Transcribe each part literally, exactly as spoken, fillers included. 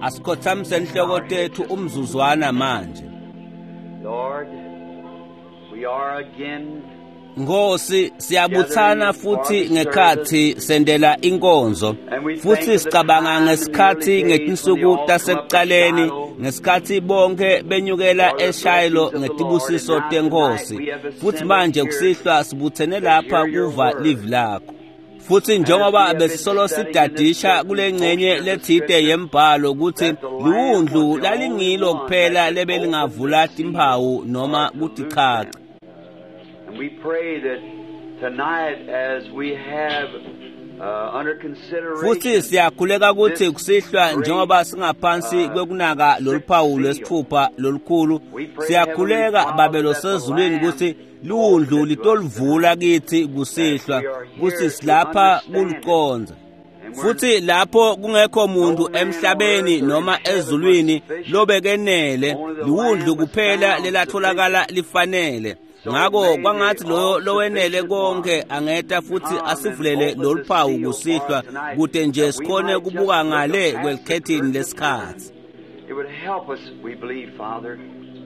Asikhothamise inhloko tethu umzuzwana manje. Lord, we are again Nkosi, siyabuthana futhi ngekhathi sendela inkonzo, futhi sicabanga ngesikhathi ngetinsuku tasekuqaleni, ngesikhathi bonke benyukela eShilo ngetibusiso tenkosi. Futhi manje kusihlwa sibuthene lapha kuva livi lakho. Futhi njengoba besisolo sidadisha kule ngcenye lethide yembhalo ukuthi liwundlu lalingilo kuphela lebelingavula timphawu noma kutichacha. And we pray that tonight, as we have uh, under consideration, Futhi siyakhuleka ukuthi kusihlwa njengoba singaphansi kwekunaka loluphawu lwesithupha lolukhulu, siyakhuleka Babe losezulwini ukuthi liwundlu litolivula kithi kusihlwa, kuthi silapha kuliqondza. Futhi lapho kungekho muntu emhlabeni noma ezulwini lobekenele, liwundlu kuphela lelatholakala lifanele. Ngako kwangathi loyo lowenele konke angeta futhi asivulele loluphawu kusihlwa, kute nje sikhone kubuka ngale kwelikhethini lesikhathi. It would help us, we believe, Father.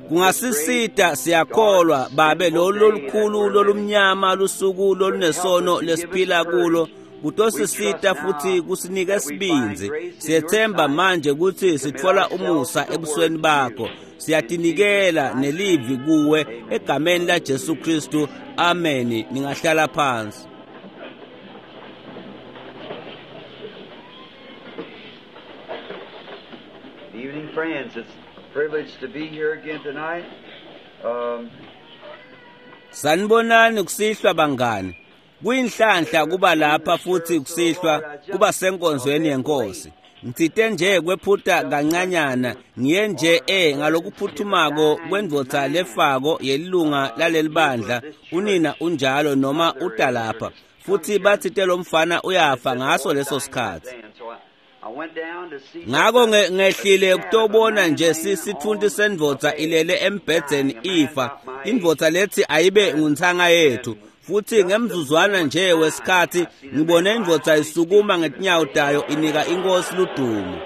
Kungasisita siyakholwa Babe lolu lolukhulu lolumnyama lusuku lolunesono lesiphila kulo kutosisita futhi kusinike sibindzi. Siyethemba manje ukuthi sitfola umusa ebusweni bakho. Siyatinikela nelivi kuwe egameni la Jesu Kristu. Amen. Ningahlala phansi. Good evening, friends. It's a privilege to be here again tonight. Um, Sanibonani kusihlwa bangani. Kuyinhlanhla kuba lapha futhi kusihlwa kuba senkonzweni yenkosi. Ngitsite nje kwephuta kancanyana, ngiye nje e ngalokuphuthumako kwendvodza lefako yelilunga lalelibandla, unina unjalo noma utalapha. Futhi batsite lo mfana uyafa ngaso leso sikhathi. Ngako ngehlile kutobona nje sisithunti sendvodza ilele embhedzeni ifa. Indvodza lethi ayibe nguntsanga yethu. Futhi ngemzuzwana nje wesikhathi ngibone indvodza isukuma ngetinyawo tayo inika inkosi ludumo.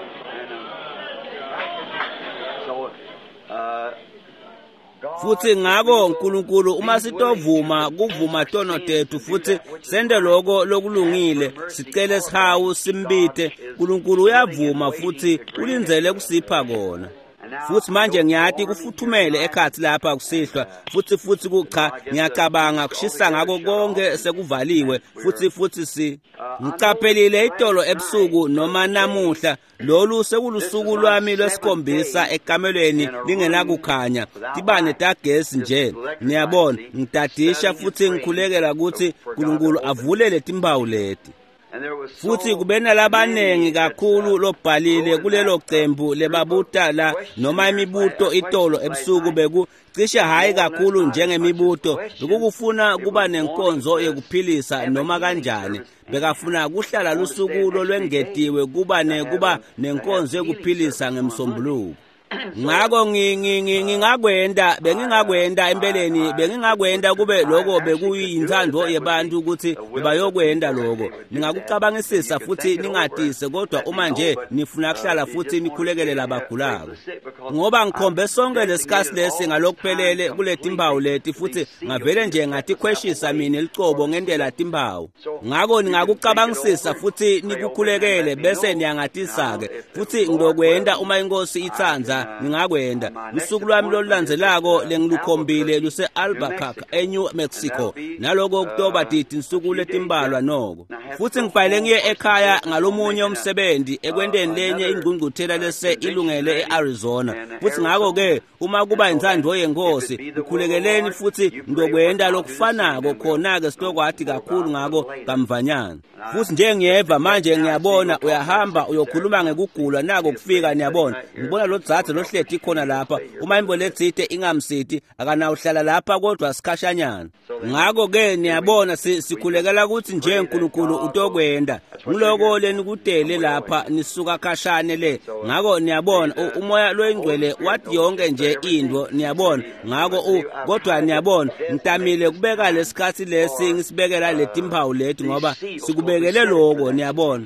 Futhi ngako uNkulunkulu uma sitovuma kuvuma tono tethu futhi sende lokho lokulungile, sicele sihawu simbite, uNkulunkulu uyavuma futhi ulindzele kusipha kona. Futhi manje ngiyati kufuthumele ekhathi lapha kusihlwa, futhi futhi kucha ngiyacabanga kushisa ngako konke sekuvaliwe, futhi futhi si ngiqaphelile itolo ebusuku noma namuhla lolu sekulusuku lwami lwesikhombisa ekamelweni lingenakukhanya, tibane tagesi nje. Niyabona, ngidadisha futhi ngikhulekela ukuthi uNkulunkulu avulele timphawu leti. Futhi kube nalabaningi kakhulu lobhalile kulelo cembu lebabuta la noma imibuto itolo ebusuku beku cishe hayi kakhulu njengemibuto, bekukufuna kuba nenkonzo yekuphilisa noma kanjani. Bekafuna kuhlala lusuku lolwengetiwe kuba ne kuba nenkonzo yekuphilisa ngemsombuluko. Ngako ngingakwenda bengingakwenda empeleni bengingakwenda kube lokho bekuyinthando yebantu ukuthi bayokwenda lokho. Ningakucabangisisa futhi ningatise, kodwa uma nje nifuna kuhlala futhi nikhulekele labagulako, ngoba ngikhombe sonke lesikhathi lesi ngalokuphelele kule timphawu leti, futhi ngavele nje ngatikhweshisa mina licobo ngendlela timphawu. Ngako ningakucabangisisa futhi nikukhulekele bese niyangatisa-ke, futhi ngizokwenda uma inkosi itsandza. Ngingakwenda. Usuku lwami lolulandzelako lengilukhombile luse Albuquerque eNew Mexico, naloko kutoba tinsuku letimbalwa noko. Futhi ngifanele ngiye ekhaya ngalomunye umsebenzi ekwenteni lenye ingqungquthela lese ilungele eArizona. Futhi ngako-ke uma kuba inthando yenkosi, ukhulekeleni futhi ngizokwenda lokufanako khona-ke sitokwathi kakhulu ngako kamvanyana. Futhi nje ngiyeva manje ngiyabona uyahamba uyokhuluma ngekugula nako kufika, niyabona. Ngibona lo dzadze lohleti khona lapha, uma imbo letsite ingamsiti akanawuhlala lapha kodwa sikhashanyana. Ngako-ke niyabona sikhulekela ukuthi nje uNkulunkulu utokwenda. Ngiloko lenikutele lapha nisuka khashane le. Ngako niyabona umoya loyingcwele wathi yonke nje into, niyabona. Ngako u kodwa niyabona ngitamile kubeka lesikhathi lesi ngisibekela letimphawu leti ngoba sikubekele lokho, niyabona.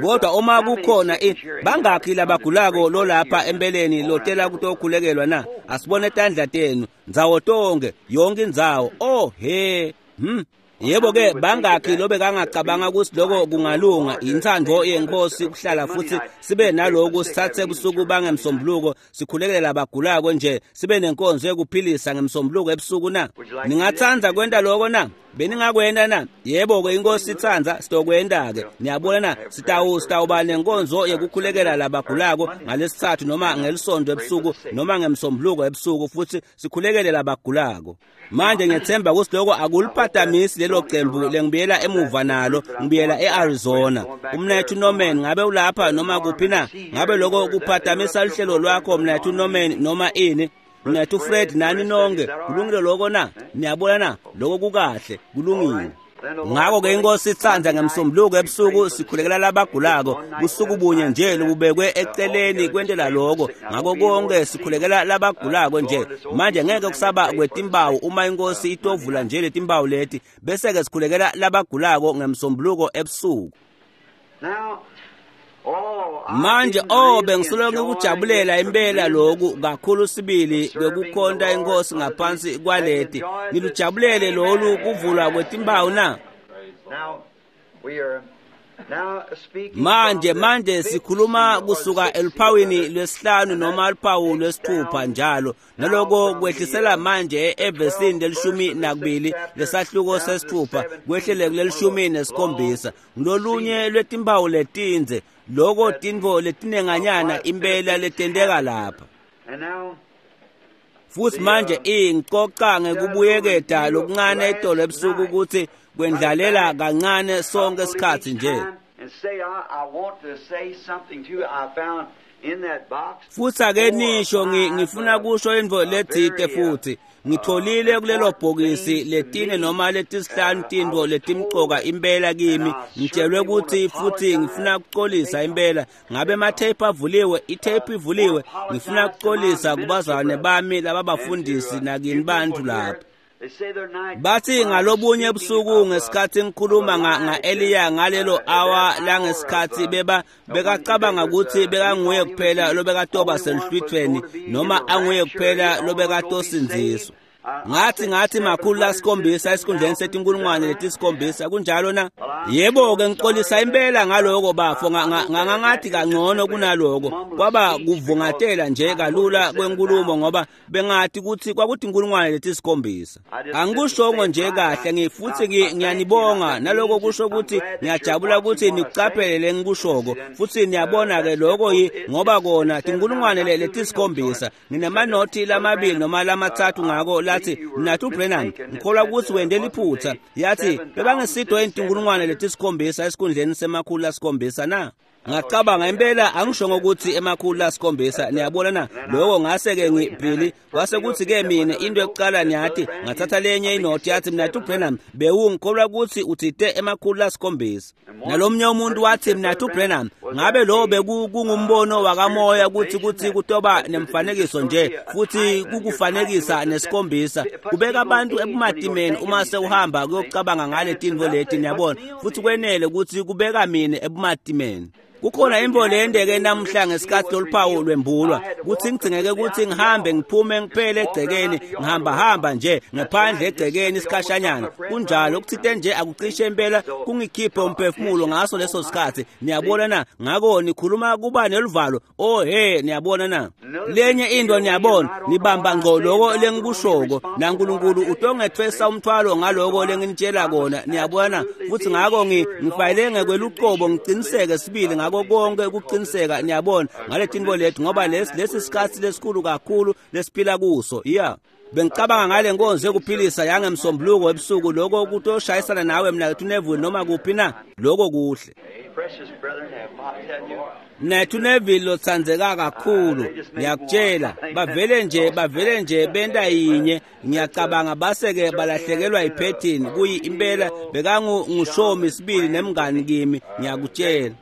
Kodwa uma kukhona bangakhi labagulako lolapha empeleni lotela kutokhulekelwa na? Asibone tandla tenu ndzawo tonke, yonke indzawo. Oh he, hmm. Yebo ke bangakhi lobe kangacabanga ukuthi lokho kungalunga inthando yenkosi kuhlala futhi sibe naloku sithathe busuku bangemsombuluko sikhulekele labagulako nje sibe nenkonzo yokuphilisa ngemsombuluko ebusuku na? Ningathanda kwenta lokho na? Beningakwenta na? Yebo ke inkosi itsandza sitokwenta ke. Niyabona na? Sitawu sitawuba nenkonzo yokukhulekela labagulako ngalesithathu noma ngelisonto ebusuku noma ngemsombuluko ebusuku futhi sikhulekele labagulako. Manje ngiyethemba ukuthi lokho akuliphatamisi lelo cembu lengibuyela emuva nalo, ngibuyela eArizona. Umnethu Norman ngabe ulapha noma kuphi na? Ngabe lokho kuphatamisa uhlelo lwakho mnethu Norman noma ini? Mnethu Fred nani nonke, kulungile lokho na? Niyabona na? Lokho kukahle, kulungile. Ngakho ke inkosi itsandza ngemsombuluko ebusuku sikhulekela labagulako busuku bunye nje lobubekwe eceleni kwentela lokho. Ngakho konke sikhulekela labagulako nje. Manje ngeke kusaba kwetimbawu uma inkosi itovula nje letimbawu leti bese ke sikhulekela labagulako ngemsombuluko ebusuku. Manje oh bengisoloko ngikujabulela impela lokhu kakhulu sibili kwekukhonta inkosi ngaphansi kwaleti. Nilujabulele lolu kuvulwa kwetimbawu na? Manje manje sikhuluma kusuka eluphawini lwesihlanu noma luphawu lwesithupha njalo naloko kwehlisela manje evesini lelishumi nakubili lesahluko sesithupha kwehlele kulelishumi nesikhombisa ngilolunye lwetimpawu letindze loko tintfo letinenganyana impela letenteka lapha. Futhi manje ingixoxa ngekubuyeketa lokuncane itolo ebusuku ukuthi kwendlalela kancane sonke isikhathi nje. Futhi ake nisho ngifuna kusho intfo letsite futhi ngitholile kulelo bhokisi letine noma letisihlanu tintfo letimcoka impela kimi. Ngitshelwe ukuthi futhi ngifuna ukuxolisa impela. Ngabe amatheyiphu avuliwe? Itheyiphu ivuliwe. Ngifuna ukuxolisa kubazalwane bami lababafundisi nakini bantu lapha. Bathi ngalobunye ebusuku ngesikhathi ngikhuluma nga-Eliya ngalelo awa langesikhathi beba bekacabanga ukuthi bekanguye kuphela lobekatoba seluhlwithweni noma anguye kuphela lobekatosindziswa. Ngathi ngathi makhulu lasikhombisa esikhundleni setinkulungwane letisikhombisa kunjalo na? Yebo ke ngixolisa impela ngaloko bafo ngangathi kangcono kunaloko kwaba kuvungatela nje kalula kwenkulumo ngoba bengathi ukuthi kwakuthi inkulungwane letisikhombisa. Angikushongo nje kahle ngifuthi ngiyanibonga naloko kusho ukuthi ngiyajabula ukuthi nikucaphele lengikushoko futhi niyabona ke lokho ngoba kona tinkulungwane letisikhombisa nginemanothi lamabili noma lamathathu ngako lathi Mnathu Branham ngikholwa ukuthi wende liphutha yathi bebangesidwa intinkulungwane letisikhombisa esikhundleni semakhulu lasikhombisa na? Ngacabanga impela angishongo ukuthi emakhulu lasikhombisa. Niyabona na? Lokho ngase ke ngibhili kwase kuthi ke mina into yokuqala niyathi ngathatha lenye inothi yathi Mnathu Branham bewungikholwa ukuthi uthite emakhulu lasikhombisa. Nalomnye umuntu wathi Mnathu Branham ngabe lo bekungumbono wakamoya ukuthi kuthi kutoba nemfanekiso nje futhi kukufanekisa nesikhombisa kubeka abantu ebumatimeni uma sewuhamba kuyocabanga ngale tintfo leti. Niyabona futhi kwenele ukuthi kubeka mina ebumatimeni. Kukhona imvo leyendeke namuhla ngesikhathi loluphawu lwembulwa kuthi ngigcingeke ukuthi ngihambe ngiphume ngiphele egcekeni ngihamba hamba nje ngaphandle egcekeni isikhashanyana kunjalo ukuthite nje akucishe impela kungikhiphe umphefumulo ngaso leso sikhathi. Niyabona na? Ngako nikhuluma kuba neluvalo. Oh he, niyabona na? Lenye into niyabona nibamba ngqo lokho lengikushoko naNkulunkulu utongethwesa umthwalo ngaloko lenginitshela kona. Niyabona? Futhi ngako ngifayile ngekweluqobo ngiqiniseke sibili ngako konke ukuqiniseka. Niyabona ngale tintfo lethu ngoba lesi lesi sikhathi lesikhulu kakhulu lesiphila kuso. Yeah, bengicabanga ngale nkonzo yokuphilisa yangemsombuluko ebusuku lokho kutoshayisana nawe mnakethu Neville noma kuphi na? Lokho kuhle. Mnakethu Neville lotsandzeka kakhulu ngiyakutshela bavele nje bavele nje benta yinye ngiyacabanga base-ke balahlekelwa yiphethini kuyi impela bekangushomi sibili nemngani kimi ngiyakutshela.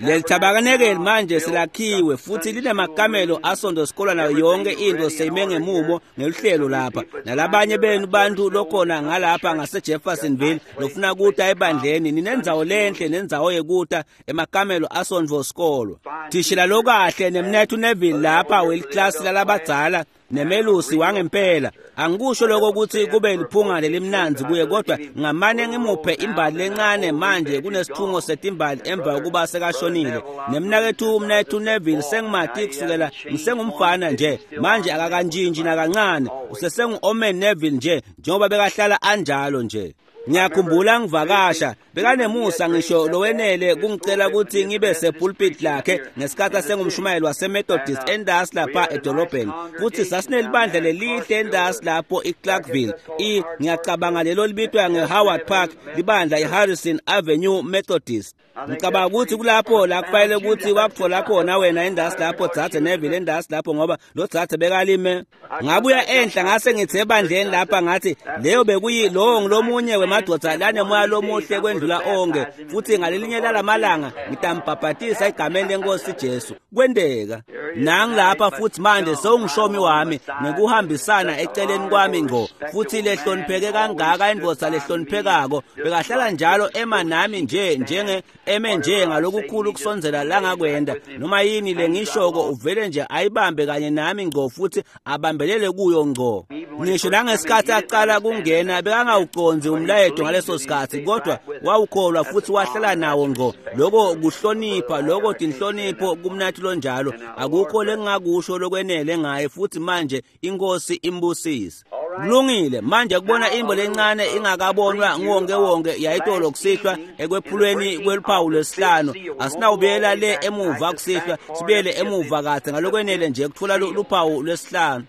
Leli tabernacle manje selakhiwe futhi linemakamelo asonto sikolwa nayo yonke into seyime ngemumo ngeluhlelo lapha. Nalabanye benu bantu lokhona ngalapha ngase-Jeffersonville lofuna kuta ebandleni, ninendzawo lenhle nendzawo yekuta emakamelo asonto sikolwa. Thishela lokahle nemnethu Neville lapha weliklasi lalabadzala nemelusi wangempela. Angikusho lokho ukuthi kube liphunga lelimnandzi kuye, kodwa ngamane ngimuphe imbali lencane manje kunesithungo setimbali emva kokuba sekashonile. Nemnakethu umnethu Neville sengimati kusukela ngisengumfana nje, manje akakantshintshi nakancane, usesengu-Omen Neville nje njengoba bekahlala anjalo nje. Ngiyakhumbula ngivakasha, bekanemusa ngisho lowenele kungicela ukuthi ngibe sepulpit lakhe ngesikhathi asengumshumayeli waseMethodist endasi lapha edolobheni. Futhi sasinelibandla lelihle endasi lapho iClarkville. I ngiyacabanga lelo libitwa ngeHoward Park, libandla iHarrison Avenue Methodist. Ngicabanga ukuthi kulapho la kufanele ukuthi wakuthola khona wena endasi lapho dzadze Neville endasi lapho, ngoba lo dzadze bekalime. Ngabuya enhla ngase ngithe ebandleni lapha ngathi leyo bekuyi lowo ngilomunye wemadoda lanemoya lomuhle kwendlula onke, futhi ngalelinye lalamalanga ngitambhabhatisa egameni lenkosi Jesu. Kwenteka nangilapha futhi manje sewungishomi wami ngekuhambisana eceleni kwami ngqo, futhi lehlonipheke kangaka indvodza lehloniphekako bekahlala njalo ema nami nje njenge eme nje ngalokukhulu kusondzela langakwenda. Noma yini lengishoko uvele nje ayibambe kanye nami ngqo futhi abambelele kuyo ngqo. Ngisho nangesikhathi aqala kungena bekangawucondzi umlayeto ngaleso sikhathi, kodwa wawukholwa futhi wahlala nawo ngqo. Lokho kuhlonipha, lokho tinhlonipho kumnathi lonjalo. Akukho lengingakusho lokwenele ngaye, futhi manje inkosi imbusise. Kulungile manje kubona imbo lencane ingakabonwa nguwonke wonke yayitolo kusihlwa ekwephulweni kweluphawu lwesihlanu. Asinawubuyela le emuva kusihlwa, sibuyele emuva kahle ngalokwenele nje kuthola luphawu lwesihlanu.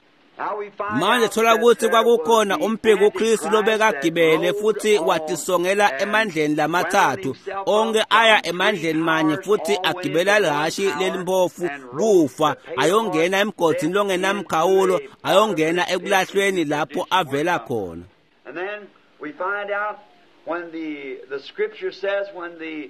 Manje thola ukuthi kwakukhona umphiko uKristu lobekagibele futhi watisongela emandleni lamathathu onke aya emandleni manye, futhi agibela lihashi lelimpofu kufa, ayongena emgodini longenamkhawulo, ayongena ekulahlweni lapho avela khona. And then we find out when the the scripture says when the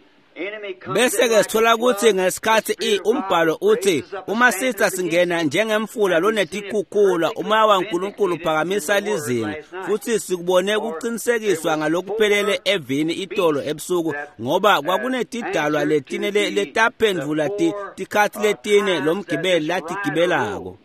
Bese ke sithola ukuthi ngesikhathi i umbhalo uthi uma sitha singena njengemfula lonetikhukhula, umoya waNkulunkulu uphakamisa lizinga, futhi sikubone kuqinisekiswa ngalokuphelele evini itolo ebusuku, ngoba kwakunetidalwa letine letaphendvula tikhathi letine lomgibeli latigibelako.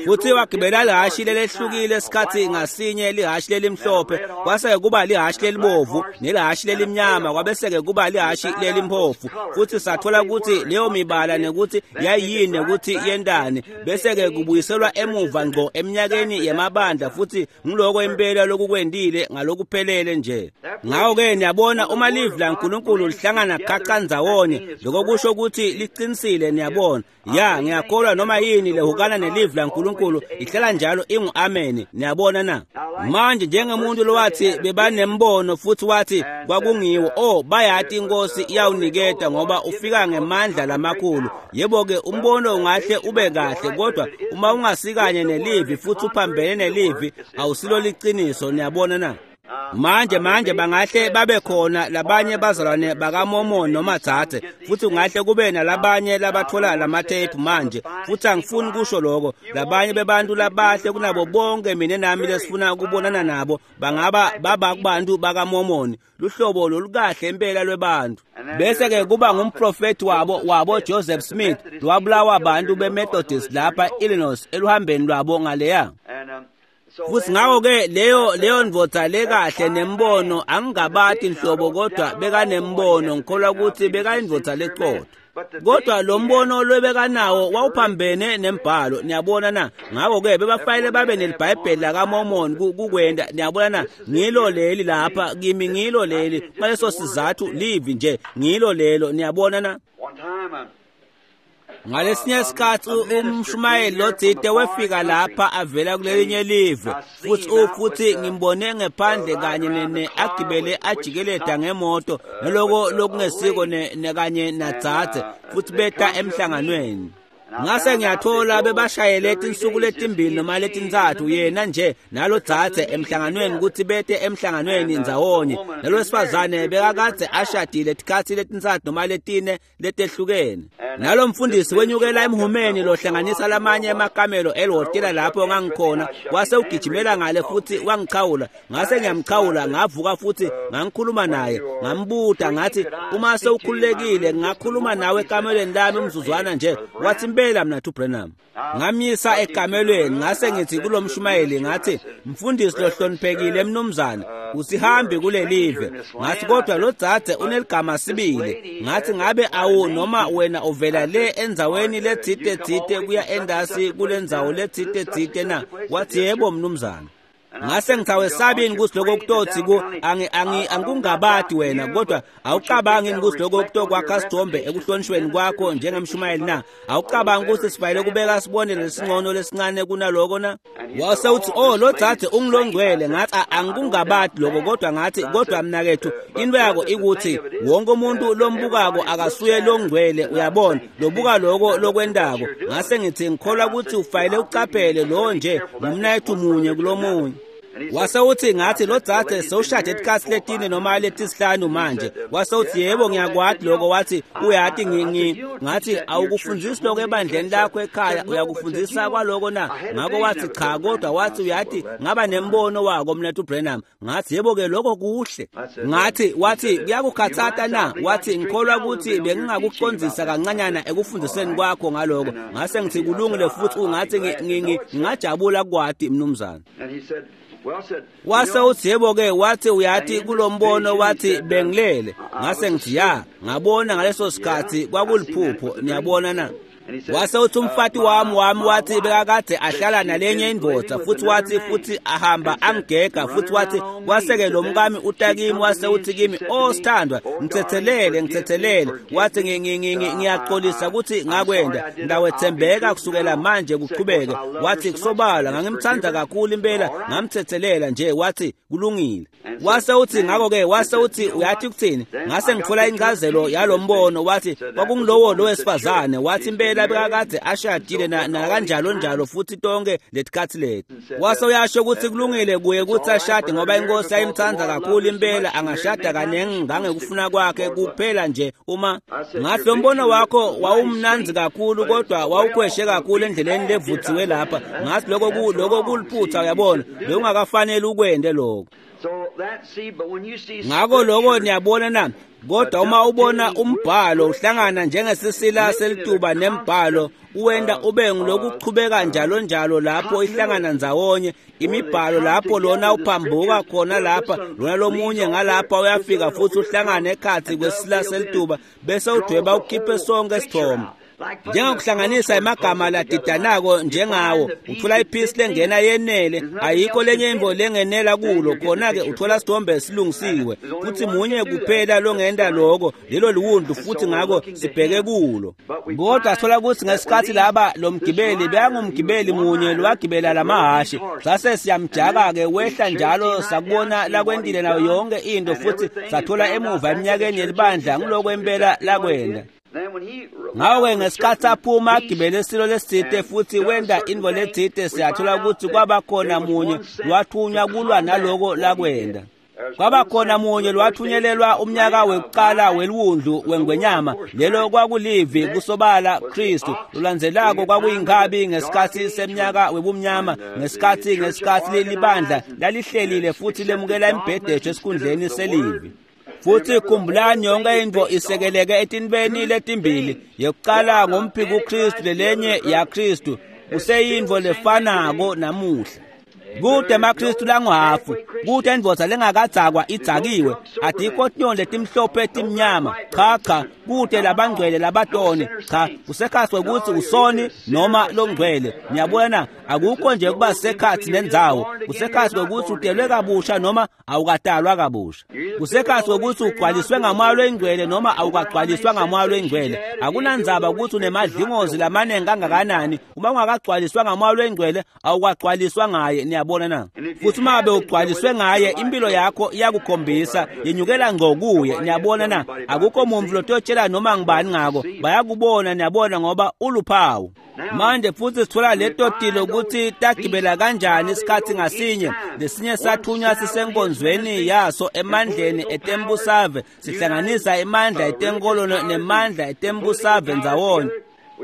Futhi wagibela lihashi lelehlukile esikhathi ngasinye, lihashi lelimhlophe kwase kuba lihashi lelibovu, nelihashi lelimnyama kwabese kuba lihashi lelimpofu. Futhi sathola ukuthi leyo mibala nekuthi yayiyini ukuthi yendani, bese ke kubuyiselwa emuva ngqo eminyakeni yemabandla, futhi ngiloko impela lokukwendile ngalokuphelele nje. Ngakho ke niyabona uma livi laNkulunkulu lihlangana khaxa ndzawonye, lokho kusho ukuthi liqinisile. Niyabona ya, ngiyakholwa noma yini lehukana nelivi laNkulunkulu ihlala njalo ingu amen. Niyabona na? Manje njengemuntu lowathi bebanembono futhi wathi kwakungiwo, oh bayati inkosi iyawuniketa ngoba ufika ngemandla lamakhulu. Yebo ke umbono ungahle ube kahle, kodwa uma ungasikanye nelivi futhi uphambene nelivi awusilo liqiniso. Niyabona na? Manje manje bangahle babe khona labanye bazalwane bakaMormon noma dzadze, futhi kungahle kube nalabanye labathola lamathephu manje, futhi angifuni kusho lokho. Labanye bebantu labahle kunabo bonke mina nami lesifuna ukubonana nabo bangaba baba kubantu bakaMormon, luhlobo lolukahle impela lwebantu. Bese ke kuba ngumprofeti wabo wabo Joseph Smith lwabulawa abantu beMethodist lapha Illinois eluhambeni lwabo ngaleya. Futhi ngakho ke leyo leyo ndvodza lekahle nembono angingabati inhlobo, kodwa bekanembono, ngikholwa ukuthi bekayindvodza leqotho. Kodwa lo mbono lwebekanawo wawuphambene nembhalo. Niyabona na? Ngakho ke bebafanele babe neliBhayibheli lakaMormon kukwenda. Niyabona na? Ngilo leli lapha kimi, ngilo leli ngaleso sizathu livi nje, ngilo lelo. Niyabona na? Ngalesinye isikhathi umshumayeli lothite wefika lapha avela kulelinye live, futhi futhi ngimbone ngephandle kanye ne agibele ajikeleda ngemoto naloko lokungesiko ne kanye nadzadze, futhi beta emhlanganweni. Ngase ngiyathola bebashayele tinsuku letimbili noma letintsatfu yena nje nalo dzadze emhlanganweni kutsi bete emhlanganweni ndzawonye. Nalowesifazane bekakadze ashadile tikhatsi letintsatfu noma letine letehlukene. Nalo mfundisi wenyukela emhumeni lohlanganisa lamanye emakamelo elihhotela lapho ngangikhona, wase ugijimela ngale futsi wangichawula. Ngase ngiyamchawula, ngavuka futsi ngangikhuluma naye, ngambuta ngathi, uma sewukhululekile ngingakhuluma nawe ekamelweni lami umzuzwana nje? Wathi, impela mnathu Branham. Ngamyisa ekamelweni, ngase ngithi kulomshumayeli, ngathi, mfundisi lohloniphekile mnumzane, usihambi kulelive. Ngathi, kodwa lo dzadze uneligama sibili. Ngathi, ngabe awu noma wena uvela le endzaweni letsite tsite kuya endasi kulendzawo letsite tsite na? Wathi, yebo mnumzane. Ngase ngitawesabini kutsi lokho kutotsi ku angi angi angikungabati wena, kodwa awucabangi kutsi lokho kutokwakha sithombe ekuhlonishweni kwakho njengemshumayeli na? Awucabangi kutsi sifanele kubeka sibonelo lesingcono lesincane kunaloko na? Wase uthi, oh lo dzadze ungilongcwele. Ngathi, angikungabati lokho, kodwa ngathi, kodwa mnakethu, into yako ikuthi wonke umuntu lombukako akasuye longcwele, uyabona, lobuka lokho lokwendako. Ngase ngithi, ngikholwa kutsi ufanele ucaphele lo nje ngumnakethu munye kulomunye. Wase uthi, ngathi, lo dzadze sewushade tikhatsi letine noma letisihlanu manje. Wase uthi, yebo ngiyakwati lokho. Wathi, uyati ngi ngathi, awukufundzisi lokho ebandleni lakho ekhaya, uyakufundzisa kwaloko na? Ngako wathi, cha, kodwa wathi, uyati ngaba nembono wako mnethu Branham. Ngathi, yebo ke lokho kuhle. Ngathi, wathi, kuyakukhatsata na? Wathi, ngikholwa kutsi bengingakucondzisa kancanyana ekufundiseni kwakho ngaloko. Ngase ngithi, kulungile futsi ungathi ngingajabula kwati mnumzane. Wase uthi, yebo ke, wathi, uyati kulombono, wathi bengilele. Ngase ngithi, ya, ngabona ngaleso sikhatsi kwakuliphupho, niyabona na? Wase uthi, umfati wami wami wathi bekakade ahlala nalenye indvodza, futhi wathi futhi ahamba angigega, futhi wathi waseke lo mkami utakimi, wase uthi kimi, oh sithandwa, ngithethelele ngithethelele. Wathi, ngiyaxolisa ukuthi ngakwenda, ngawethembeka kusukela manje kuqhubeke. Wathi, kusobala ngangimthanda kakhulu impela, ngamthethelela nje. Wathi, kulungile. Wase uthi, ngakho ke, wase uthi, uyathi kuthini? Ngase ngithola incazelo yalombono. Wathi, kwakungilowo lo wesifazane. Wathi, impela bekakade ashadile na nakanjalo njalo futhi tonke letikhatsi leti. Wase uyasho ukuthi kulungile kuye kutsi ashade ngoba inkosi ayimthanda kakhulu impela, angashada kaningi ngangekufuna kwakhe kuphela nje uma. Ngathi, lo mbono wakho wawumnandzi kakhulu kodwa wawukhweshe kakhulu endleleni levuthiwe lapha. Ngathi, lokho lokho kuliphutha, uyabona, bewungakafanele ukwende lokho. Ngako lokho niyabona na? Kodwa uma ubona umbhalo uhlangana njengesisila selituba nembhalo, uwenda ube ngilokuchubeka njalo njalo lapho ihlangana ndzawonye imibhalo, lapho lona uphambuka khona lapha, lona lomunye ngalapha uyafika futhi uhlangane ekhatsi kwesila selituba, bese udweba ukhiphe sonke isithombe. Njengokuhlanganisa emagama ladidanako njengawo, uthola iphisi lengena yenele, ayikho lenye imvo lengenela kulo, khona-ke uthola sithombe esilungisiwe. Futhi munye kuphela longenta lokho, lelo liwundlu, futhi ngako sibheke kulo. Kodwa sithola ukuthi ngesikhathi laba lo mgibeli bekangumgibeli munye lowagibela lamahhashi, sase siyamjaka-ke wehla njalo, sakubona lakwentile nayo yonke into, futhi sathola emuva eminyakeni yelibandla ngiloko impela lakwenda. Ngako-ke ngesikhatsi aphuma agibele isilo lesitsite futhi wenda intfo letsite, siyathola kutsi kwaba khona munye lowathunywa kulwa naloko lakwenda. Kwaba khona munye lowathunyelelwa umnyaka wekuqala weliwundlu wengwenyama, lelo kwakulivi kusobala Kristu. Lolandzelako kwakuyinkabi ngesikhatsi semnyaka webumnyama, ngesikhatsi ngesikhatsi libandla lalihlelile futhi lemukela imbhedesho esikhundleni selivi. Futhi khumbulani, yonke intfo isekeleke etintfweni letimbili, yekuqala ngumphiko Kristu, lelenye yaKristu. Kuseyintfo lefanako namuhla. Kute emaKristu languhafu, kute indvodza lengakadzakwa idzakiwe, atikho tinyoni letimhlophe timnyama, cha cha, kute labangcwele labatoni, cha, kusekhatsi kwekutsi usoni noma longcwele. Niyabona, akukho nje kuba sekhatsi nendzawo, kusekhatsi kwekutsi utelwe kabusha noma awukatalwa kabusha, kusekhatsi kwekutsi ugcwaliswe ngamoya loyingcwele noma awukagcwaliswa ngamoya loyingcwele. Akunandzaba ukuthi unemadlingozi lamaningi kangakanani, uma ungakagcwaliswa ngamoya loyingcwele awukagcwaliswa ngaye. Niyabona na? Futhi uma bewugcwaliswe ngaye, impilo yakho iyakukhombisa, yenyukela ngqo kuye. Niyabona na? Akukho muntu lototshela noma ngibani ngako, bayakubona, niyabona, ngoba uluphawu. Manje futhi sithola leto tilo ukuthi tagibela kanjani isikhathi ngasinye. Lesinye sathunywa sisenkonzweni yaso emandleni etembusave, sihlanganisa imandla etenkolo nemandla etembusave ndzawonye.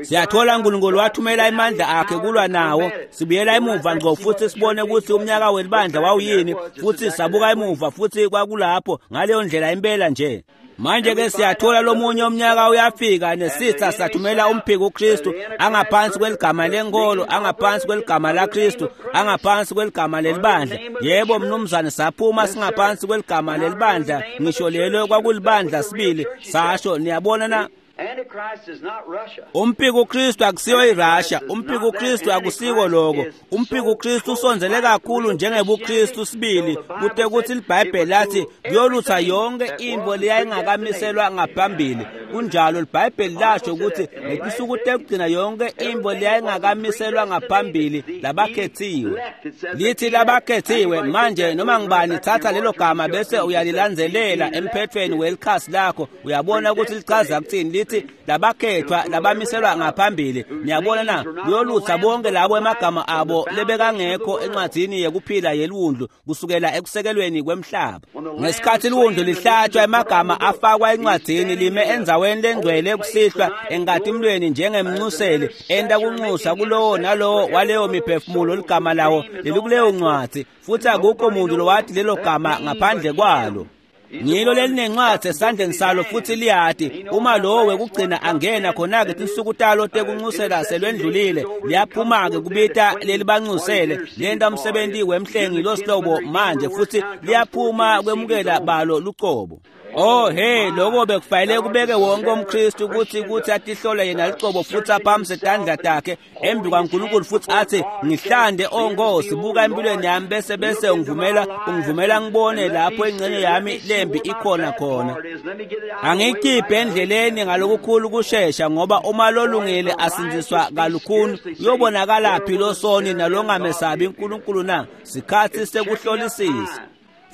Siyathola uNkulunkulu wathumela imandla akhe kulwa nawo. Sibuyela emuva ngqo futhi sibone ukuthi umnyaka welibandla wawuyini, futhi sabuka emuva futhi kwakulapho ngaleyo ndlela impela nje. Manje ke siyathola lomunye umnyaka uyafika, nesitha sathumela umphiko uKristu angaphansi kweligama lenkolo, angaphansi kweligama laKristu, angaphansi kweligama lelibandla. Yebo mnumzane, saphuma singaphansi kweligama lelibandla, ngisho lelo kwakulibandla sibili, sasho. Niyabona na? Umphiko uKristu akusiyo iRussia, umphiko uKristu akusiko lokho. Umphiko uKristu usondzele kakhulu njengebuKristu sibili, kute kuthi iBhayibheli lathi kuyolutha yonke into leyayingakamiselwa ngaphambili. Kunjalo, iBhayibheli lasho ukuthi ngetinsuku tekugcina yonke into leyayingakamiselwa ngaphambili labakhethiwe. Lithi labakhethiwe. Manje noma ngibani thatha lelo gama bese uyalilandzelela emphethweni welikhasi lakho, uyabona ukuthi lichaza kuthini. Lithi labakhethwa, labamiselwa ngaphambili. Niyabona na? Kuyolutha bonke labo emagama abo lebekangekho encwadzini yekuphila yeliwundlu kusukela ekusekelweni kwemhlaba. Ngesikhathi liwundlu lihlatshwa, emagama afakwa encwadzini, lime endzaweni lengcwele kusihlwa enkatimlweni njengemncuseli, enta kunxusa kulowo nalowo waleyo miphefumulo ligama lawo lelikuleyo ncwadzi, futhi akukho muntu lowathi lelo gama ngaphandle kwalo. Ngilo lelinencwadzi esandleni salo futhi liyati uma lowo wekugcina angena khona-ke tinsuku talo tekuncusela selwendlulile, liyaphuma-ke kubita lelibancusele, lenta umsebenti wemhlengi losihlobo manje, futhi liyaphuma kwemukela balo lucobo. Oh hey, lokho bekufanele kubeke wonke umKristu ukuthi ukuthi atihlole yena licobo futhi aphamise tandla takhe embi kwaNkulunkulu futhi athi, ngihlande o Nkosi, buka empilweni yami, bese bese ungivumela ungivumela ngibone lapho ingxenye yami lembi ikhona khona. Angikhiphe endleleni ngalokukhulu kushesha, ngoba uma lolungile asindziswa kalukhuni, uyobonakala phi losoni nalongamesabi uNkulunkulu na? Sikhathi sekuhlolisisa.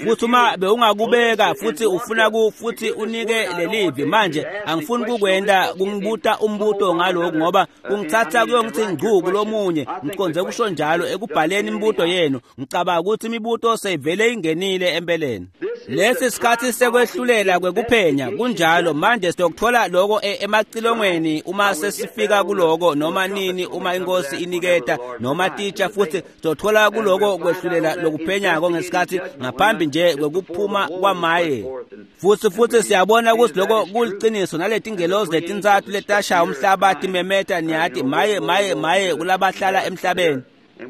Futhi uma bewungakubeka futhi ufuna ku futhi unike lelivi manje, angifuni kukwenda kungibuta umbuto ngalokhu, ngoba kungithatha kuyongithi ngcu kulomunye. Ngiconze kusho njalo ekubhaleni imibuto yenu. Ngicabanga ukuthi imibuto seyivele ingenile empeleni. Lesi sikhathi sekwehlulela kwekuphenya, kunjalo. Manje siyokuthola lokho emacilongweni uma sesifika kuloko, noma nini uma inkosi iniketa noma titsha, futhi siyothola kuloko kwehlulela lokuphenyako ngesikhathi ngaphambi nje kwekuphuma kwamaye. Futhi futhi siyabona ukuthi lokho kuliciniso, naletingelozi letintsatfu letashaya umhlaba timemeta, niyati, maye maye maye kulabahlala emhlabeni.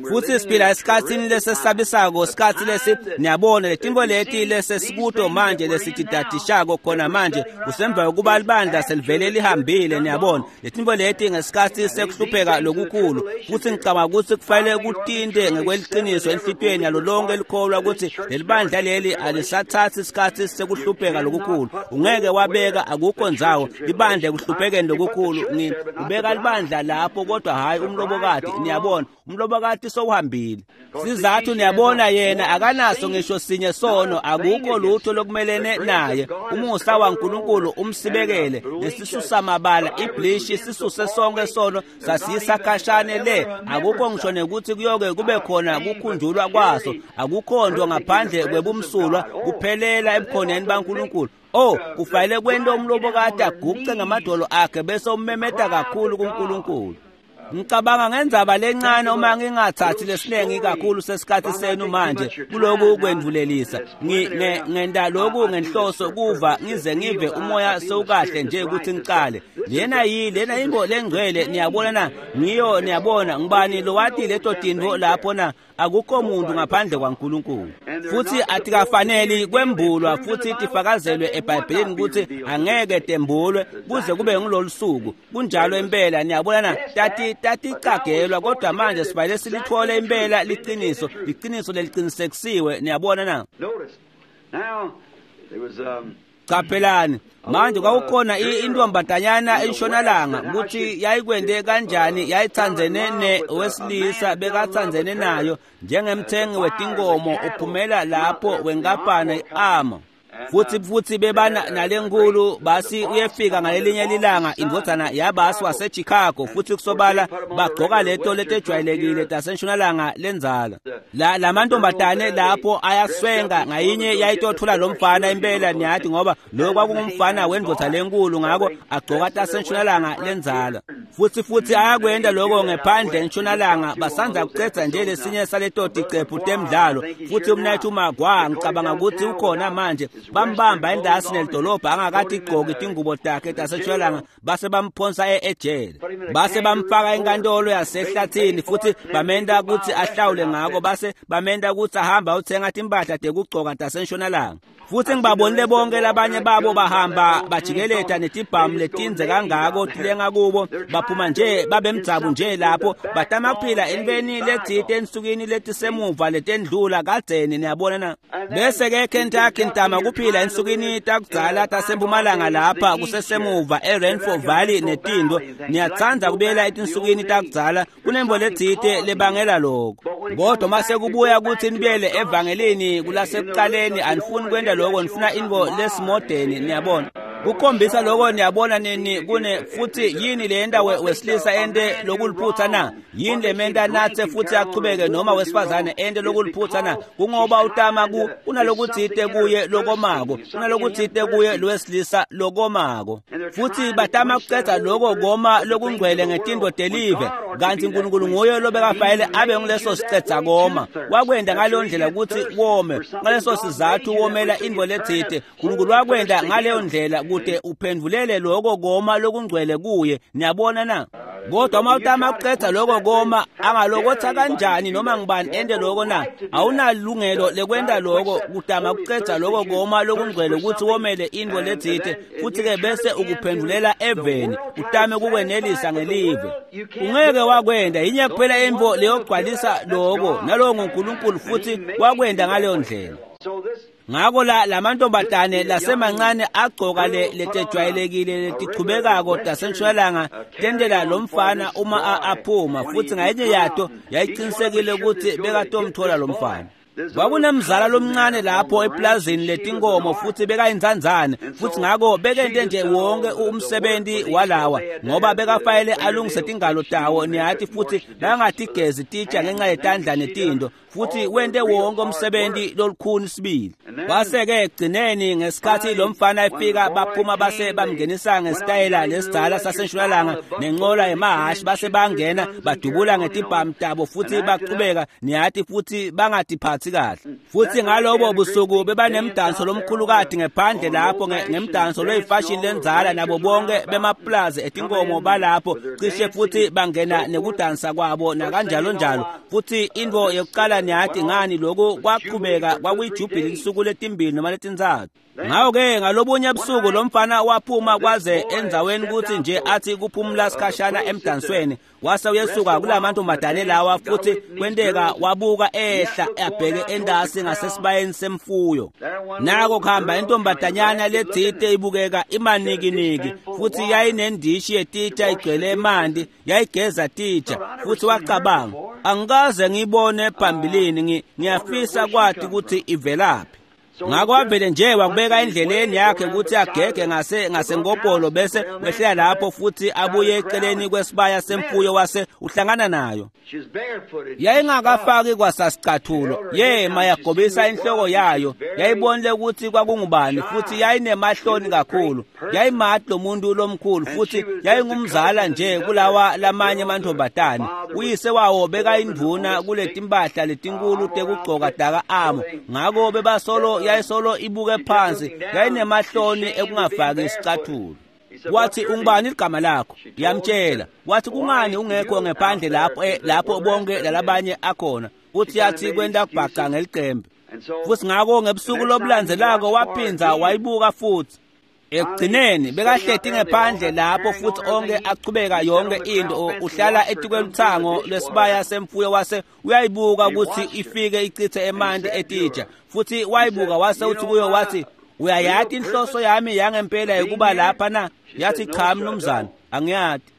Futhi siphila esikhatsini lesesabisako, sikhatsi lesi, niyabona, letinto leti lesesikuto manje lesitidadishako khona manje kusemva kokuba libandla selivele lihambile. Niyabona, letinto leti ngesikhatsi sekuhlupheka lokukhulu, futhi ngicabanga ukuthi kufanele kutinte ngekweliciniso enhlitiyweni yalo lonke likholwa ukuthi lelibandla leli alisathathi isikhatsi sekuhlupheka lokukhulu. Ungeke wabeka, akukho ndzawo libandla ekuhluphekeni lokukhulu. Ubeka libandla lapho, kodwa hhayi umlobokati. Niyabona, umlobokati sowuhambile. Sizathu, niyabona, yena akanaso ngisho sinye sono, akukho lutho lokumelene naye. Umusa waNkulunkulu umsibekele lesisusamabala iblishi sisuse sonke sono sasiyisa khashane le. Akukho ngisho nekuthi kuyoke kube khona kukhunjulwa kwaso, akukho nto ngaphandle kwebumsulwa, kuphelela ebukhoneni baNkulunkulu. Oh, kufanele kwento umlobokati aguce ngamadolo akhe bese ummemeta kakhulu kuNkulunkulu. Ngicabanga ngendzaba lencane, uma ngingathathi lesiningi kakhulu sesikhathi senu manje kuloku kwendvulelisa. Ngenta lokhu ngenhloso kuva ngize ngive umoya sewukahle nje ukuthi ngicale. Lena yi lena imbo lengcwele, niyabona na? Ngiyo, niyabona, ngibani lowati leto tintfo lapho na? Akukho muntu ngaphandle kwaNkulunkulu. Futhi atikafaneli kwembulwa futhi tifakazelwe eBhayibhelini ukuthi angeke tembulwe kuze kube ngilolu suku. Kunjalo impela, niyabona na? Tati taticagelwa, kodwa manje sifanele silithole impela liqiniso, liqiniso leliqinisekisiwe, niyabona na? Notice. Now, there was um, Caphelani manje kwakukhona intombazanyana entshonalanga ukuthi yayikwende kanjani yayitsandzene newesilisa bekatsandzene nayo njengemthengi wetinkomo uphumela lapho wenkampani i-ama futhi futhi bebana nalenkulu basi uyefika ngalelinye lilanga indvodzana yabasi waseChicago futhi kusobala bagcoka leto letejwayelekile tasentshonalanga lenzala la lamantombazane lapho ayaswenga ngayinye yayitothola lo mfana impela niyathi ngoba lo kwakungumfana wendvodza lenkulu ngako agcoka tasentshonalanga lenzala futhi futhi ayakwenda lokho ngephandle entshonalanga basanza kucedza nje lesinye saleto ticephu temidlalo futhi umnayithu Magwa ngicabanga ukuthi ukhona manje bambamba endasi nelidolobha angakathi igqoke tingubo takhe tasentshonalanga base bamphonsa ejele base bamfaka enkantolo yasehlathini futhi bamenda ukuthi ahlawule ngako base bamenda ukuthi ahamba uthenga timpahla tekugcoka tasentshonalanga futhi ngibabonile bonke labanye babo bahamba bajikeleta netibhamu letinze kangako tilenga kubo baphuma nje babemdzabu nje lapho batama kuphila entweni letsite ensukwini letisemuva letendlula kadzeni niyabona na bese ke Kentucky ntama kuphila ensukwini takudzala tasempumalanga lapha kusesemuva eRainfall Valley netindo niyatsandza kubuyela etinsukwini takudzala kunembo letsite lebangela lokho kodwa mase kubuya kuthi nibuyele evangelini kulasekuqaleni anifuni kwenda lokho nifuna intfo lesimodeni niyabona kukhombisa lokho niyabona nini kune futhi yini lenda wesilisa ente lokuliphutha na yini lementa natse futhi achubeke noma wesifazane ente lokuliphutha na kungoba utama ku kunalokutsite kuye lokomako kunalokutsite kuye lowesilisa lokomako futhi batama kucedza loko koma lokungcwele ngetinto telive kanti uNkulunkulu nguye lobekafayele abe nguleso sicedza koma wakwenda ngaleyo ndlela ukuthi wome ngaleso sizathu womela intfo letsite uNkulunkulu wakwenda ngaleyo ndlela kude uphendvulele lokho koma lokungcwele kuye niyabona na kodwa uma utama kucedza lokho koma angalokotha kanjani noma ngibani ente lokho na awunalungelo lekwenta lokho kutama kucedza lokho koma lokungcwele ukuthi womele intfo letsite futhi-ke bese ukuphendvulela eveni utame kukwenelisa ngelive ungeke wakwenda yinye kuphela intfo leyogcwalisa lokho nalowo nguNkulunkulu futhi wakwenda ngaleyo ndlela ngako la lamantombazane lasemancane agcoka le letejwayelekile letichubekako tasentshonalanga tentela lo mfana uma aphuma futhi ngayinye yato yayicinisekile ukuthi bekatomthola lo mfana kwakunemzala lomncane lapho eplazini letinkomo futhi bekayinzanzane futhi ngako bekente nje wonke umsebenzi walawa ngoba bekafayele alungise tingalo tawo niyathi futhi bangatigezi titsha ngenxa yetandla netinto futhi wente wonke umsebenzi lolukhuni sibili kwase-ke ekugcineni ngesikhathi lo mfana efika baphuma base bamngenisa ngesitayela lesidzala sasentshonalanga nenqola yemahhashi base bangena badubula ngetibhamu tabo futhi bachubeka niyathi futhi bangatiphathi kahle futhi ngalobo busuku bebanemdanso lomkhulukati ngephandle lapho ngemdanso loyifashini lenzala nabo bonke bemaplazi etinkomo balapho cishe futhi bangena nekudansa kwabo nakanjalo njalo futhi intfo yokuqala niyathi ngani lokhu kwaqhubeka kwakuyijubhili insuku letimbili noma letintsatfu ngako-ke ngalobunye busuku lo mfana waphuma kwaze endzaweni ukuthi nje athi kuphumula sikhashana emdansweni wase uyesuka kulamantombazane lawa futhi kwenteka wabuka ehla abheke endasi ngasesibayeni semfuyo nako kuhamba intombazanyana letsite ibukeka imanikiniki futhi yayinendishi yetitsha igcwele emanti yayigeza titsha futhi wacabanga angikaze ngiyibone phambilini ngiyafisa kwati ukuthi ivelaphi ngako wavele nje wakubeka endleleni yakhe ukuthi agege ngase ngasenkopolo bese wehlela lapho futhi abuye eceleni kwesibaya semfuyo wase uhlangana nayo yayingakafaki kwasasicathulo yema yagobisa inhloko yayo yayibonile ukuthi kwakungubani futhi yayinemahloni kakhulu yayimati lo muntu lomkhulu futhi yayingumzala nje kulawa lamanye amantombazane uyise wawo bekayindvuna kuletimpahla letinkulu tekugcoka daka amo ngako bebasolo yayisolo ibuke phansi yayinemahloni ekungafaki isicathulo wathi ungubani igama lakho yamtshela wathi kungani ungekho ngephandle lapho lapho bonke lalabanye akhona uthi yathi kwenta kubhaca ngelicembe futhi ngako ngebusuku lobulandzelako waphinza wayibuka futhi ekugcineni bekahleti ngephandle lapho futhi onke achubeka yonke into uhlala etikweluthango lwesibaya semfuyo wase uyayibuka ukuthi ifike ichithe emanti etitsha futhi wayibuka wase uthi kuyo wathi Uyayati inhloso yami yangempela yokuba lapha na? Yathi, cha mnumzane, angiyati.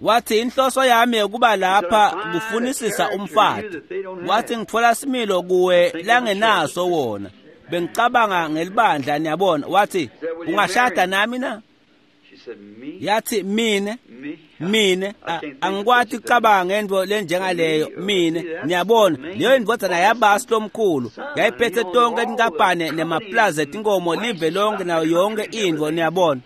Wathi, inhloso yami yokuba lapha kufunisisa umfati. Wathi, ngitfola similo kuwe langenaso wona. Bengicabanga ngelibandla, niyabona. Wathi, ungashada nami na? Yathi, mine mine angikwati ukucabanga ngento lenjengaleyo mine. Niyabona, leyo indvodzana yabasi lomkhulu yayiphethe tonke tinkampane nemaplaza etinkomo live lonke nayo yonke intfo, niyabona.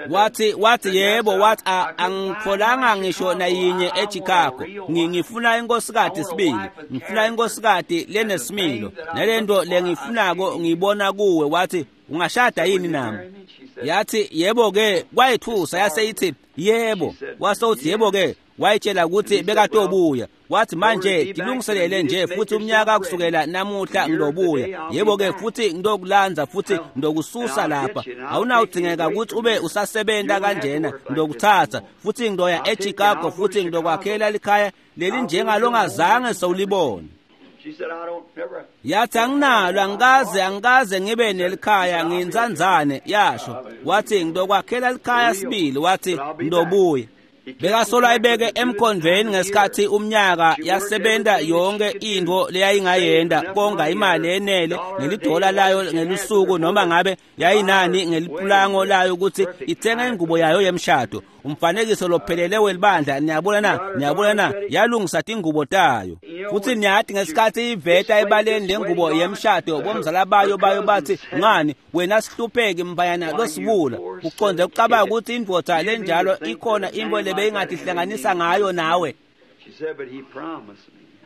Wathi wathi yebo, wathi angitfolanga ngisho nayinye eChicago. Ngifuna inkosikati sibili, ngifuna inkosikati lenesimilo, nalento lengifunako ngiyibona kuwe. Wathi, ungashada yini nami? Yathi, yebo ke. Kwayithusa, yase ithi yebo. Wase uthi yebo ke, wayitshela ukuthi bekatobuya. Wathi, manje tilungiselele nje futhi umnyaka kusukela namuhla ngilobuya. Yebo ke, futhi ngilokulanza futhi ngilokususa lapha. Awunawudzingeka ukuthi ube usasebenta kanjena, ngilokuthatha futhi ngiloya eChicago futhi ngilokwakhela likhaya lelinjengalongazange sewulibone. Yathi, anginalo, angikaze angikaze ngibe nelikhaya, ngiyinzanzane, yasho. Wathi, ngilokwakhela likhaya sibili. Wathi, ngilobuya. Bekasolo ayibeke emkhondvweni ngesikhathi umnyaka, yasebenta yonke intfo leyayingayenda konga imali enele ngelidola layo ngelusuku, noma ngabe yayinani ngelipulango layo ukuthi ithenge ingubo yayo yemshado. Umfanekiso lophelele welibandla, niyabona na? Niyabona na? Yalungisa tingubo tayo. Futhi niyathi ngesikhathi iveta ebaleni lengubo yemshado, bomzala bayo bayo bathi, ngani wena sihlupheki mbayana losibula, uconze ukucabanga ukuthi indvodza lenjalo ikhona into lebeyingatihlanganisa ngayo nawe?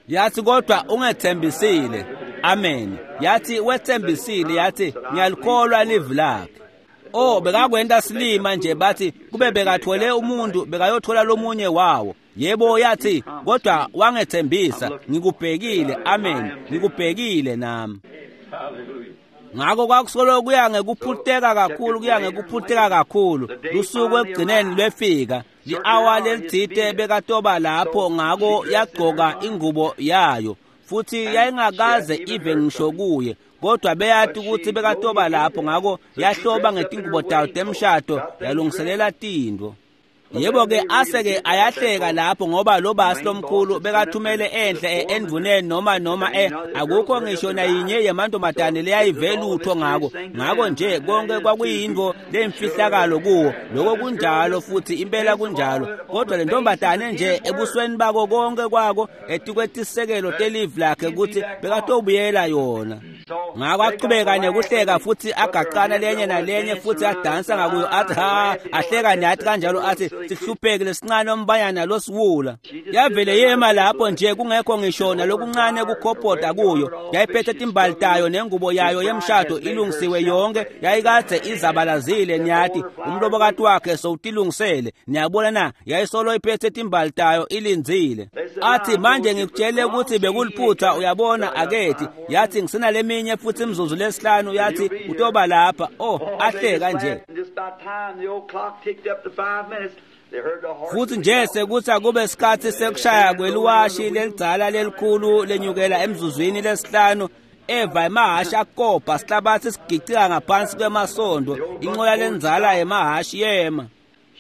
Yathi, kodwa ungethembisile. Amen. Yathi, wethembisile. Yathi, ngiyalikholwa livi lakhe. Oh, bekakwenta silima nje, bathi kube bekathole umuntu bekayothola lomunye wawo. Yebo, yathi, kodwa wangethembisa, ngikubhekile. Amen, ngikubhekile nami. Ngakho kwakusolo kuya ngekuphuteka kakhulu, kuya ngekuphuteka kakhulu. Lusuku ekugcineni lwefika, li-awa lelitsite bekatoba lapho. Ngako yagcoka ingubo yayo, futhi yayingakaze ive ngisho kuye, kodwa beyati ukuthi bekatoba lapho. Ngako yahloba ngetingubo tayo temshado, yalungiselela tintfo. Yebo ke, aseke ayahleka lapho, ngoba lo basi lomkhulu bekathumele enhle endvuneni noma noma e akukho ngisho nayinye yemantombazane leyayive lutho ngako. Ngako nje konke kwakuyintfo lemfihlakalo kuwo. Lokho kunjalo futhi impela kunjalo, kodwa le ntombazane nje ebusweni bako konke kwako etikwetisekelo telive lakhe ukuthi bekatobuyela yona. Ngako aqhubeka nekuhleka futhi agaqana lenye nalenye futhi adansa ngakuyo, athi ha, ahleka nathi kanjalo, athi sihlupheke lesincane ombayana losiwula. Yavele yema lapho nje kungekho ngisho nalokuncane kukhophoda kuyo. Yayiphethe timbali tayo nengubo yayo yemshado ilungisiwe yonke, yayikadze izabalazile, niyathi umlobokati wakhe sowutilungisele. Niyabona na? Yayisolo iphethe timbali tayo ilindzile. Athi, manje ngikutshele ukuthi bekuliphutha, uyabona akethi. Yathi, ngisenaleminye futhi imizuzu lesihlanu. Yathi, utoba lapha. Oh, ahleka nje. Futhi nje sekuthi akube sikhathi sekushaya kweliwashi lelidzala lelikhulu lenyukela emzuzwini lesihlanu, eva emahhashi akobha sihlabathi sigicika ngaphansi kwemasondo, inqola lendzala yemahhashi yema.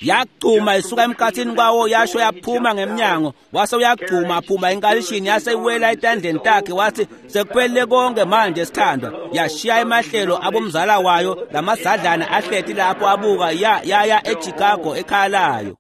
Yagcuma isuka emkhathini kwawo, yasho yaphuma ngemnyango. Wase uyagcuma aphuma enkalishini, yase iwela etandleni takhe. Wathi, sekuphelele konke manje sithandwa. Yashiya emahlelo abomzala wayo lamazadlana ahleti lapho abuka, ya yaya eChicago ekhaya layo.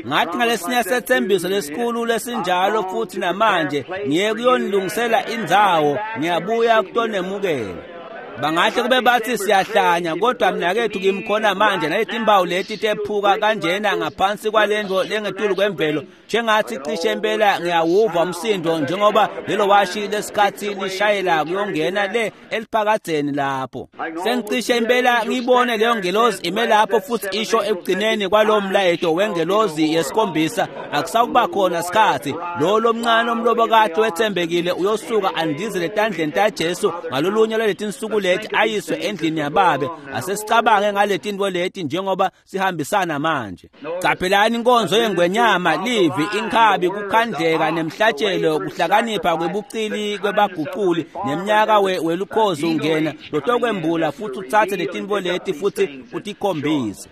Ngathi ngalesinye sethembiso lesikhulu lesinjalo, futhi namanje ngiye kuyonilungisela indzawo, ngiyabuya kutonemukela. Bangahle kube bathi siyahlanya, kodwa mnakethu kimkhona manje naletimbawu leti tephuka kanjena ngaphansi kwalendvo lengetulu kwemvelo, njengathi cishe impela ngiyawuva umsindo njengoba lelo washi lesikhathi lishayela kuyongena le eliphakadzeni lapho. Sengicishe impela ngibone leyo ngelozi ime lapho futhi isho ekugcineni kwalowo mlayeto wengelozi yesikhombisa, akusawukuba khona sikhathi. Lo lomncane omlobokati wethembekile uyosuka andizele etandleni taJesu ngalolunye lwaletinsuku leti ayiswe endlini yababe. Asesicabange ngaletintfo leti njengoba sihambisana manje. Caphelani inkonzo yengwenyama, livi, inkhabi, kukhandleka nemhlatshelo, kuhlakanipha kwebucili kwebaguculi, nemnyaka welukhozi ungena lotokwembula futhi utsatse letintfo leti futhi utikhombise.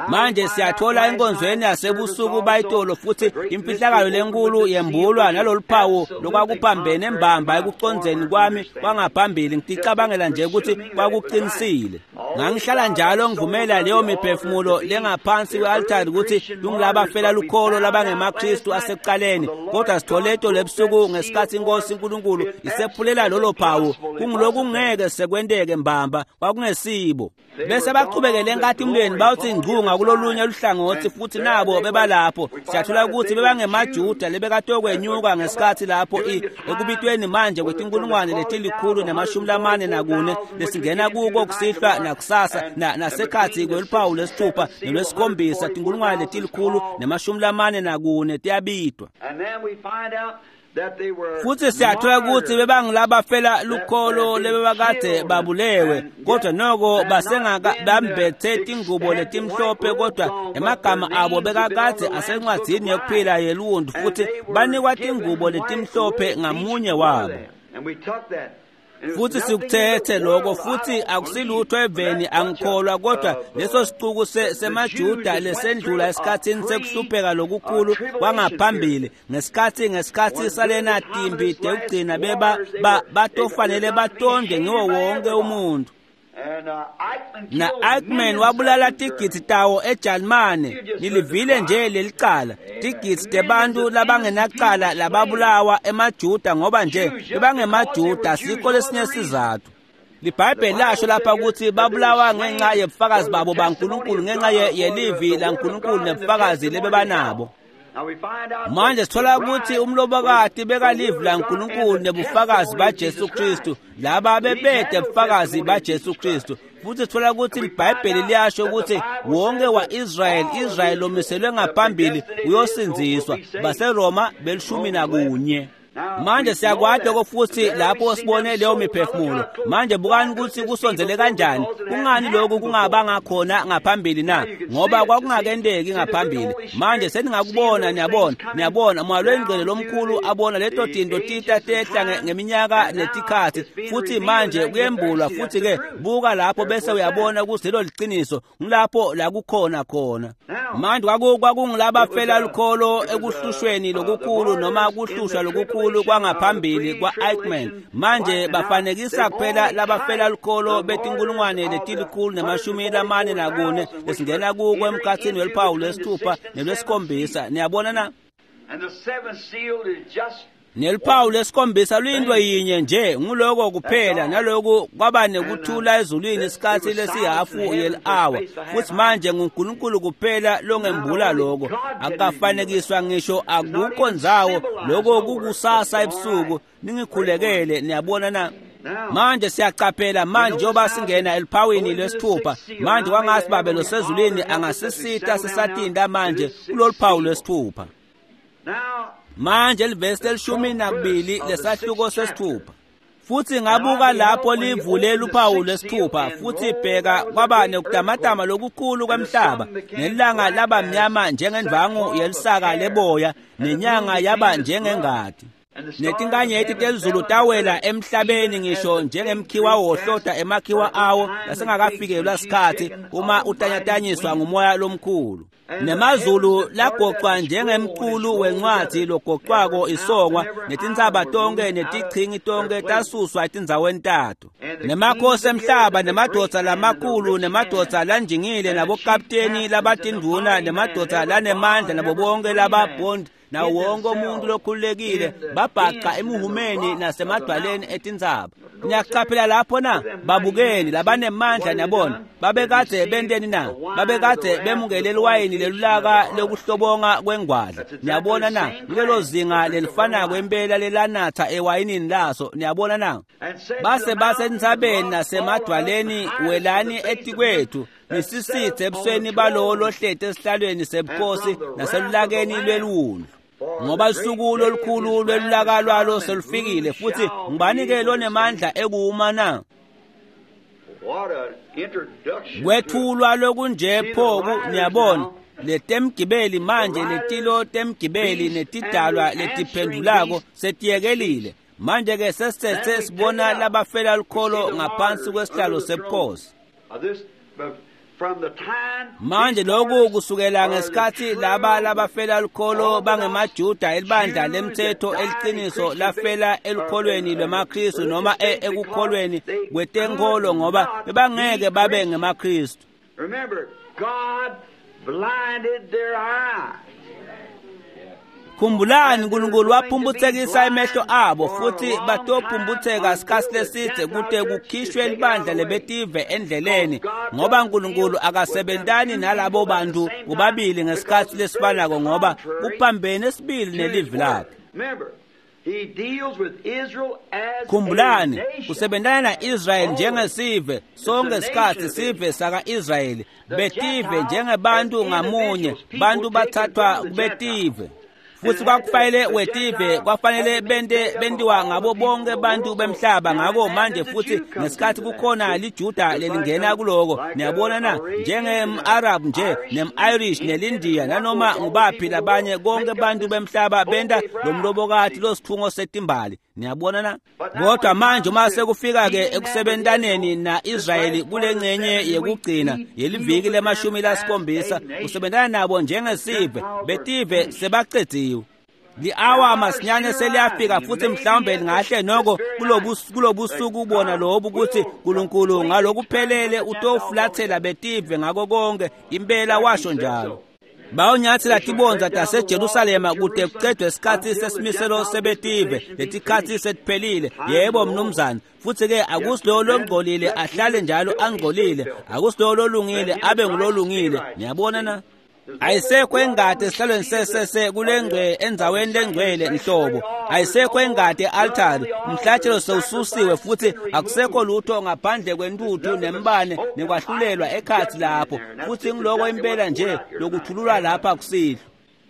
Manje siyathola enkonzweni yasebusuku bayitolo futhi imfihlakalo lenkulu yembulwa naloluphawu lokwakuphambene embamba ekucondzeni kwami kwangaphambili. Ngiticabangela nje ukuthi kwakuqinisile. Ngangihlala njalo ngivumela leyo miphefumulo lengaphansi kwe-altari ukuthi kungulabafela lukholo labangemaKristu asekuqaleni, kodwa sithole itolo ebusuku ngesikhathi inkosi uNkulunkulu isephulela lolo phawu, kungulokungeke sekwenteke mbamba, kwakungesibo. Bese baqhubekele enkatimulweni bawuthi ngcunga kulolunye luhlangothi futhi nabo bebalapho. Siyathola ukuthi bebangemaJuda lebekatokwenyuka ngesikhathi lapho ekubitweni manje kwetinkulungwane letilikhulu nemashumi lamane nakune lesingena kuko kusihlwa nakusasa nasekhathi kweluphawu lwesithupha nelwesikhombisa, tinkulungwane letilikhulu nemashumi lamane nakune tiyabitwa. Futhi siyathola ukuthi bebangilabafela lukholo lebebakade babulewe, kodwa noko basengakabambethe tingubo letimhlophe, kodwa emagama abo bekakade asencwadzini yokuphila yeluntu futhi banikwa tingubo letimhlophe ngamunye wabo. Futhi sikuthethe lokho, futhi akusilutho eveni angikholwa, kodwa leso sicuku semaJuda lesendlula esikhathini sekuhlupheka lokukhulu kwangaphambili, ngesikhathi ngesikhathi salena timbi dekugcina beba batofanele batonde ngiwo wonke umuntu. Na Eichmann wabulala tigidzi tawo eJalimane, nilivile nje lelicala, tigidzi tebantu labangenacala lababulawa emaJuda ngoba nje bebangemaJuda, sikho lesinye sizathu. LiBhayibheli lasho lapha ukuthi babulawa ngenxa yebufakazi babo baNkulunkulu, ngenxa yelivi laNkulunkulu nebufakazi lebebanabo. Manje sithola ukuthi umlobokati bekalivi laNkulunkulu nebufakazi baJesu Kristu, laba bebede bufakazi baJesu Kristu. Futhi sithola ukuthi iBhayibheli liyasho ukuthi wonke wa-Israyeli, Israyeli lomiselwe ngaphambili uyosindziswa, baseRoma belishumi nakunye. Manje siyakwati lokho futhi lapho sibone leyo miphefumulo. Manje bukani ukuthi kusondzele kanjani. Kungani lokhu kungabanga khona ngaphambili na? Ngoba kwakungakenteki ngaphambili. Manje seningakubona, niyabona, niyabona moya lwengcwele lomkhulu abona leto tinto tita tehla ngeminyaka netikhathi, futhi manje kuyembulwa futhi ke buka lapho bese uyabona ukuthi lelo liqiniso, ngilapho la kukhona khona. Manje kwakungilabafela lukholo ekuhlushweni lokukhulu noma kuhlushwa lokukhulu kwangaphambili kwa-Eichmann. Manje bafanekisa kuphela labafela lukholo betinkulungwane letilikhulu nemashumi lamane nakune lesingena kuko emkhathini weluphawu lwesithupha nelwesikhombisa. Niyabona na? Neluphawu lwesikhombisa luyinto yinye nje, nguloko kuphela, naloku kwaba nekuthula ezulwini isikhathi lesihafu yeli-awa. Futhi manje nguNkulunkulu kuphela longembula lokho, akukafanekiswa ngisho, akukho ndzawo, lokho kukusasa ebusuku. Ningikhulekele, niyabona na? Manje siyacaphela manje njengoba singena eluphawini lwesithupha. Manje kwangathi Babe losezulwini angasisita sisatinda manje kulolu phawu lwesithupha. Manje livesi lelishumi nakubili lesahluko sesithupha. Futhi ngabuka lapho livule luphawu lwesithupha, futhi bheka kwaba nekutamatama lokukhulu kwemhlaba, nelanga laba mnyama njengendvangu yelisaka leboya, nenyanga yaba njengengati. Netinkanyeti telizulu tawela emhlabeni ngisho njengemkhiwa wohloda emakhiwa awo lasengakafikelwa sikhathi uma utanyatanyiswa ngumoya lomkhulu. Nemazulu lagocwa njengemculu wencwadi logocwako isongwa, netintsaba tonke netichingi tonke tasuswa etindzaweni tato. Nemakhosi emhlaba nemadvodza lamakhulu nemadvodza lanjingile nabokapteni labatindvuna nemadvodza lanemandla nabo bonke lababhondi nawo wonke umuntu lokhululekile babhaca emuhumeni nasemadwaleni etintsaba. Niyakucaphela lapho na? Babukeni labanemandla, niyabona babekade benteni na? Babekade bemukele liwayini lelulaka lokuhlobonga kwengwadla. Niyabona na? Kulelo zinga lelifanako impela lelanatha ewayinini laso. Niyabona na? Base basentsabeni nasemadwaleni, welani etikwethu nisisithe ebusweni balowo lohleti esihlalweni sebukhosi naselulakeni lweliwundlu. Ngoba lusuku lolukhulu lwelulaka lwalo selufikile, futhi ngubani ke lonemandla ekuwuma na? Kwethulwa lokunje pho niyabona letemgibeli manje letilo temgibeli netidalwa letiphendulako setiyekelile. Manje ke sesithethe sibona labafela lukholo ngaphansi kwesihlalo sebukhosi. Manje lokhu kusukela ngesikhathi laba labafela lukholo bangemaJuda elibandla lemthetho eliqiniso lafela elukholweni lwemaKristu noma ekukholweni kwetenkolo ngoba bebangeke babe ngemaKristu. Khumbulani uNkulunkulu waphumbuthekisa emehlo abo futhi batopumbutheka isikhathi leside kute kukhishwe libandla lebetive endleleni ngoba uNkulunkulu akasebentani nalabo bantu bobabili ngesikhathi lesifanako ngoba kuphambene esibili nelivi lakhe. Khumbulani usebentana na-Israyeli njengesive sonke isikhathi sive saka-Israyeli betive njengebantu ngamunye bantu bathathwa kubetive futhi kwakufanele wetive kwafanele bente bentiwa ngabo bonke bantu bemhlaba. Ngako manje futhi ngesikhathi kukhona liJuda lelingena kuloko niyabona na njengem-Arab nje nem-Irish nelindiya nanoma ngubaphi labanye konke bantu bemhlaba benta lomlobokati losithungo setimbali niyabona na. Kodwa manje uma sekufika ke ekusebentaneni na-Israyeli kule ngcenye yekugcina yeliviki lemashumi lasikhombisa usebentana nabo njengesive betive sebacediwe. Li-awa masinyane seliyafika futhi mhlawumbe lingahle noko kulobusuku ubona lobu ukuthi uNkulunkulu ngalokuphelele utofulathela betive ngako konke impela washo njalo. Bawunyathela tibondza taseJerusalema kute kucedwe isikhathi sesimiselo sebetive letikhathi setiphelile. Yebo mnumzane. Futhi ke akusilowo longcolile ahlale njalo angcolile, akusilowo lolungile abe ngulolungile. Niyabona na? Ayisekho engade esihlalweni sesese kulengcwe endzaweni lengcwele nhlobo. Ayisekho engade e-altari, umhlatshelo sewususiwe futhi akusekho lutho ngaphandle kwentuthu nembane nekwahlulelwa ekhathi lapho. Futhi ngiloko impela nje lokuthululwa lapha kusihlwa.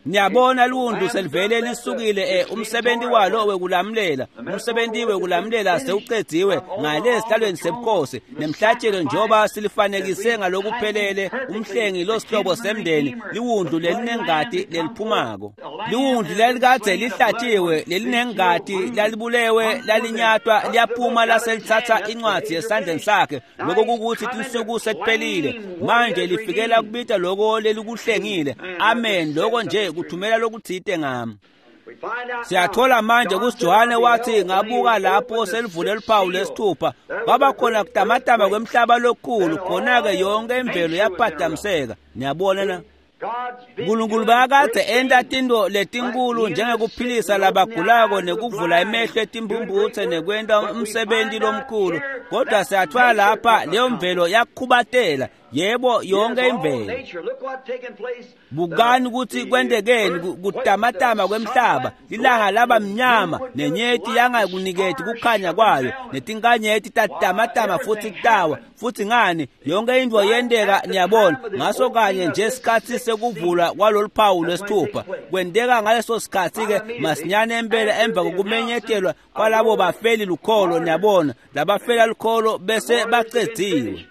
Niyabona liwundlu selivele lisukile umsebenzi walo wekulamlela umsebenzi wekulamlela sewucediwe ngale esihlalweni sebukhosi nemhlatshelo njengoba silifanekise ngalokuphelele umhlengi losihlobo semndeni liwundlu lelinengati leliphumako liwundlu lelikadze lihlatshiwe lelinengati lalibulewe lalinyatwa liyaphuma laselithatha incwadi esandleni sakhe. Lokho kukuthi tinsuku sekuphelile manje lifikela kubita lokho lelikuhlengile. Amen. Lokho nje kuthumela lokuthite ngami. Siyathola manje kusiJohane wathi ngabuka lapho selivule luphawu lesithupha kwaba khona kutamatama kwemhlaba lokukhulu khona-ke yonke imvelo yaphathamiseka. Niyabona na? uNkulunkulu bakade enta tinto letinkulu njengekuphilisa labagulako nekuvula emehlo etimphumphutse nekwenta umsebenzi lomkhulu, kodwa siyathola lapha leyo mvelo yakhubatela. Yebo, yonke imvelo. Bukani ukuthi kwentekeni kutamatama kwemhlaba, ilanga laba mnyama nenyeti yangakuniketi kukhanya kwayo netinkanyeti tatamatama futhi tawa futhi ngani yonke into yenteka. Niyabona ngaso kanye nje isikhathi sekuvulwa kwalolu phawu lwesithupha kwenteka ngaleso sikhathi ke masinyane empela emva kokumenyetelwa kwalabo bafeli lukholo. Niyabona labafela lukholo bese bacediwe.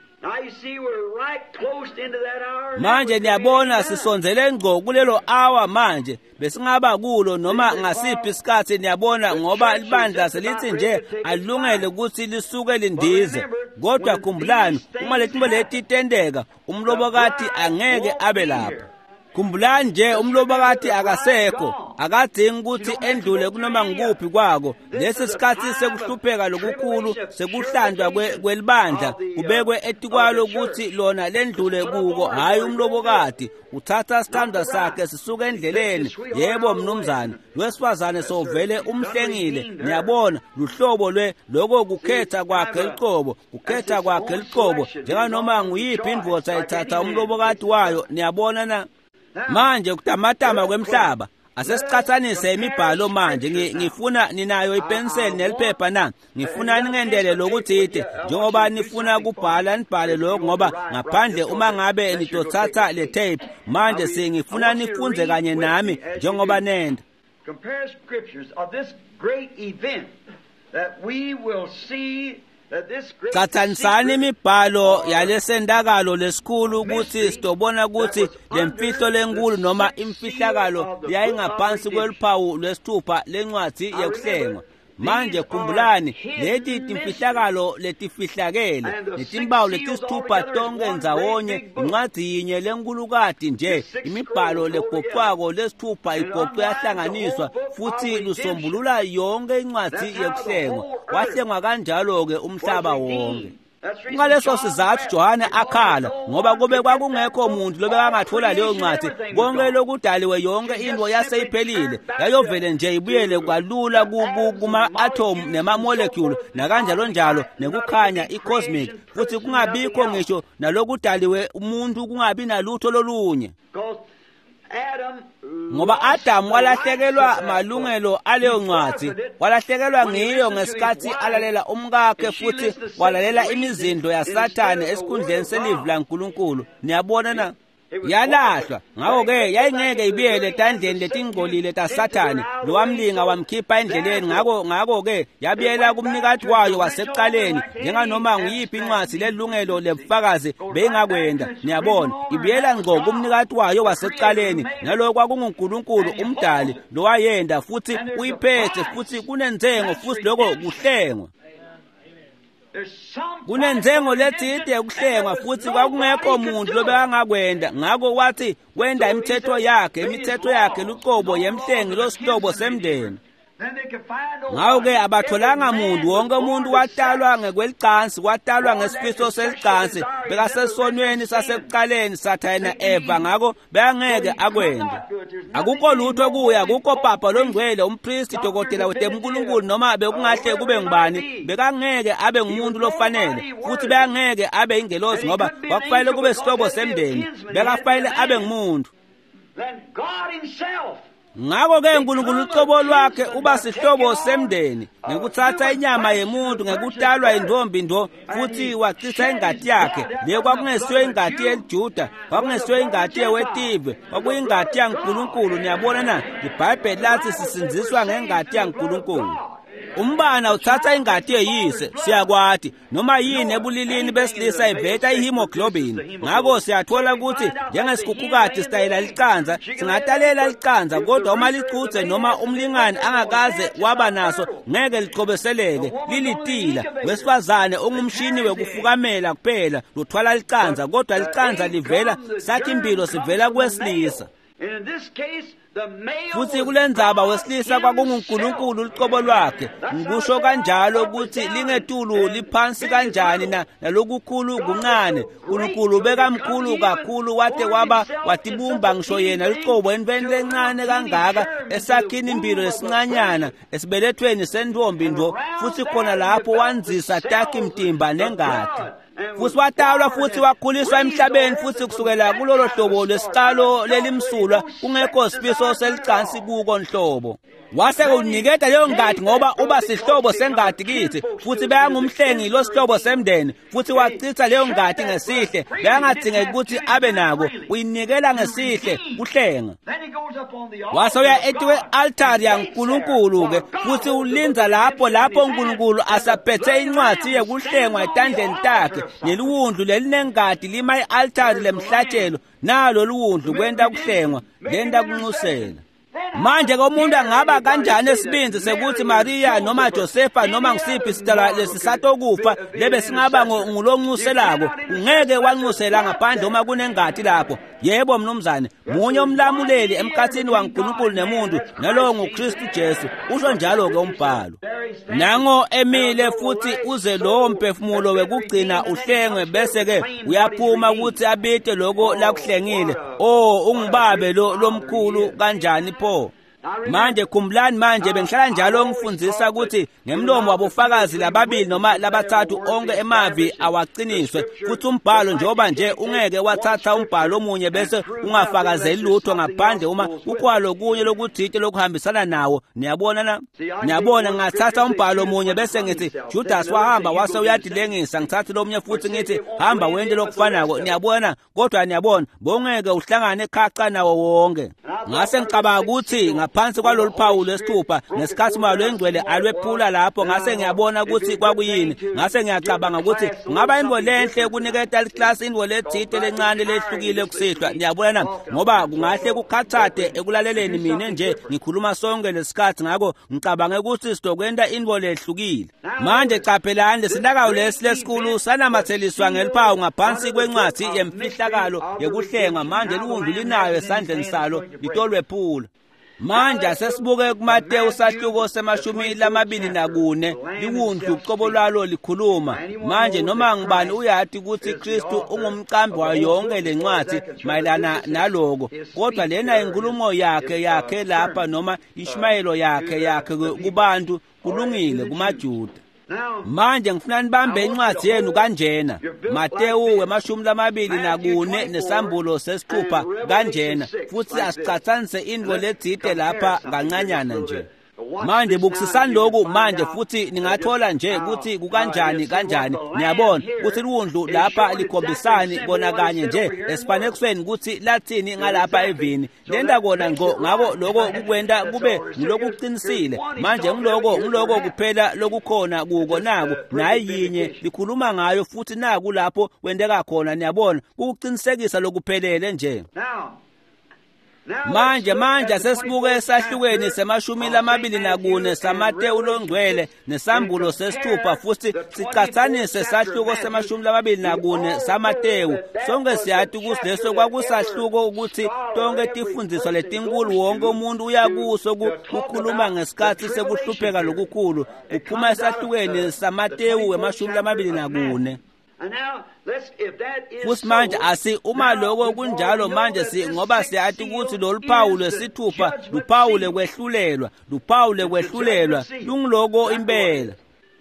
Manje niyabona sisondzele ngco kulelo awa manje besingaba kulo noma ngasiphi isikhathi. Niyabona ngoba libandla selithi nje alungele ukuthi lisuke lindize, kodwa khumbulani uma letinto leti tenteka umlobokati angeke abe lapha. Khumbulani nje umlobokati akasekho, akadingi ukuthi endlule kunoma ngikuphi kwako. Lesi sikhathi sekuhlupheka lokukhulu sekuhlandwa kwelibandla kubekwe etikwalo ukuthi lona lendlule kuko, hhayi umlobokati. Uthatha isithandwa sakhe sisuke endleleni. Yebo mnumzane, lwesifazane sovele umhlengile. Niyabona luhlobo lwe lokho kukhetha kwakhe liqobo, kukhetha kwakhe liqobo njenganoma nguyiphi indvodza ithatha umlobokati wayo. Niyabona na? Manje kutamatama kwemhlaba asesicathanise imibhalo manje. Ngifuna ninayo ipenseli neliphepha na? Ngifuna ningendele lokuthide njengoba nifuna kubhala nibhale lokho, ngoba ngaphandle uma ngabe nitothatha le tape manje singifuna nifunze kanye nami njengoba nenda. Compare scriptures of this great event that we will see Catsanisani imibhalo yalesendakalo lesikhulu ukuthi sitobona ukuthi lemfihlo lenkulu noma imfihlakalo yayingaphansi kweluphawu lwesithupha lencwadzi yekuhlengwa. Manje khumbulani leti timfihlakalo letifihlakele netimpawu letisithupha tonke ndzawonye incwadzi yinye lenkulukati nje imibhalo legoqwako lesithupha igoqwe yahlanganiswa futhi lusombulula yonke incwadzi yekuhlengwa. Wahlengwa kanjalo-ke umhlaba wonke. Ngaleso sizathu Johane akhala ngoba kube kwakungekho umuntu lobekangathola leyo ncwadi konke lokudaliwe yonke into yaseyiphelile yayovele nje ibuyele kwalula kuma-atom nema-molecule nakanjalo njalo nekukhanya i-cosmic futhi kungabikho ngisho nalokudaliwe umuntu kungabi nalutho lolunye. Ngoba Adamu walahlekelwa malungelo aleyo ncwadi, walahlekelwa ngiyo ngesikhathi alalela umkakhe futhi walalela imizindlo yaSathane esikhundleni selivi laNkulunkulu. Niyabona na? Yalahlwa. Ngakho-ke yayingeke ibuyele etandleni letingcolile taSathane lowamlinga wamkhipha endleleni. Ngakho ngakho-ke yabuyela kumnikati wayo wasekuqaleni njenganoma nguyiphi incwadi lelungelo lebufakazi beyingakwenda. Niyabona, ibuyela ngqo kumnikati wayo wasekuqaleni, naloko kwakunguNkulunkulu umdali lowayenda futhi uyiphethe futhi kunenzengo futhi lokho kuhlengwa. Kunenzengo letsite yokuhlengwa futhi kwakungekho muntu lobekangakwenda. Ngakho wathi wenda imithetho yakhe, imithetho yakhe luqobo yemhlengi losihlobo semndeni. Ngakho-ke abatholanga muntu, wonke umuntu watalwa ngekwelicansi, watalwa ngesifiso selicansi, bekasesonweni sasekuqaleni Sathane na-Eva, ngakho bekangeke akwende. Akukho lutho kuye, akukho papa longcwele, umpristi, dokotela wetenkulunkulu noma bekungahle kube ngubani, bekangeke abe ngumuntu lofanele futhi bekangeke abe ingelosi ngoba kwakufanele kube sihlobo semndeni, bekafanele abe ngumuntu. Ngakho-ke uNkulunkulu ucobo lwakhe uba sihlobo semndeni ngekuthatha inyama yemuntu ngekutalwa intombi ndo futhi wachitha ingati yakhe. Leyo kwakungesiyo ingati yeliJuda, kwakungesiyo ingati yewetive, kwakuyingati yaNkulunkulu. Niyabona na? IBhayibheli lathi sisindziswa ngengati yaNkulunkulu. Umbana uthatha ingati yeyise, siyakwati noma yini ebulilini besilisa iveta ihemoglobin. Ngakho siyathola ukuthi njengesikhukhukati sitayela licanza, singatalela licanza, kodwa uma licuthe noma umlingani angakaze waba naso ngeke lichobeseleke, lilitila. Wesifazane ungumshini wekufukamela kuphela luthwala licanza, kodwa licanza livela sakhi impilo sivela kwesilisa. Futhi kulendzaba wesilisa kwakunguNkulunkulu luqobo lwakhe. Ngikusho kanjalo ukuthi lingetulu liphansi kanjani na nalokukhulu kuncane. uNkulunkulu bekamkhulu kakhulu wate waba watibumba ngisho yena luqobo entweni lencane kangaka esakhini impilo lesincanyana esibelethweni sentombi ndo, futhi khona lapho wanzisa takhi mtimba nengati. Futhi watalwa futhi wakhuliswa emhlabeni futhi kusukela kulolo hlobo lwesiqalo lelimsulwa kungekho sifiso selicansi kuko nhlobo. Wase uniketa leyo ngati ngoba uba sihlobo sengati kithi futhi bekangumhlengi losihlobo semndeni futhi wachitha leyo ngati ngesihle, bekangadingeki ukuthi abe nako, uyinikela ngesihle kuhlenga. Wase uya etikwe-altari yaNkulunkulu-ke futhi ulinza lapho lapho uNkulunkulu asaphethe incwadi yekuhlengwa etandleni takhe neliwundlu lelinengati lima i-altari lemhlatshelo, nalo liwundlu kwenta kuhlengwa lenta kunxusela. Manje ke umuntu angaba kanjani esibinzi sekuthi Maria noma Josefa noma ngisiphi isidalwa lesisatokufa lebe singaba ngulonxuselako? Ungeke wanxusela ngaphandle uma kunengati lapho. Yebo mnumzane, munye umlamuleli emkhathini waNkulunkulu nemuntu, nalowo nguKristu Jesu, usho njalo ke umbhalo. Nango emile futhi uze lowo mphefumulo wekugcina uhlengwe bese ke uyaphuma ukuthi abite lokho lakuhlengile. Oh, ungibabe lo lomkhulu kanjani pho? Manje khumbulani, manje bengihlala njalo ngifundisa ukuthi ngemlomo wabofakazi lababili noma labathathu onke emavi awaqiniswe, futhi umbhalo njengoba nje ungeke wathatha umbhalo omunye bese ungafakazeli lutho ngaphandle uma kukhwalo kunye lokuthile lokuhambisana nawo. Niyabona na? Niyabona, ngathatha umbhalo omunye bese ngithi Judas wahamba wase uyadilengisa, ngithathe lomunye futhi ngithi hamba wente lokufanako. Niyabona? Kodwa niyabona, bongeke uhlangane khaca nawo wonke. Ngase ngicabanga ukuthi ngaphansi kwalolu phawu lwesithupha ngesikhathi umoya lwengcwele alwephula lapho, ngase ngiyabona ukuthi kwakuyini. Ngase ngiyacabanga ukuthi kungaba intfo lenhle kuniketa liklasi intfo letsite lencane lehlukile kusihlwa, niyabona na, ngoba kungahle kukhathate ekulaleleni mina nje ngikhuluma sonke lesikhathi. Ngakho ngicabange ukuthi sizokwenta intfo lehlukile. Manje caphelani, lesilakayo lesi lesikhulu sanamatheliswa ngeliphawu ngaphansi kwencwadi yemfihlakalo yekuhlengwa. Manje liwundlu linayo esandleni salo litolwephula. Manje asesibuke kuMateyu sahluko semashumi lamabili nakune, liwundlu ucobo lwalo likhuluma. Manje noma ngibani uyati ukuthi Kristu ungumqambi wayo yonke lencwadi mayelana naloko, kodwa lena inkulumo yakhe yakhe lapha noma ishumayelo yakhe yakhe kubantu kulungile kumaJuda. Manje ngifuna nibambe incwadi yenu kanjena, Mateyu wemashumi lamabili nakune nesambulo sesithupha kanjena, futhi asicatsanise intfo letsite lapha kancanyana nje. Manje bukisisani lokhu manje, futhi ningathola nje ukuthi kukanjani kanjani. Niyabona ukuthi liwundlu lapha likhombisani kona kanye nje esifanekisweni ukuthi lathini ngalapha evini lenta kona ngqo. Ngako lokho kukwenta kube ngulokuqinisile. Manje ngiloko ngiloko kuphela lokukhona kuko naku nayi yinye likhuluma ngayo, futhi naku lapho kwenteka khona. Niyabona kukuqinisekisa lokuphelele nje. Manje manje sesibuke esahlukweni semashumi lamabili nakune saMateyu longcwele nesambulo sesithupha, futhi sicatsanise sahluko semashumi lamabili nakune saMateyu. Sonke siyati ukuthi leso kwakusahluko ukuthi tonke tifundiswa letinkulu wonke umuntu uyakuso kukhuluma ngesikhathi sekuhlupheka lokukhulu, kuphuma esahlukweni saMateyu wemashumi lamabili nakune. Futhi manje asi uma lokho kunjalo manje si ngoba siyati ukuthi lolu phawu lwesithupha luphawu lekwehlulelwa, luphawu lekwehlulelwa lungiloko impela.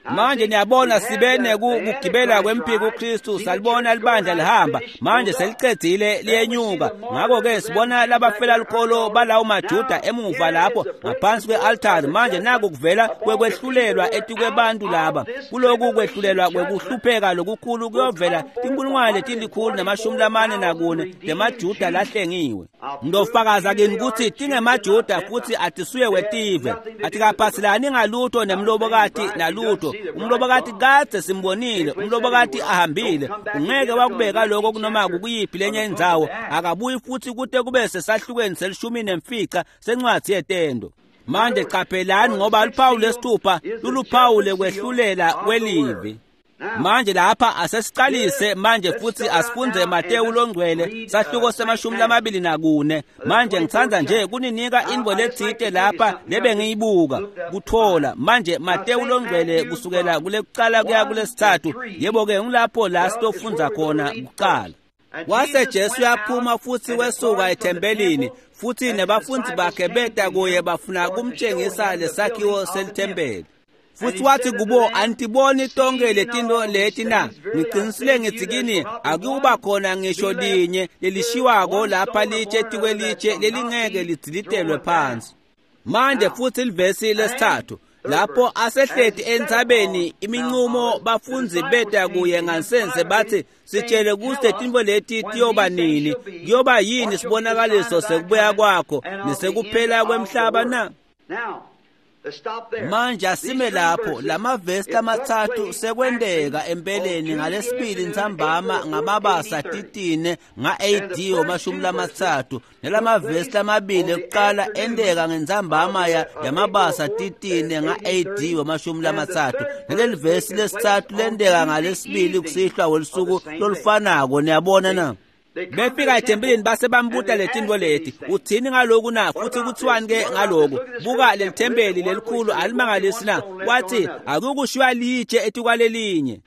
Manje niyabona sibene kugibela kwempiko uKristu, salibona libandla lihamba, manje selicedzile liyenyuka. Ngakho-ke sibona labafela lukholo balawo maJuda emuva lapho ngaphansi kwe-altari. Manje naku kuvela kwekwehlulelwa etikwebantu laba. Kuloku kwehlulelwa kwekuhlupheka lokukhulu kuyovela tinkulungwane letilikhulu namashumi lamane nakune temaJuda lahlengiwe. Ngizofakaza kini ukuthi tingemaJuda futhi atisuye wetive, atikaphathelani ngalutho nemlobokati nalutho. Umlobokati kadze simbonile, umlobokati ahambile, ungeke wakubeka lokho kunoma kukuyiphi lenye indzawo, akabuyi futhi kute kube sesahlukweni selishumi nemfica sencwadi yetendo. Manje qaphelani, ngoba luphawu lesithupha luluphawu lekwehlulela kwelivi. Manje lapha asesiqalise manje futhi asifunze Mateyu longcwele sahluko semashumi lamabili nakune. Manje ngithanda nje kuninika intfo letsite lapha lebengiyibuka kuthola. Manje Mateyu longcwele kusukela kulekuqala kuya kulesithathu, yebo-ke ngilapho la sitofundza khona kuqala. Wase Jesu uyaphuma futhi wesuka ethempelini, futhi nebafundi bakhe beta kuye bafuna kumtshengisa lesakhiwo selithempeli. Futhi wathi kubo, antiboni tonke letinto leti na? Ngiqinisile ngithi kini, akuba khona ngisho linye lelishiwako lapha litshe tikwelitshe lelingeke lidzilitelwe phansi. Manje futhi livesi lesithathu, lapho asehleti entsabeni iminqumo bafundzi beta kuye ngansense bathi, sitshele ukuthi letinto leti tiyoba nini, kuyoba yini sibonakaliso sekubuya kwakho nesekuphela kwemhlaba na? Manje asime lapho, lamavesi lamathathu sekwenteka empeleni ngalesibili ntsambama ngamabasa titine nga-A D wamashumi lamathathu, nalamavesi lamabili ekuqala enteka ngentsambama yamabasa titine nga-A D wamashumi lamathathu, naleli vesi lesithathu lenteka ngalesibili kusihlwa welusuku lolufanako. Niyabona na? Befika ethempelini base bambuta letinto leti, uthini ngaloku na? Futhi kuthiwani ke ngaloku? Buka leli thempeli lelikhulu alimangalisi na? Wathi akukushiwa litshe etikwalelinye.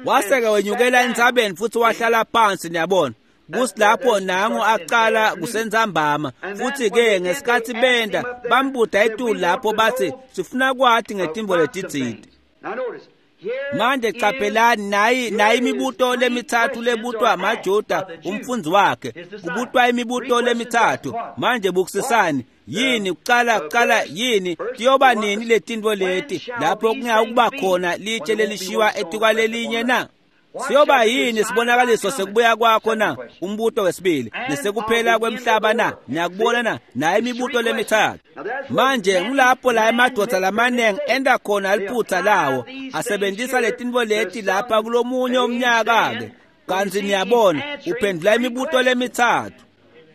Wase-ke wenyukela entsabeni futhi wahlala phansi. Niyabona kusi lapho nangu aqala kusentsambama. Futhi-ke ngesikhathi benda bambuta etulu lapho bathi, sifuna kwati ngetintfo letitsite. Manje qaphelani, nayi nayi imibuto lemithathu lebutwa amaJuda umfundzi wakhe, kubutwa imibuto lemithathu. Manje bukisisani, yini kuqala kuqala yini tiyoba nini letintfo leti lapho kungeke kuba khona litshe lelishiwa etikwalelinye na? Siyoba yini sibonakaliso sekubuya kwakho na? Umbuto wesibili. Nesekuphela kwemhlaba na? Niyakubona na? Nayo imibuto lemithathu. Manje ngulapho la emadoda lamaningi enda khona liphutha lawo asebenzisa letintfo leti lapha kulomunye umnyaka-ke. Kanti niyabona uphendula imibuto lemithathu.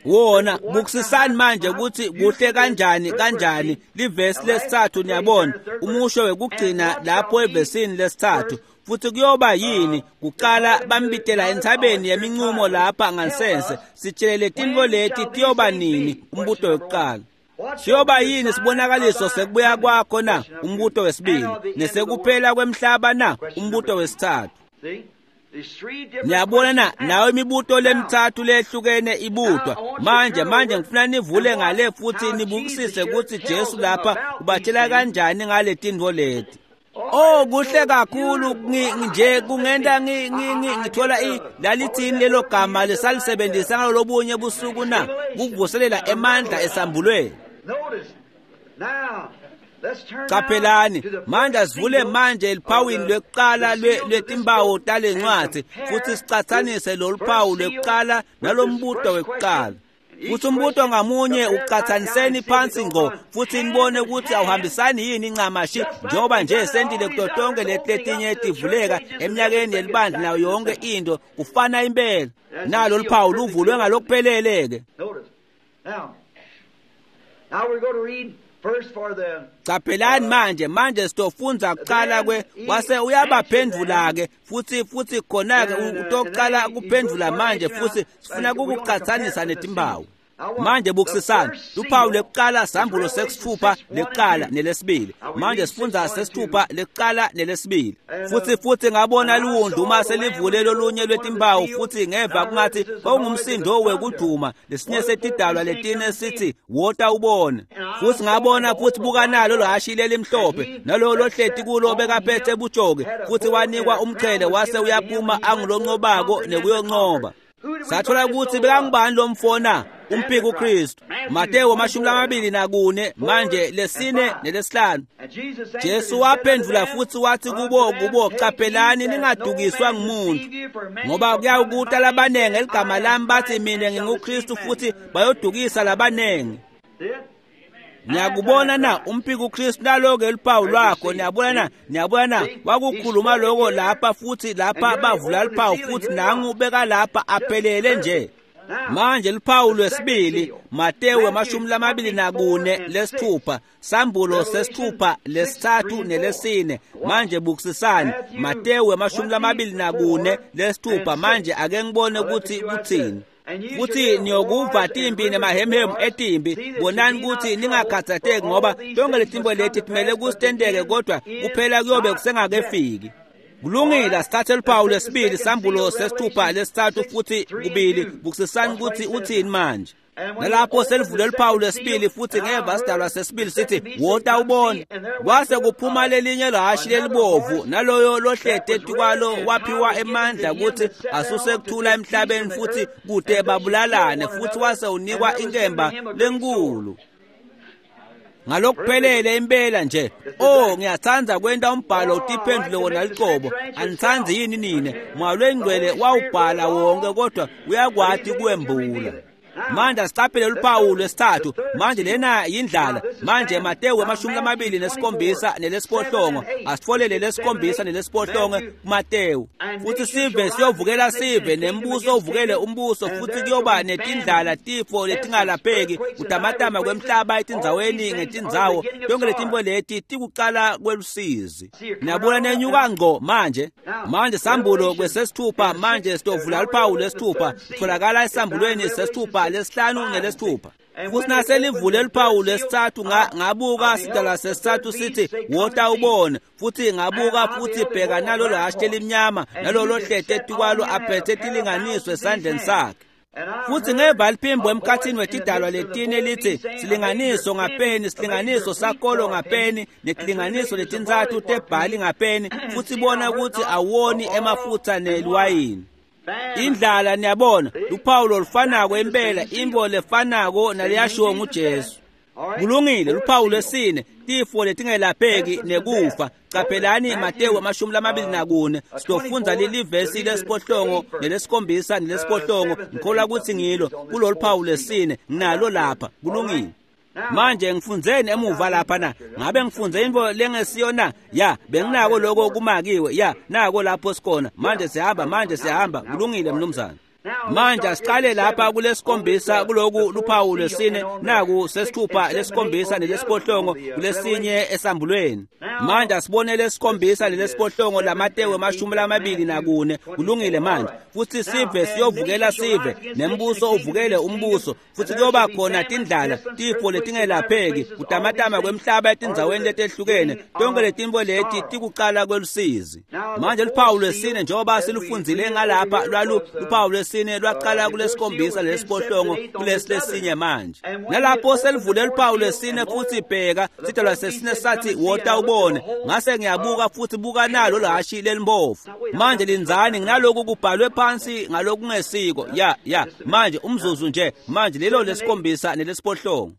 Wona bukusisani manje ukuthi kuhle kanjani kanjani livesi lesithathu niyabona umusho wekugcina lapho evesini lesithathu futhi kuyoba yini kuqala bambitela entsabeni yeminqumo lapha ngansense sitshele letintfo leti tiyoba nini umbuto wekuqala. Siyoba yini sibonakaliso sekubuya kwakho na? Umbuto wesibili. Nesekuphela kwemhlaba na? Umbuto wesithathu. Niyabona na nawe imibuto lemithathu lehlukene ibutwa. Manje manje ngifuna nivule ngale futhi nibukisise ukuthi Jesu lapha ubatshela kanjani ngale tintfo leti. Oh kuhle kakhulu nje kungenta ngithola lalithini lelo gama lesalisebenzisa ngalolobunye busuku na kuvuselela emandla esambulweni. Qaphelani manje sivule manje eliphawini lwekuqala lwetimbawo talencwadi futhi sicathanise lolu phawu lwekuqala nalombuto wekuqala. Futhi umbuto ngamunye uqathaniseni phansi ngqo futhi nibone ukuthi awuhambisani yini incamashi njengoba nje sentile kuto tonke leti letinye tivuleka eminyakeni yelibandla nayo yonke into kufana impela. Nalo luphawu luvulwe ngalokuphelele-ke. Qaphelani manje manje sitofundza kuqala kwe wase uyabaphendvula-ke futhi futhi khona-ke utoqala kuphendvula manje futhi sifuna kukuqathanisa netimbawu. Manje bukusisani luphawu lekuqala sambulo sesithupha lekuqala nelesibili. Manje sifundza sesithupha lekuqala nelesibili. Futhi futhi ngabona liwundlu uma selivule lolunye lwetimbawu futhi ngeva kungathi kwakungumsindo wekuduma lesinye setidalwa letine sithi wota ubone. Futhi ngabona futhi buka nalo lohhashi lelimhlophe nalowo lohleti kulo bekaphethe bujoke futhi wanikwa umqhele wase uyaphuma anguloncobako nekuyoncoba. Sathola ukuthi bekangubani lo mfo na? Umphiki uKristu. Matewu amashumi lamabili nakune manje lesine nelesihlanu. Jesu waphendvula futhi wathi kubo kubo qaphelani ningadukiswa ngumuntu ngoba kuyawukuta labanengi eligama lami bathi mina nginguKristu futhi bayodukisa labanengi. Niyakubona na umphiki uKristu naloke luphawu lwakho? Niyabona na? Niyabona na? Wakukhuluma lokho lapha futhi lapha bavula luphawu futhi nangu beka lapha aphelele nje. Manje luphawu lwesibili Matewu amashumi lamabili nakune lesithupha sambulo sesithupha lesithathu nelesine. Manje bukusisani Matewu amashumi lamabili nakune lesithupha. Manje ake ngibone ukuthi kuthini. Futhi niyokuva timbi nemahemhemu etimbi bonani ukuthi ningakhathatheki ngoba tonke letimbo leti timele kusitendeke kodwa kuphela kuyobe kusengakefiki. Kulungile sithathe luphawu lwesibili sambulo sesithupha lesithathu futhi kubili bukusisani ukuthi uthini manje. Nalapho selivule luphawu lwesibili futhi ngeva sidalwa sesibili sithi wota ubone. Kwase kuphuma lelinye lahhashi lelibovu naloyo lohlete etikwalo waphiwa emandla ukuthi asuse kuthula emhlabeni futhi kude babulalane futhi wase unikwa inkemba lenkulu. Ngalokuphelele impela nje. Oh ngiyathanda kwenta umbhalo utiphendule wona liqobo. Anithandi yini nine? Moya lwengcwele wawubhala wonke kodwa uyakwati kuwembula. Manje siqaphele luphawu lwesithathu. Manje lena yindlala. Manje Matewu amashumi lamabili nesikhombisa nelesiphohlongo. Asitfolele lesikhombisa nelesiphohlongo kuMatewu. Futhi sive siyovukela sive nembuso uvukele umbuso futhi kuyoba netindlala tifo letingalapheki kutamatama kwemhlaba etindzaweni ngetindzawo. Tonke letimbo leti tikuqala kwelusizi. Niyabona nenyuka ngqo manje. Manje sambulo kwesesithupha manje sitovula luphawu lwesithupha. Tholakala esambulweni sesithupha lesihlanu nelesithupha. Futhi naselivule luphawu lwesithathu ngabuka sidalwa sesithathu sithi wota ubone. Futhi ngabuka futhi bheka nalo lahhashi elimnyama nalolo lohlete etikwalo aphethe tilinganiso esandleni sakhe. Futhi ngeva liphimbo emkhathini wetidalwa letine lithi silinganiso ngapeni silinganiso sakolo ngapeni netilinganiso letintsatfu tebhali ngapeni futhi bona ukuthi awoni emafutha neliwayini. Indlala niyabona luphawu lolufanako impela imbo lefanako naleyashiwo nguJesu. Kulungile, luphawu lwesine, tifo letingelapheki nekufa. Caphelani Matewu amashumi lamabili nakune, sitofundza lelivesi lesiphohlongo nelesikhombisa nelesiphohlongo. Ngikholwa kutsi ngilo kulolu phawu lwesine, nginalo lapha. Kulungile. Manje ngifundzeni emuva lapha na? Ngabe ngifundze intfo lengesiyo na? Ya, benginako lokho kumakiwe. Ya, nako lapho sikhona. Manje sihamba, manje sihamba. Kulungile mnumzane. Manje asiqale lapha kulesikhombisa kuloku luphawu lwesine, naku sesithupha lesikhombisa nelesiphohlongo kulesinye esambulweni. Manje asibone lesikhombisa nelesiphohlongo laMatewu amashumi lamabili nakune. Kulungile manje. Futhi sive siyovukela sive, nembuso uvukele umbuso, futhi kuyoba khona tindlala, tifo letingelapheki, kutamatama kwemhlaba etindzaweni letehlukene. Tonke letintfo leti tikucala kwelusizi. Manje luphawu lwesine njengoba silufundzile ngalapha lwalu luphawu lwesine lwaqala kulesikhombisa lesiphohlongo kulesi lesinye manje. Nalapho selivule luphawu lwesine futhi bheka sidalwa sesine sathi wota ubone. Ngase ngiyabuka futhi buka nalo lhashi lelimbovu. Manje linzani nginaloku kubhalwe phansi ngalokungesiko. Ya ya manje umzuzu nje manje lelo lesikhombisa nelesiphohlongo.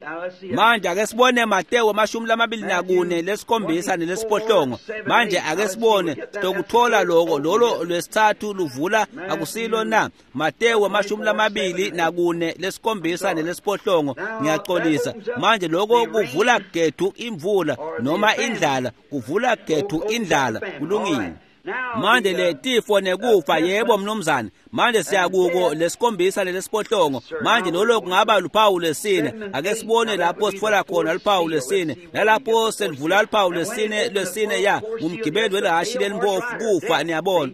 Manje ake sibone Matewu amashumi lamabili nakune lesikhombisa nelesiphohlongo. Manje ake sibone sitokuthola lokho lolo lwesithathu luvula akusilo na? Matewu amashumi lamabili nakune lesikhombisa nelesiphohlongo. Ngiyaxolisa. Manje lokho kuvula gethu imvula noma indlala, kuvula gethu indlala. Kulungile. Manje le tifo nekufa, yebo mnumzane. Manje siyakuko lesikhombisa lelesiphohlongo. Manje lolo kungaba luphawu lwesine. Ake sibone lapho sitfola khona luphawu lwesine. Nalapho selivula luphawu lwesine lwesine ya ngumgibeli welihhashi lelimbovu, kufa, niyabona.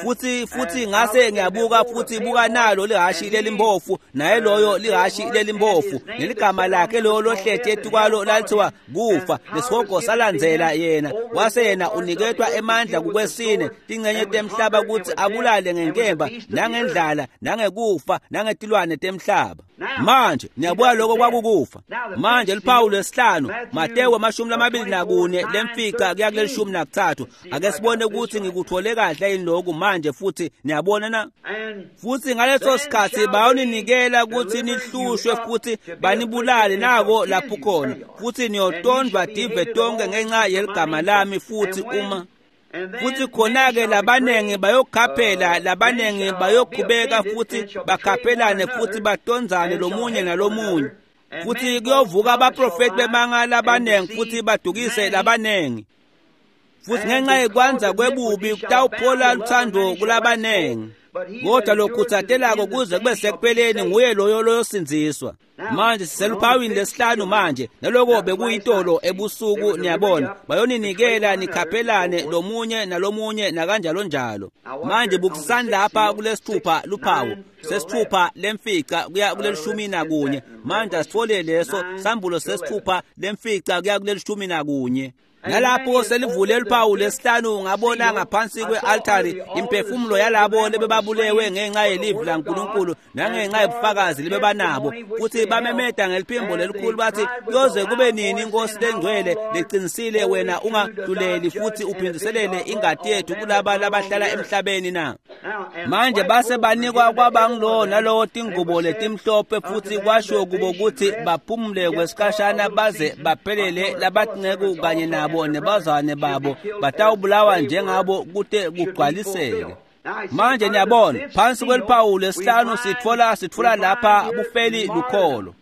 Futhi futhi ngase ngiyabuka futhi buka nalo lihhashi lelimbofu, naye loyo lihhashi lelimbofu, neligama lakhe loyo lohleti etukwalo lalithiwa kufa, lesihogo salandzela yena. Wase yena uniketwa emandla kukwesine tincenye temhlaba kutsi abulale ngenkemba nangendlala nangekufa nangetilwane temhlaba. Manje niyabuka lokho kwakukufa. Manje luphawu lwesihlanu, Matewu amashumi lamabili nakune lemfica kuya kulelishumi nakuthathu. Ake sibone ukuthi ngikuthole kahle yini lokhu manje futhi niyabona na? Futhi ngaleso sikhathi bayoninikela ukuthi nihlushwe futhi banibulale, nako lapho khona. Futhi niyotondwa tive tonke ngenxa yeligama lami. Futhi uma futhi khona-ke labanengi bayokhaphela, labanengi bayokhubeka futhi bakhaphelane futhi batonzane lomunye nalomunye. Futhi kuyovuka abaprofeti bemanga labanengi futhi badukise labanengi. Futhi ngenxa yekwanza kwebubi kutawuphola luthando kulabanengi. Kodwa lokhutsatelako kuze kube sekupheleni nguye loyo loyosindziswa. Manje siseluphawini lesihlanu manje, naloko bekuyitolo ebusuku, niyabona. Bayoninikela nikhaphelane lomunye nalomunye nakanjalo njalo. Manje bukisani lapha kulesithupha luphawu sesithupha lemfica kuya kulelishumi nakunye. Manje asithole leso sambulo sesithupha lemfica kuya kulelishumi nakunye. Nalapho selivule luphawu lesihlanu ngabona ngaphansi kwe-altari imphefumulo yalabo lebebabulewe ngenxa yelivi laNkulunkulu nangenxa yobufakazi lebebanabo. Futhi bamemeda ngeliphimbo lelikhulu bathi, kuyoze kube nini Nkosi lengcwele leqinisile wena ungahluleli futhi uphindiselele ingati yethu kulaba labahlala emhlabeni na? Manje base banikwa kwabangilowo nalowo tingubo letimhlophe, futhi kwashiwo kubo ukuthi baphumule kwesikhashana baze baphelele labatinceku kanye nabo nebazwane babo batawubulawa njengabo kute kugcwaliseke. Manje niyabona phansi kweliphawu lesihlanu sitfola sitfola lapha bufeli lukholo.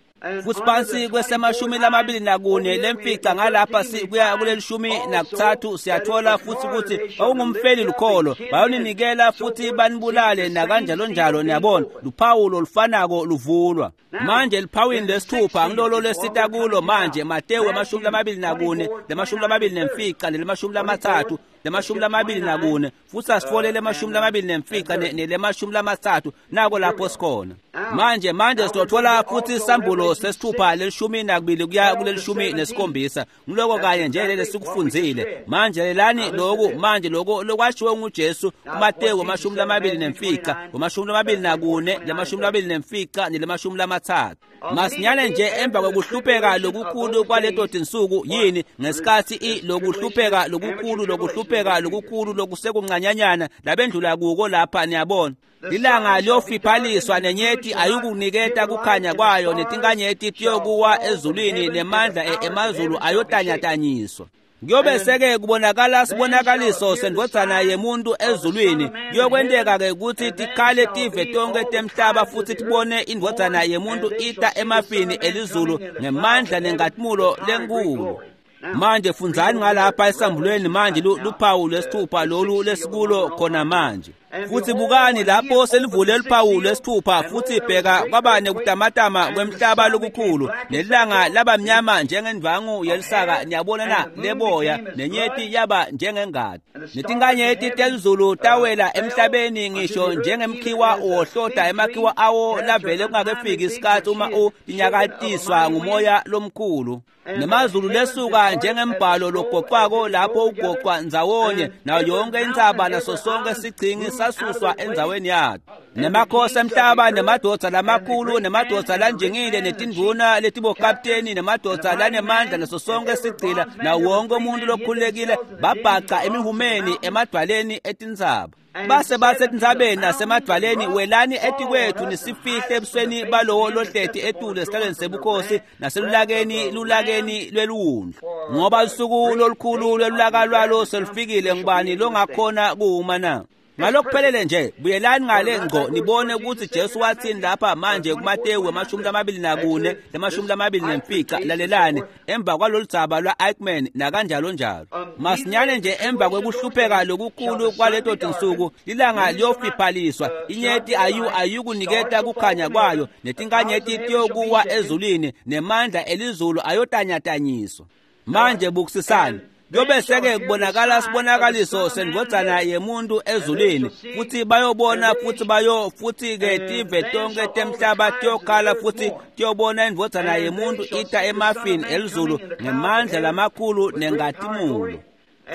Futhi phansi kwesemashumi lamabili nakune lemfica ngalapha kuya kulelishumi nakuthathu siyathola futhi ukuthi ungumfeli lukholo, bayoninikela futhi banibulale nakanjalo njalo. Niyabona luphawu lolufanako luvulwa. Manje liphawini lesithupha ngilolo lesita kulo manje, Matewu amashumi lamabili nakune lemashumi lamabili nemfica nelemashumi lamathathu lemashumi lamabili nakune, futhi asitfole lemashumi lamabili nemfica nelemashumi lamathathu, nako lapho sikhona manje. Manje sitothola futhi sambulo sesithupha lelishumi nakubili kuya kulelishumi nesikhombisa. Ngiloko kanye nje lele sikufundzile. Manje lelani loku manje loko lokwashiwo nguJesu kuMatewu amashumi lamabili nemfica amashumi lamabili nakune lemashumi lamabili nemfica nelemashumi lamathathu. Masinyane nje emva kokuhlupheka lokukhulu kwaleto tinsuku, yini ngesikhathi i lokuhlupheka lokukhulu lokuhlupheka lokukhulu lokusekuncanyanyana labendlula kuko lapha, niyabona. Lilanga liyofiphaliswa nenyeti ayukuniketa kukhanya kwayo, netinkanyeti tiyokuwa ezulwini, nemandla emazulu ayotanyatanyiswa. Kuyobe seke kubonakala sibonakaliso sendvodzana yemuntu ezulwini. Kuyokwenteka-ke kutsi tikhale tive tonkhe temhlaba futsi tibone indvodzana yemuntu ita emafini elizulu ngemandla nenkhatimulo lenkulu. Manje fundzani ngalapha esambulweni manje luphawu lwesithupha lolu lesikulo khona manje. Futsi bukani lapho selivule luphawu lwesithupha, futsi bheka kwaba nekutamatama kwemhlaba lokukhulu, nelanga laba mnyama njengendvangu yelisaka, niyabona na, leboya, nenyeti yaba njengengati. Netinkanyeti telizulu tawela emhlabeni ngisho njengemkhiwa uwohlota emakhiwa awo lavele kungakefiki isikhathi uma utinyakatiswa ngumoya lomkhulu. Nemazulu lesuka njengembhalo logoqwako lapho ugoqwa ndzawonye, nayo yonke intsaba naso sonke sigcingi sasuswa endzaweni yato. Nemakhosi emhlaba nemadvodza lamakhulu nemadvodza lanjingile netindvuna letibokapteni nemadvodza lanemandla naso sonke sigcila nawo wonke umuntu lokhululekile babhaca emihumeni emadvwaleni etintsaba. Base basetintsabeni nasemadvwaleni, welani etikwethu nisifihle ebusweni balowo lohleti etulu esihlalweni sebukhosi naselulakeni lulakeni lweliwundlu. Ngoba lusuku lolukhulu lwelulaka lwalo selufikile, ngubani longakhona kuwuma na? Ngalokuphelele nje buyelani ngale ngco nibone ukuthi Jesu wathini lapha manje kuMateyu wemashumi lamabili nakune lemashumi lamabili nemfica. Lalelani emva kwalolu dzaba lwa-Eichmann nakanjalo njalo. Masinyane nje emva kwekuhlupheka lokukhulu kwaleto tinsuku, lilanga liyofiphaliswa, inyeti ayu ayukuniketa kukhanya kwayo, netinkanyeti tiyokuwa ezulwini, nemandla elizulu ayotanyatanyiswa. Manje bukusisani. Kuyobe seke kubonakala sibonakaliso sendvodzana yemuntu ezulwini, futhi bayobona futhi bayo futhi-ke tive tonke temhlaba tiyokhala futhi tiyobona indvodzana yemuntu ita emafini elizulu ngemandla lamakhulu nenkhatimulo.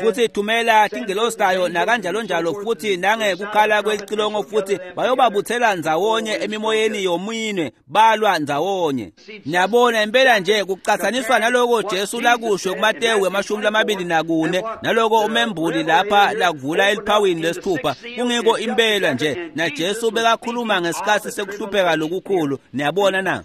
Futhi thumela tingelosi tayo nakanjalo njalo futhi nangekukhala kwelicilongo, futhi bayobabuthela ndzawonye emimoyeni yomine balwa ndzawonye. Niyabona impela nje kucatsaniswa naloko Jesu lakusho kuMateyu wemashumi lamabili nakune, naloko umembuli lapha lakuvula eliphawini lesithupha, kungiko impela nje na Jesu bekakhuluma ngesikhatsi sekuhlupheka lokukhulu. Niyabona na?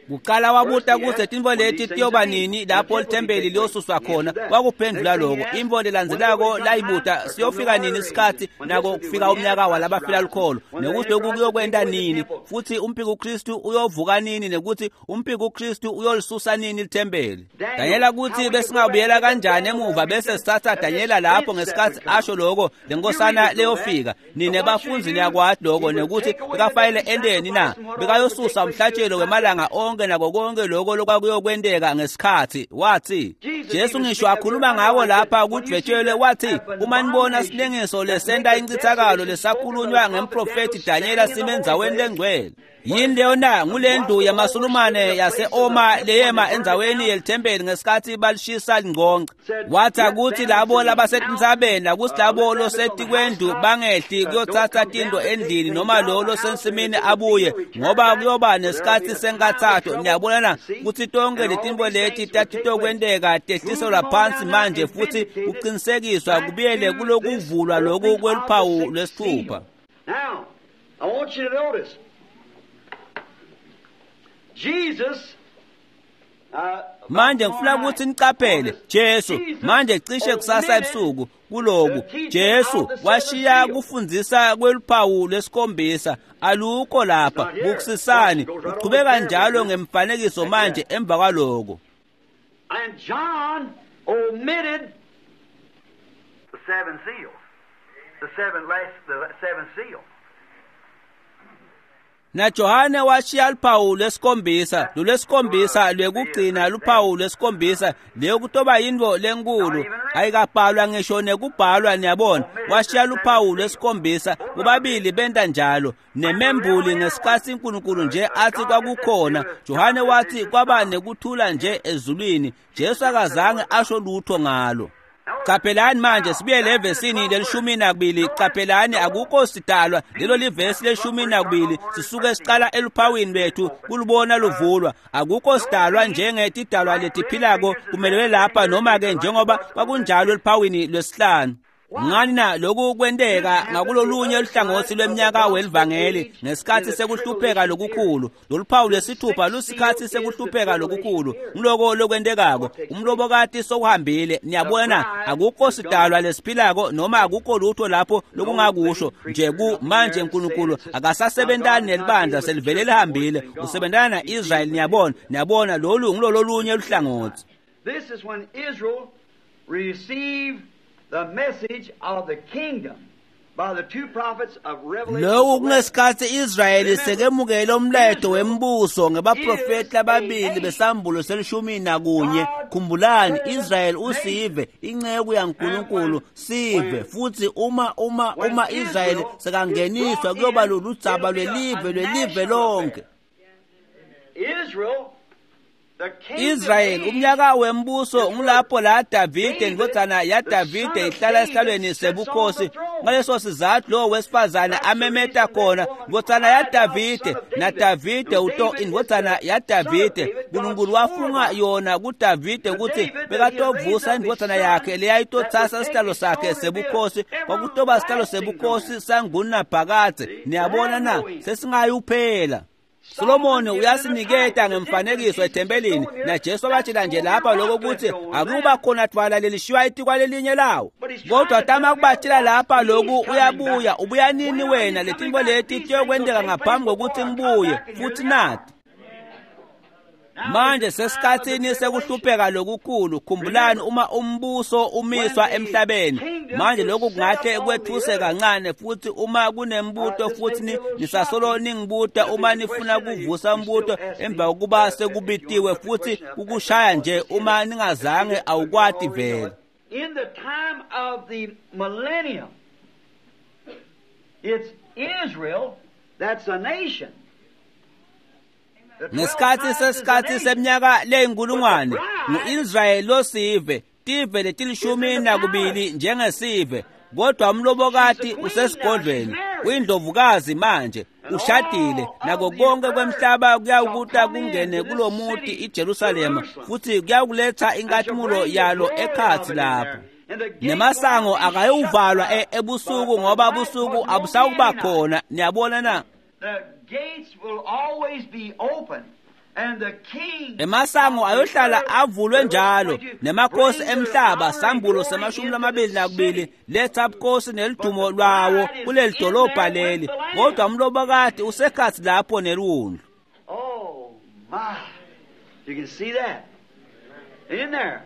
Kuqala wabuta kutsi tintfo leti tiyoba nini lapho lithempeli liyosuswa khona, wakuphendvula loko. Intfo lelandzelako layibuta, siyofika nini isikhatsi nako kufika umnyaka walabafela lukholo, nekuthi lokhu kuyokwenta nini, futhi umphikuKristu uyovuka nini, nekuthi umphikuKristu uyolisusa nini lithempeli. Danyela kutsi besingabuyela kanjani emuva bese sitsatsa Danyela lapho ngesikhatsi asho loko lenkosana leyofika. Nine bafundzi niyakwati loko, nekuthi bekafanele enteni na? Bekayosusa umhlatshelo wemalanga onke nako konke lokho lokwakuyokwenteka ngesikhatsi. Wathi Jesu ngisho akhuluma ngako lapha kudvwetshelwe, wathi uma nibona silengiso lesenta incithakalo lesakhulunywa ngemprofethi Danyela sime endzaweni lengcwele. Yini leyo na? Ngulendlu yamasulumane yase-Oma leyema endzaweni yelithempeli ngesikhatsi balishisa lingconca. Wathi akuthi labo labasetintsabeni nakuthi labo losetikwendlu bangehli kuyotsatsa tintfo endlini, noma lo losensimini abuye, ngoba kuyoba nesikhatsi senkatsato. Niyabona na kutsi tonkhe letintfo leti tatitokwenteka tehliselwa phansi manje futhi kucinisekiswa kubuyele kulokuvulwa loku kweluphawu lwesithupha. Now, I want you to notice Jesus. Manje ngifuna ukuthi nicaphele Jesu manje cishe kusasa ebusuku kuloku Jesu washiya kufundzisa kweluphawu lwesikhombisa alukho lapha. Bukusisani uchubeka njalo ngemfanekiso manje emva kwaloko. And John omitted the seven seals. The seven last the seven seal. Na Johane washiya luphawu lwesikhombisa, lolwesikhombisa lwekugcina luphawu lwesikhombisa leyo kutoba yintfo lenkulu ayikabhalwa ngisho nekubhalwa. Niyabona, washiya luphawu lwesikhombisa, bobabili benta njalo. Nemembuli ngesikhatsi uNkulunkulu nje athi kwakukhona, Johane wathi kwaba nekuthula nje ezulwini. Jesu akazange asho lutho ngalo. Caphelani manje sibuyele evesini lelishumi nakubili. Caphelani akukho sidalwa, lelo livesi lelishumi nakubili sisuke siqala eluphawini lwethu kulubona luvulwa. Akukho sidalwa njengetidalwa letiphilako kumelwe lapha noma ke njengoba kwakunjalo eluphawini lwesihlanu. Ngani na lokhu kwenteka ngakulolunye luhlangotsi lweminyaka welivangeli ngesikhathi sekuhlupheka lokukhulu. Lolu phawu lwesithupha lusikhathi sekuhlupheka lokukhulu. Ngiloko lokwentekako, umlobokati sowuhambile. Niyabona, akukho sidalwa lesiphilako noma akukho lutho lapho lokungakusho nje ku manje uNkulunkulu akasasebentani nelibandla, selivele lihambile, usebentana na-Israyeli. Niyabona, niyabona lolu ngilololunye luhlangotsi. This is when Israel received the message of the kingdom by the two prophets of Revelation. Lokhu kungesikhathi Israyeli sekemukele umlayeto wembuso ngebaprofeti lababili besambulo selishumi nakunye. Khumbulani, Israyeli usive, inceku yaNkulunkulu sive, futhi uma uma uma Israyeli sekangeniswa kuyoba loludzaba lwelive lwelive lonke. Israel, the kingdom Israel age, umnyaka wembuso ngulapho la Davide indvodzana yaDavide ihlala esihlalweni sebukhosi. Ngaleso sizathu lo wesifazane amemeta khona, ndvodzana yaDavide, naDavide uto indvodzana yaDavide. Nkulunkulu wafunga yona kuDavide ukuthi bekatovusa indvodzana yakhe leyayitotsasa sihlalo sakhe sebukhosi, kwakutoba sihlalo sebukhosi sangunaphakadze. Niyabona na, sesingayuphela. Solomoni uyasiniketa ngemfanekiso ethempelini, naJesu wabatshela nje lapha lokho ukuthi akuba khona dvwala lelishiywa etikwa lelinye lawo. Kodwa tama kubatshela lapha lokhu, uyabuya, ubuya nini wena? Letintfo leti tiyokwenteka ngaphambi kokuthi ngibuye futhi nati. Manje sesikhatsini sekuhlupheka lokukhulu. Khumbulani, uma umbuso umiswa emhlabeni manje, lokhu kungahle kwethuse kancane, futhi uma kunembuto futhi ni- nisasolo ningibuta uma nifuna kuvusa umbuto emva kokuba sekubitiwe, futhi kukushaya nje uma ningazange awukwati vele. In the time of the millennium, it's Israel that's a nation. The twelve Ngesikhathi tribes is a sesikhathi nation. seminyaka leyinkulungwane, ngu-Israyeli losive, tive letilishumi nakubili njengesive, kodwa umlobokati usesigodlweni, uyindlovukazi manje, ushadile, nako konke kwemhlaba kuyawukuta kungene kulomuti iJerusalema, futhi kuyawukuletha inkathimulo yalo ekhatsi lapho. Nemasango akayuvalwa e- ebusuku, ngoba busuku abusawuba khona. Niyabona na? The gates will always be open, and the king Emasango ayohlala avulwe njalo, nemakhosi emhlaba, sambulo semashumi lamabili nakubili, letha bukhosi nelidumo lwawo kuleli dolobha leli, kodwa umlobokati usekhatsi lapho neliwundlu. Oh my. You can see that. In there.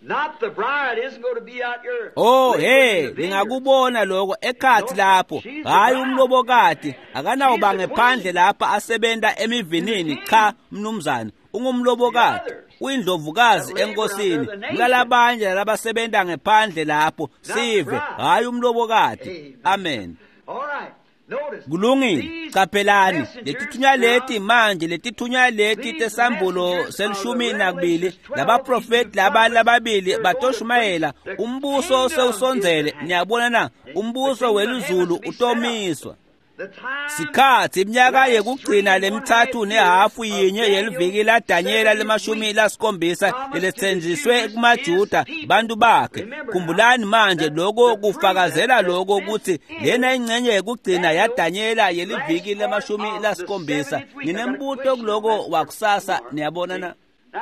Not the bride isn't going to be out here. Oh laboring hey, in the vineyard. ningakubona lokho ekhatsi lapho. Hayi, umlobokati akanawuba ngephandle lapha asebenta emivinini. Cha mnumzane, ungumlobokati, uyindlovukazi enkosini. Kulalabanye labasebenta ngephandle lapho, sive, hayi umlobokati. Amen. All right. Notice. Kulungile. These Qaphelani, messengers letithunywa leti now, manje, letithunywa leti tesambulo selishumi nakubili, labaprofeti laba lababili batoshumayela umbuso sewusondzele. Niyabona na, umbuso welizulu utomiswa. the time Sikhathi iminyaka yekugcina lemithathu nehafu yinye yeliviki la Danyela lemashumi lasikhombisa leletsenjiswe kumaJuda, bantu bakhe. Khumbulani manje, lokho kufakazela lokho ukuthi lena ingcenye yekugcina yaDanyela yeliviki lemashumi lasikhombisa. Nginembuto kuloko wakusasa. Niyabona na?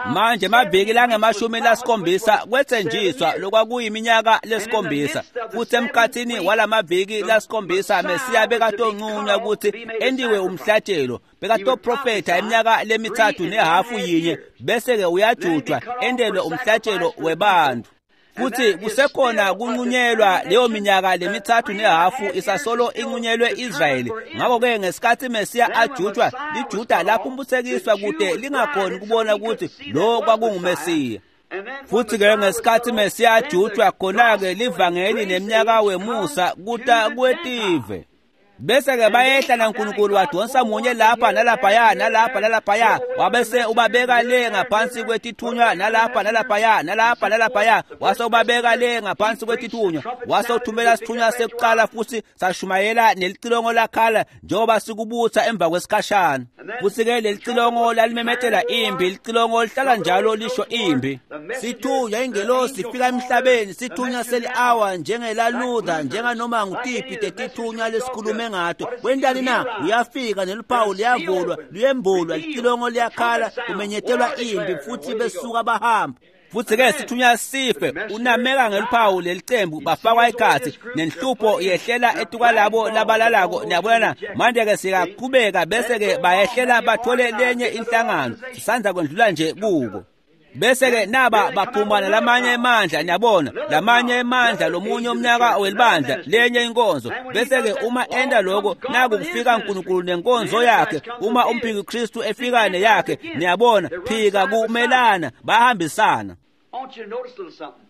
Manje maviki langemashumi lasikhombisa kwetsenjiswa lokwakuyiminyaka lesikhombisa, futhi emkhathini walamaviki lasikhombisa Mesiya bekatonqunywa ukuthi entiwe umhlatshelo, bekatoprofetha iminyaka lemithathu nehafu yinye, bese-ke uyajutshwa entelwe umhlatshelo webantfu. Futhi kusekhona kunqunyelwa leyo minyaka lemithathu nehafu isasolo inqunyelwe Israyeli. Ngakho-ke ngesikhathi Mesiya ajutshwa, liJuda laphumputhekiswa kude lingakhoni kubona ukuthi lo kwakunguMesiya. Futhi-ke ngesikhathi Mesiya ajutshwa, khona-ke livangeli neminyaka wemusa kuta kwetive. Bese-ke bayehla naNkulunkulu wadonsa munye lapha nalaphaya nalapha nalaphaya, wabese ubabeka le ngaphansi kwetithunywa nalapha nalaphaya nalapha nalaphaya, wase ubabeka le ngaphansi kwetithunywa, wase uthumela sithunywa sekuqala futhi sashumayela nelicilongo lakhala njengoba sikubutha emva kwesikhashana. Futhi-ke lelicilongo lalimemetela impi, licilongo lihlala njalo lisho impi. Sithunywa ingelosi sifika emhlabeni, sithunywa seli-awa njengela Luther, njenganoma ngutiphi tetithunywa lesikhulume ngato. Wentani na? Uyafika neluphawu liyavulwa, luyembulwa, licilongo liyakhala, kumenyetelwa impi futhi besuka bahamba. Futhi-ke sithunywa sife, unameka ngeluphawu lelicembu, bafakwa ikhathi nenhlupho yehlela etukwalabo labalalako. Niyabona na? Manje-ke siyaqhubeka bese-ke bayehlela bathole lenye inhlangano, sisandza kwendlula nje kuko. Bese-ke naba baphuma nalamanye emandla, niyabona, lamanye emandla, lomunye umnyaka welibandla, lenye inkonzo. Bese-ke uma enda lokho, naku kufika uNkulunkulu nenkonzo yakhe, uma umphiki Kristu efika neyakhe, niyabona, phika kumelana, bahambisana. I want you to notice a little something.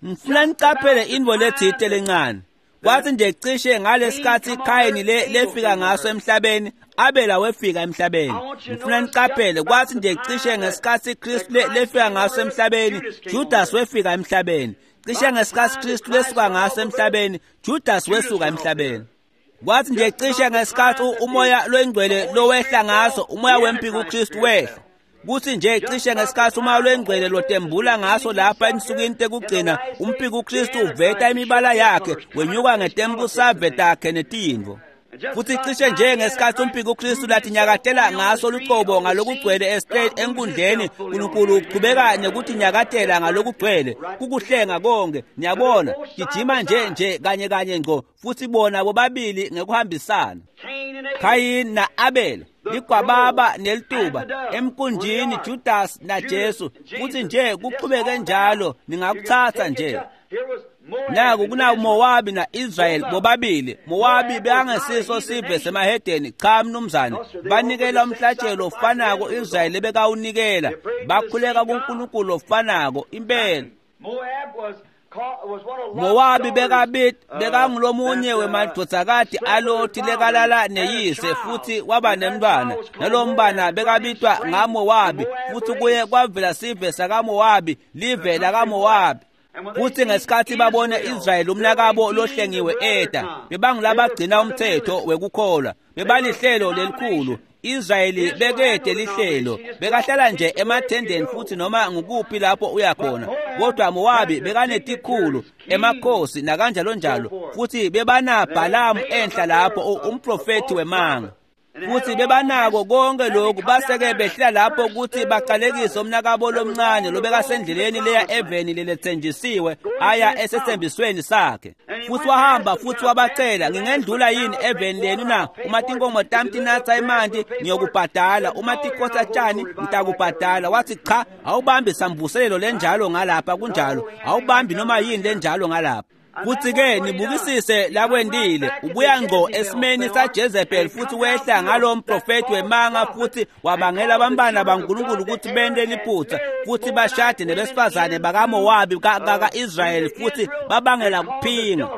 Ngifuna nicaphele intfo letsite lencane. Kwathi nje cishe ngalesikhatsi Khayini le lefika ngaso emhlabeni, Abela wefika emhlabeni. Ngifuna nicaphele, kwathi nje cishe ngesikhatsi Kristu le lefika ngaso emhlabeni, Judas wefika emhlabeni. Cishe ngesikhatsi Kristu lesuka ngaso emhlabeni, Judas wesuka emhlabeni. Kwathi nje cishe ngesikhatsi umoya lwengcwele lowehla ngaso, umoya wempiko uKristu wehla. Kuthi nje cishe ngesikhatsi umoya lwengcwele lotembula ngaso lapha ensukwini tekugcina, umphiko uKristu uveta imibala yakhe, wenyuka ngetembusave takhe netintfo. Futhi cishe nje ngesikhatsi umphiko uKristu latinyakatela ngaso lucobo ngalokugcwele estate enkundleni, uNkulunkulu uchubeka nekutinyakatela ngalokugcwele, kukuhlenga konke. Niyabona, gijima nje nje kanye kanye ngco, futhi bona bobabili ngekuhambisana. Cain and Abel. Khayini na-Abela, ligwababa nelituba, emkunjini Judas naJesu, futhi nje kuqhubeke njalo, ningakutsatsa nje. Here was Moab Naku and kuna Israel. Mowabi na-Israel bobabili. Mowabi bekangesiso sive semahedeni, cha mnumzane. Banikela umhlatshelo ofanako Israyeli ebekawunikela. Bakhuleka kuNkulunkulu ofanako impela. Moab was called, was one of Lot's Mowabi daughters, bekabit uh, bekangulomunye that, uh, wemadvodzakati slept with aLothi her father lekalala and had a neyise child. futhi waba And that nemntwana. child was called Nalowo mntwana Moab. bekabitwa From his ngaMowabi, strength, futhi Moab kuye raised. kwavela sive sakaMowabi, live lakaMowabi. Futhi ngesikhatsi babone Israyeli umnakabo lohlengiwe eta, bebangulabagcina umthetho wekukholwa, bebalihlelo lelikhulu. Israyeli bekede lihlelo, bekahlala nje emathendeni futhi noma ngukuphi lapho uya khona. Kodwa Mowabi bekanetikhulu, emakhosi nakanjalo njalo, futhi bebana Bhalamu enhla lapho umprofethi wemanga. Futhi bebanako konke lokhu, base-ke behlela lapho ukuthi baqalekise umnakabo lomncane lobekasendleleni leya eveni lelethenjisiwe aya esethembisweni sakhe. Futhi wahamba futhi wabacela, ngingendlula yini eveni lenu na? Uma tinkomo tami tinatsa emanti ngiyokubhadala, uma tikhotsa tshani ngitakubhadala. Wathi cha, awubambi samvuselelo lenjalo ngalapha, kunjalo, awubambi noma yini lenjalo ngalapha. Futhi-ke nibukisise lakwendile, ubuya ngqo esimeni saJezebel futhi wehla ngalo mprofethi wemanga futhi wabangela abantwana baNkulunkulu ukuthi bente liphutha futhi bashade nebesifazane bakaMowabi ka-Israyeli futhi babangela kuphinga.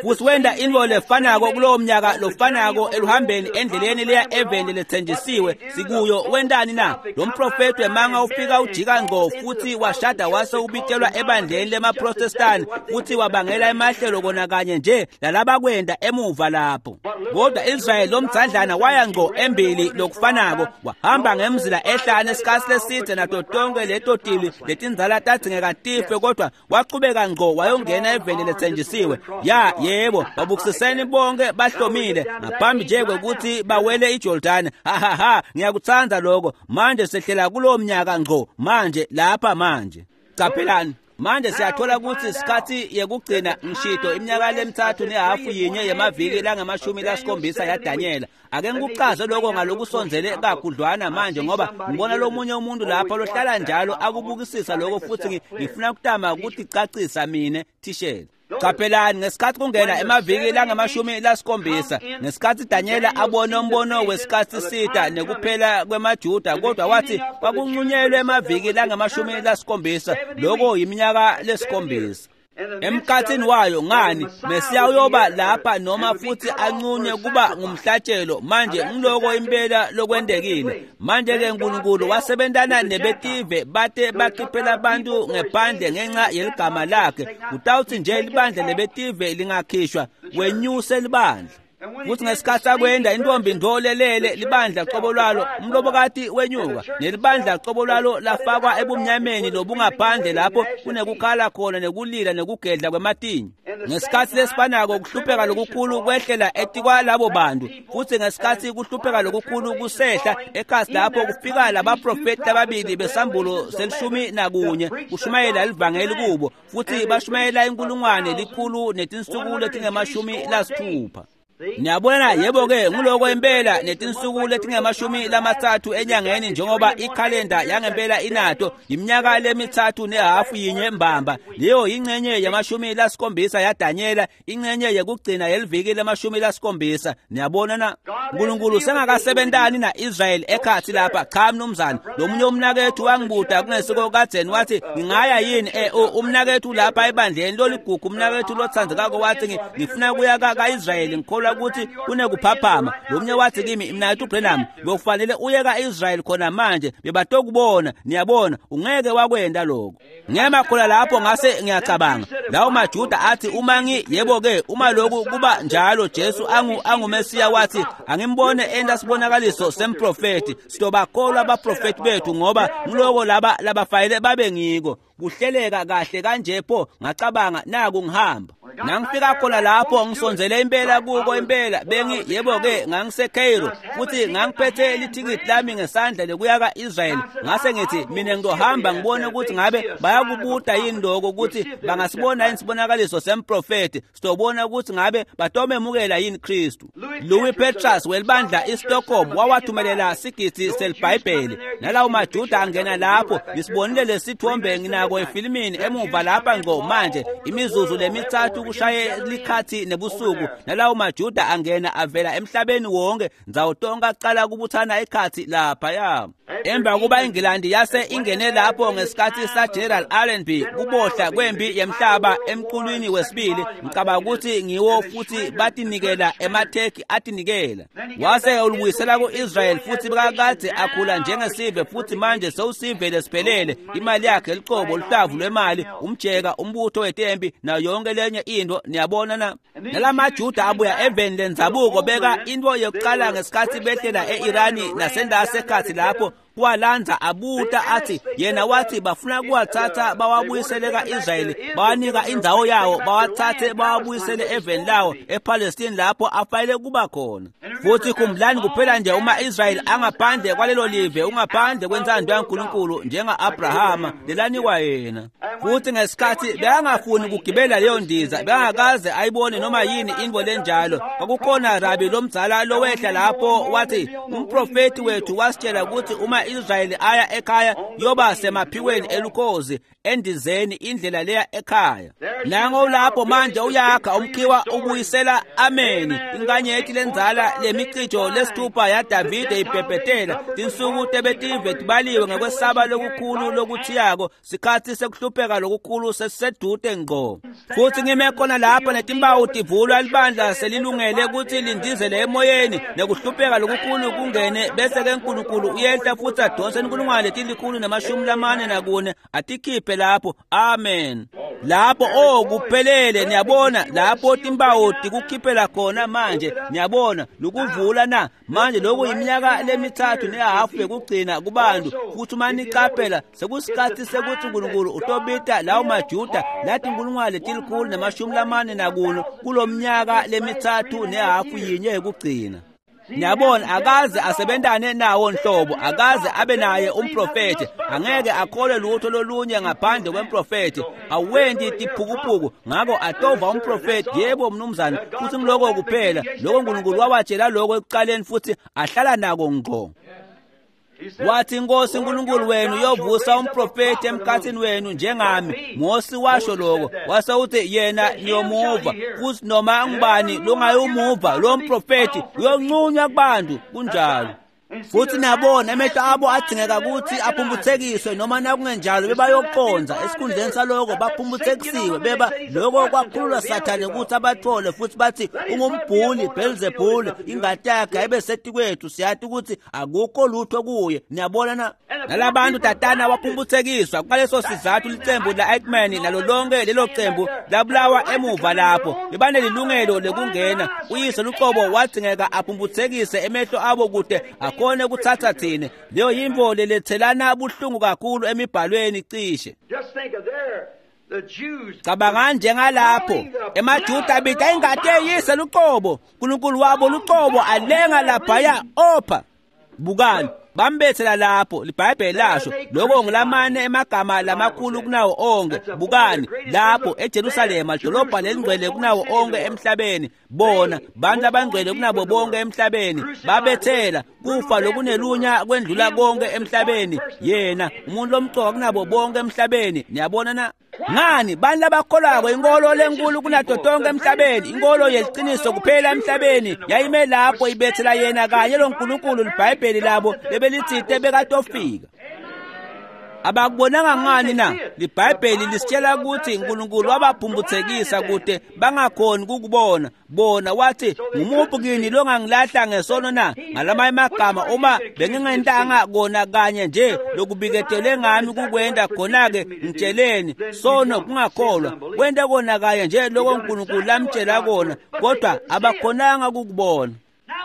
Futhi wenda intfo lefanako kulowo mnyaka lofanako eluhambeni endleleni leya eveni lethenjisiwe sikuyo. Wentani na? Lo mprofethi wemanga ufika ujika ngqo futhi washada wase ubitelwa ebandleni lemaProtestani futhi wabangela emahlelo kona kanye nje lalabakwenda emuva lapho. Kodwa Israyeli lomdzadlana waya ngqo embili lokufanako, wahamba ngemzila ehlane isikhatsi leside nato tonke leto tili letindzala tadzingeka tife, kodwa wachubeka ngqo wayongena eveni lethenjisiwe. Ya yebo, babukisiseni bonke bahlomile ngaphambi nje kwekuthi bawele iJordani. Ha ha ha, ngiyakutsandza lokho. Manje sehlela kulowo mnyaka ngqo manje lapha manje. Caphelani. Manje siyathola ukuthi isikhathi yekugcina ngishito iminyaka lemithathu nehafu yinye yemaviki langamashumi lasikhombisa yaDanyela. Ake ngikuchaze lokho ngalokusondzele kakhudlwana manje, ngoba ngibona lomunye umuntu lapha lohlala njalo akubukisisa lokho futhi ngifuna ukutama ukuticacisa mine thishela. Caphelani ngesikhathi kungena emaviki langamashumi lasikhombisa, ngesikhathi Danyela abona umbono wesikhathi sita nekuphela kwemaJuda, kodwa wathi kwakunqunyelwe emaviki langamashumi lasikhombisa, lokho yiminyaka lesikhombisa. Emkhatsini wayo ngani Mesiya uyoba lapha noma futhi anqunywe kuba ngumhlatshelo. Manje ngiloko impela lokwendekile. Manje ke uNkulunkulu wasebentana nebetive bate bakhiphela abantu ngephandle ngenxa yeligama lakhe. Kutawuthi nje libandla lebetive lingakhishwa wenyuse libandla. Futhi ngesikhathi akwenda intombi ndolelele libandla qobo lwalo umlobokati wenyuka nelibandla qobo lwalo lafakwa ebumnyameni lobungaphandle lapho kunekukhala khona nekulila nekugedla kwematinyo. Ngesikhathi lesifanako kuhlupheka lokukhulu kwehlela etikwalabo bantu, futhi ngesikhathi kuhlupheka lokukhulu kusehla ekhasi lapho kufika labaprofeti lababili besambulo selishumi nakunye kushumayela livangeli kubo, futhi bashumayela inkulungwane likhulu netinsuku letingemashumi lasithupha. Niyabona yebo ke nguloko impela netinsuku letingemashumi lamatsatfu enyangeni njengoba ikhalenda yangempela inato iminyaka lemithathu nehafu yinye mbamba. Leyo ingcenye yamashumi lasikhombisa yaDanyela, ingcenye yekugcina yeliviki lemashumi lasikhombisa. Niyabona na uNkulunkulu sengakasebentani na-Israyeli ekhathi lapha. Cha mnumzane, lomunye umnakethu wangibuta kungesiko kadzeni wathi ngingaya yini eh umnakethu lapha ebandleni loligugu umnakethu lotsandzekako wathi ngifuna kuya ka-Israyeli ngikholwa ukuthi kunekuphaphama. Lomnye wathi kimi mnakethu Branham bekufanele uye ka-Israyeli khona manje bebatokubona. Niyabona ungeke wakwenda lokho. Ngema khona lapho ngase ngiyacabanga lawo maJuda athi uma ngi yebo ke uma lokhu kuba njalo Jesu angu anguMesiya wathi angimbone enda sibonakaliso semprofeti sitobakholwa abaprofeti bethu ngoba ngiloko laba labafayele babe ngiko kuhleleka kahle kanje pho. Ngacabanga naku ngihamba nangifika khona lapho ngisondzele impela kuko impela bengi yebo ke ngangiseCairo futhi ngangiphethe lithikithi lami ngesandla lekuya ka-Israyeli. Ngase ngithi mina ngizohamba ngibone ukuthi ngabe bayakubuta yini lokho ukuthi bangasibona yini sibonakaliso semprofeti sizobona ukuthi ngabe batomemukela yini Kristu. Louis Petrus welibandla iStockholm wawathumelela sigidi selibhayibheli nalawo maJuda angena lapho. Ngisibonile lesithombe nginako efilimini emuva lapha ngqo manje imizuzu lemithathu kushaye likhathi nebusuku nalawo maJuda angena avela emhlabeni wonke ndzawo tonke aqala kubuthana ekhathi lapha ya. Emva kuba iNgilandi yase ingene lapho ngesikhathi sa General Allenby kubohla kwempi yemhlaba emqulwini wesibili ngicabanga ukuthi ngiwo futhi batinikela emaTurkey atinikela wase ulubuyisela ku-Israel futhi bekakade akhula njengesive futhi manje sewusive lesiphelele imali yakhe liqobo luhlavu lwemali umjeka umbutho wetempi nayo yonke lenye into. Niyabona na nalamaJuda abuya eveni lendzabuko beka into yokuqala ngesikhathi behlela e-Irani nasendasekhathi lapho walanza abuta athi yena wathi bafuna kuwathatha bawabuyisele ka-Israyeli bawanika indzawo yawo bawathathe bawabuyisele eveni lawo ePalestine lapho afayele kuba khona. Futhi khumbulani kuphela nje uma Israyeli angaphandle kwalelo live ungaphandle kwentsando yaNkulunkulu njenga-Abrahama lelanikwa yena. Futhi ngesikhathi bekangafuni kugibela leyo ndiza bekangakaze ayibone noma yini into lenjalo. Kwakukhona rabi lomdzala lowehla lapho wathi umprofeti wethu wasitshela ukuthi uma Israyeli aya ekhaya yoba semaphikweni elukhozi endizeni indlela leya ekhaya. Nango lapho manje uyakha umkhiwa ubuyisela ameni inkanyeti lenzala lemicijo lesithupha yaDavide ibhebhetela tinsuku tebetive tibaliwe ngekwesaba lokukhulu lokuthiyako sikhathi sekuhlupheka lokukhulu sesisedude ngqo. Futhi ngime khona lapho netimbawu tivulwa libandla selilungele ukuthi lindizele emoyeni nekuhlupheka lokukhulu kungene bese ke uNkulunkulu uyehla futhi adonse inkulungwane letilikhulu namashumi lamane nakune atikhiphe lapho. Amen. Lapho oh kuphelele. Niyabona lapho timbawu tikukhiphela khona manje. Niyabona lokuvula na manje lokhu iminyaka lemithathu nehafu yekugcina kubantu. Futhi uma niqaphela sekusikhathi sekuthi uNkulunkulu utobita lawo maJuda lathi inkulungwane letilikhulu namashumi lamane nakuno kulomnyaka lemithathu nehafu yinye yekugcina. Niyabona akaze asebentane nawo nhlobo akaze abe naye umprofeti angeke akholwe lutho lolunye ngaphandle kwemprofeti awendi tiphukuphuku ngako atova umprofeti. Yebo mnumzane, futhi ngiloko kuphela lokho uNkulunkulu wawatshela lokho ekuqaleni futhi ahlala nako ngqo. Wathi inkosi uNkulunkulu wenu uyovusa umprofeti emkhathini wenu njengami. Mose washo lokho wase uthi yena niyomuva futhi noma ngubani longayumuva lo mprofeti uyonqunywa kubantu. Kunjalo. Futhi niyabona emehlo abo adzingeka ukuthi aphumbuthekiswe noma nakungenjalo bebayoqonza. Esikhundleni saloko baphumbuthekisiwe beba lokho kwakhululwa Sathane ukuthi abathole futhi bathi ungumbhuli Beelzebul, ingati yakhe ayibe setikwethu, siyathi ukuthi akukho lutho kuye. Niyabona na nalabantu tatana baphumbuthekiswa. Kwaleso sizathu licembu la Eichmann nalo lonke lelo cembu labulawa emuva lapho bebanelilungelo lekungena. Uyise luqobo wadzingeka aphumbuthekise emehlo abo kude akhone ukuthatha thina. Leyo yimvo lelethelana buhlungu kakhulu emibhalweni cishe. Cabanga njengalapho emaJuda abita ingati eyise luqobo, uNkulunkulu wabo luqobo alenga laphaya opha. Bukani bambethela lapho, liBhayibheli lasho lokho ngilamane emagama lamakhulu kunawo onke. Bukani lapho eJerusalema, idolobha lelingcwele kunawo onke emhlabeni, bona bantu abangcwele kunabo bonke emhlabeni babethela kufa lokunelunya kwendlula konke emhlabeni, yena umuntu lomcoka kunabo bonke emhlabeni. Niyabona na ngani bantu labakholwako inkolo lenkulu kunato tonke emhlabeni, inkolo yeliqiniso kuphela emhlabeni yayime lapho ibethela yena kanye lo nkulunkulu liBhayibheli labo lebelitsite bekatofika. Abakubonanga ngani na? LiBhayibheli lisitshela ukuthi uNkulunkulu wabaphumbuthekisa kude bangakhoni ukukubona. Bona wathi ngumuphi kini longangilahla ngesono na? Ngalamanye amagama, uma bengingentanga kona kanye nje lokubiketelwe ngami kukwenda, khona-ke ngitsheleni sono kungakholwa kwenta kona kanye nje lokho uNkulunkulu lamtshela kona, kodwa abakhonanga ukukubona.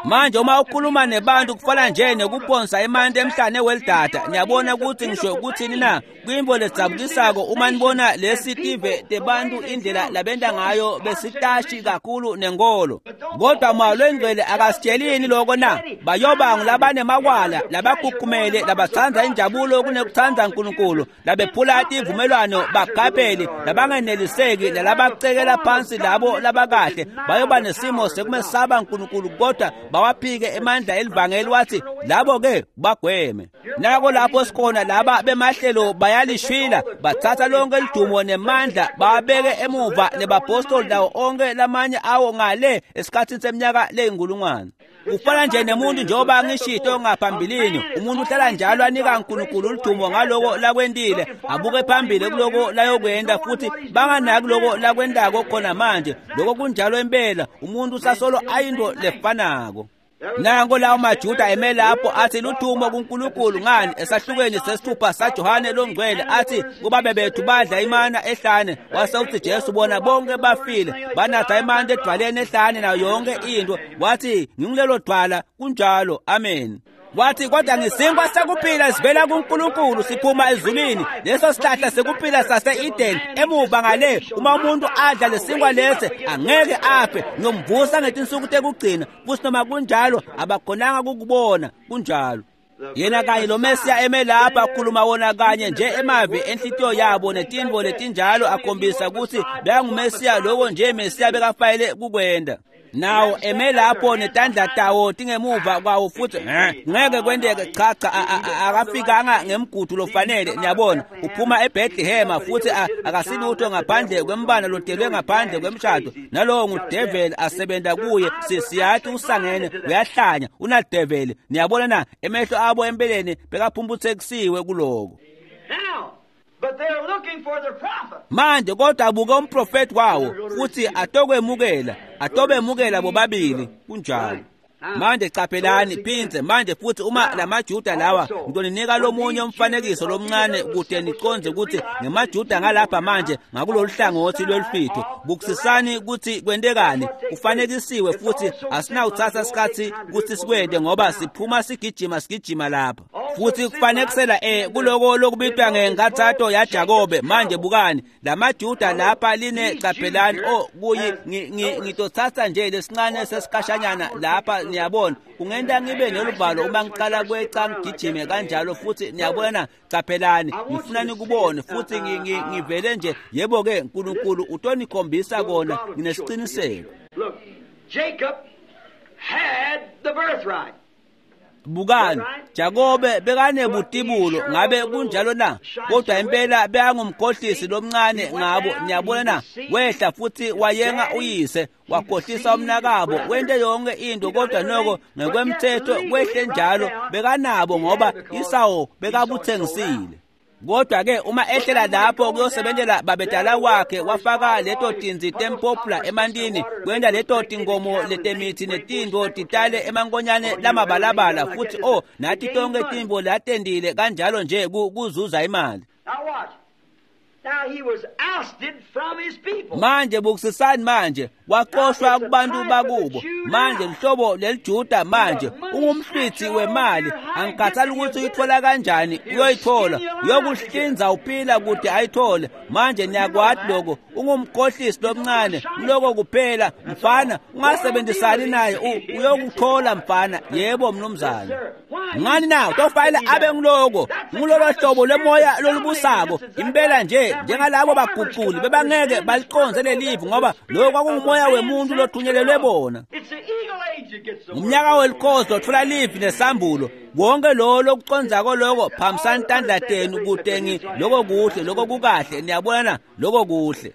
Manje uma ukhuluma nebantu kufana nje nekuphonsa emanti emhlane welidada. Niyabona ukuthi ngisho ukuthini na? Kuyimvo ledzabukisako uma nibona lesi tive tebantu indlela labenta ngayo besitashi kakhulu nenkolo. Kodwa Moya Longcwele akasitshelini lokho na? Bayoba ngulabanemakwala, labakhukhumele, labatsandza injabulo kunekutsandza uNkulunkulu, labephula tivumelwano, bagabheli, labangeneliseki, nalabacekela phansi labo labakahle. Bayoba nesimo sekumesaba uNkulunkulu kodwa bawaphike emandla elivangeli. Wathi labo ke bagweme. Nako lapho sikhona laba bemahlelo bayalishwila, bathatha lonke lidumo nemandla bawabeke emuva nebapostoli lawo onke lamanye awo ngale esikhathini seminyaka leyinkulungwane. Kufana nje nemuntu njengoba ngishito ngaphambilini, umuntu uhlala njalo anika uNkulunkulu udumo ngaloko lakwentile, abuke phambili kuloko layokwenda futhi banganaki loko lakwendako khona manje. Lokho kunjalo impela, umuntu usasolo ayinto lefanako. Nango lawo maJuda eme lapho athi ludumo kuNkulunkulu. Ngani? Esahlukweni sesithupha saJohane longcwele athi kubabe bethu badla imana ehlane, wase uthi Jesu bona bonke bafile, banatha imana edwaleni ehlane nayo yonke into. Wathi ngingulelo dwala, kunjalo, amen. Wathi kodwa ngisinkwa sekuphila sivela kuNkulunkulu siphuma ezulwini, leso sihlahla sekuphila sase-Eden emuva ngale. Uma umuntu adla lesinkwa lesi angeke afe, ngiyomvusa ngetinsuku tekugcina. Futhi noma kunjalo abakhonanga kukubona. Kunjalo yena kanye lo Mesiya eme lapha akhuluma wona kanye nje emavi enhlitiyo yabo netinvo letinjalo, akhombisa ukuthi bekanguMesiya, loko nje Mesiya bekafayele kukwenda. Nawo eme lapho netandla tawo tingemuva kwawo futhi ngeke kwenteke. Cha cha, akafikanga ngemgudu lofanele. Niyabona uphuma eBethlehem futhi akasilutho ngaphandle kwembana lotelwe ngaphandle kwemshado, nalowo ngudeveli asebenta kuye. Siyathi usangene, uyahlanya, unadeveli. Niyabona na emehlo abo empeleni bekaphumbuthekisiwe kuloko. Manje kodwa abuke umprofeti wawo futhi atokwemukela, atobemukela bobabili. Kunjalo. Manje caphelani phindze manje futhi uma lamaJuda lawa, ngitoninika lomunye umfanekiso lomncane kude niconze ukuthi ngemaJuda ngalapha manje ngakulolu hlangothi lwelufitho. Bukusisani ukuthi kwentekani, kufanekisiwe futhi asinawuthatha isikhathi ukuthi sikwente ngoba siphuma sigijima sigijima lapha. Futhi kufanekisela eh kuloko lokubitwa ngenkathato yaJakobe. Manje bukani lamaJuda lapha line, caphelani oh kuyi ngitothatha nje lesincane sesikhashanyana lapha. Niyabona kungenta ngibe neluvalo uma ngiqala kweca ngigijime kanjalo futhi. Niyabona, caphelani ngifuna nikubone futhi ngivele nje. Yebo ke uNkulunkulu utonikhombisa kona, nginesiqiniseko. Look, Jacob had the birthright. Bukani, Jakobe bekanebutibulo, ngabe kunjalo na? Kodwa impela bekangumkhohlisi lomncane ngabo, niyabona na? Wehla futhi wayenga uyise, wakhohlisa umnakabo, wente yonke into, kodwa noko ngekwemthetho kwehle njalo bekanabo ngoba Isawo bekabuthengisile. Kodwa ke uma ehlela lapho kuyosebenzela babedala wakhe, wafaka leto tinzi tempopula emantini, kwenta leto tingomo letemithi netintfo titale emankonyane lamabalabala, futhi oh nathi tonke tintfo latendile kanjalo nje kuzuza imali. Now watch. Now he was ousted from his people. Manje bukusisani manje waxoshwa kubantu bakubo. Manje lihlobo leliJuda manje ungumhlwithi wemali, angikhathali ukuthi uyithola kanjani, uyoyithola, uyokuhlinza uphila kude ayithole. Manje niyakwati lokho, ungumkhohlisi lomncane, lokho kuphela mfana, ungasebenzisani naye, uyokuthola mfana. Yebo mnumzane. Ngani na utofanele abe ngiloko, ngulolo hlobo lwemoya lolubusako impela nje, njengalabo baguquli bebangeke baliqonze lelivi ngoba lokho kwakungumoya wemuntu lothunyelelwe bona. It's the eagle age that gets the word. Umnyaka welikhozi lotfola livi nesambulo. Konke lo lokucondzako loko phambisani tandla tenu kute ngi loko kuhle, loko kukahle, niyabona na? Loko kuhle.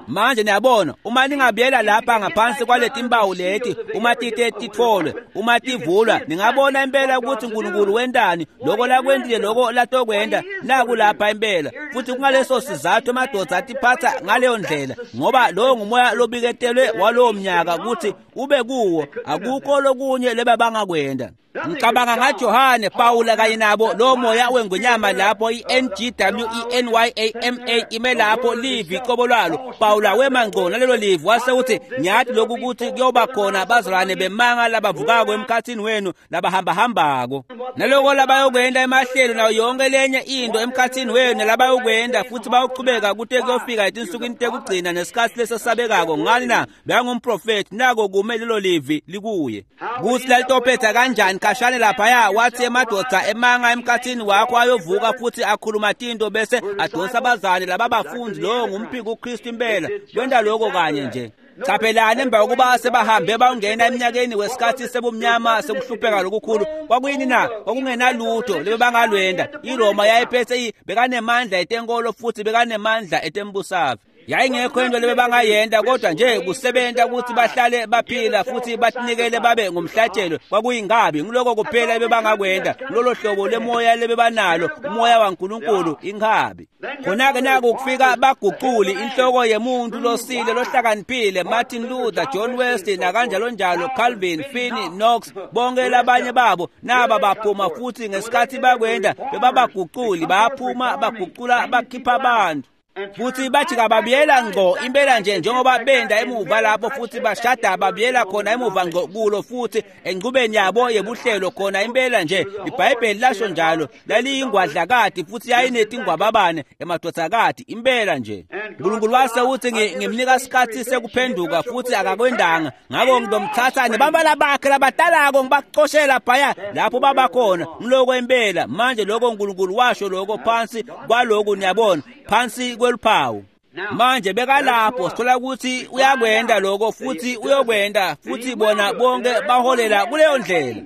Manje niyabona, uma ningabuyela lapha ngaphansi kwaleti mpawu leti, uma tite titfolwe, uma tivulwa, ningabona impela ukuthi uNkulunkulu wentani, loko lakwentile, loko latokwenta, naku lapha impela. Futhi kungaleso sizathu emadoda atiphatha ngaleyo ndlela, ngoba lowo ngumoya lobiketelwe walowo mnyaka ukuthi ube kuwo, akukho lokunye lebabangakwenta. Ngicabanga ngaJohane, Pawula kanye nabo lo moya wengonyama lapho i-N G W E N Y A M A ime lapho livi qobo lwalo. Pawula wema ngqo nalelo livi wase uthi ngiyathi lokhu ukuthi kuyoba khona bazalwane bemanga labavukako emkhathini wenu labahambahambako, naloko labayokwenda emahlelo nayo yonke lenye into emkhathini wenu labayokwenda, futhi bayochubeka kute kuyofika etinsukwini tekugcina nesikhatsi lesesabekako. Ngani na? Bekangumprofethi, nako kume lelo livi likuye. Kuthi lalitophetha kanjani khashane laphaya, wathi emadoda emanga emkhathini wakho ayovuka futhi akhuluma tinto bese adonsa abazali laba bafundi. Lowo ngumphiko uKristu impela, kwenta lokho kanye nje. Chaphelani emva kokuba sebahambe bangena eminyakeni wesikhathi sebumnyama sekuhlupheka lokukhulu, kwakuyini na? Kwakungenalutho lebebangalwenda. IRoma yayiphethe, bekanemandla etenkolo futhi bekanemandla etembusave. Yayingekho into lebebangayenta kodwa nje kusebenta ukuthi bahlale baphila futhi batinikele babe ngumhlatshelo. Kwakuyingabi ngiloko kuphela ebebangakwenta, lolo hlobo lemoya lebebanalo, umoya waNkulunkulu inkabi. Khona-ke naku kufika baguquli inhloko yemuntu losile lohlakaniphile, Martin Luther, John Wesley nakanjalo njalo, Calvin, Finney, Knox, bonke labanye babo naba baphuma, futhi ngesikhathi bakwenda bebabaguquli, baphuma baguqula bakhipha abantu. Futhi bajika babuyela ngqo impela nje njengoba benda emuva lapho, futhi bashada babuyela khona emuva ngqo kulo futhi enqubeni yabo yebuhlelo khona impela nje. IBhayibheli lasho njalo, laliyingwadlakati futhi yayinetingwababane emadodakati impela nje. uNkulunkulu wase uthi ngimnika isikhathi sekuphenduka futhi akakwendanga, ngakho ngizomthatha nebabala bakhe labatalako ngibaxoshela phaya lapho babakhona. Ngiloko impela manje lokho uNkulunkulu washo lokho phansi kwaloku, niyabona, phansi kweluphawu. Manje bekalapho, sithola ukuthi uyakwenda lokho futhi uyokwenda futhi bona bonke baholela kuleyo ndlela.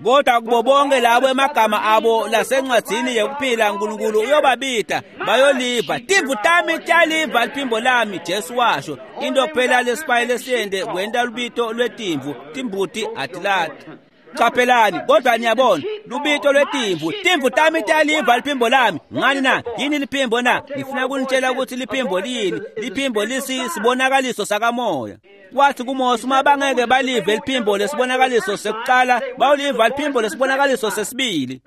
Kodwa kubo bonke labo emagama abo lasencwadzini yekuphila uNkulunkulu uyobabida, bayoliva. Timvu tami tiyaliva liphimbo lami, Jesu washo. Into kuphela lesipayi lesiyende kwenta lubito lwetimvu, timbuti atilati. Chaphelani, kodwa niyabona lubito lwetimvu, timvu tami tiyaliva liphimbo lami. Ngani na? Yini liphimbo na? Ngifuna kunitshela ukuthi liphimbo liyini. Liphimbo lisisibonakaliso sakamoya. Wathi kuMose, uma bangeke balive liphimbo lesibonakaliso sekuqala, bawuliva liphimbo lesibonakaliso sesibili.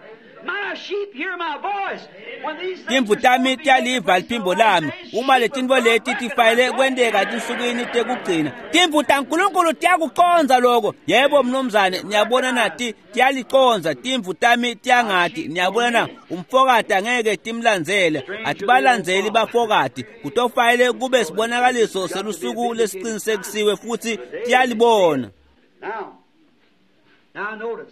My sheep hear my voice. When these things Timvu tami tiyaliva liphimbo lami. Uma letintfo leti tifayele kwenteka etinsukwini tekugcina, timvu taNkulunkulu tiyakucondza loko. Yebo mnumzane, niyabona na? Tiyaliconza. Timvu tami tiyangati, niyabona na? Umfokati angeke timlandzele, atibalandzeli bafokati. Kutofayele kube sibonakaliso selusuku lesicinisekisiwe futhi tiyalibona. Now,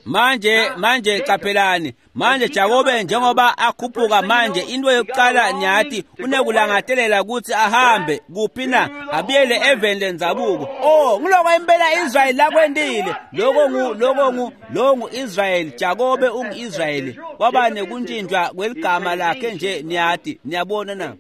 Manje manje qaphelani manje Jakobe njengoba akhuphuka manje into yokuqala nyathi unekulangatelela ukuthi ahambe kuphi na abuyele eveni lendzabuko. Oh ngiloko impela Israyeli lakwendile lokho ngu lokho ngu lo ngu-Israyeli. Jakobe ungu-Israyeli kwaba nekuntshintshwa kweligama lakhe nje niyathi niyabona na.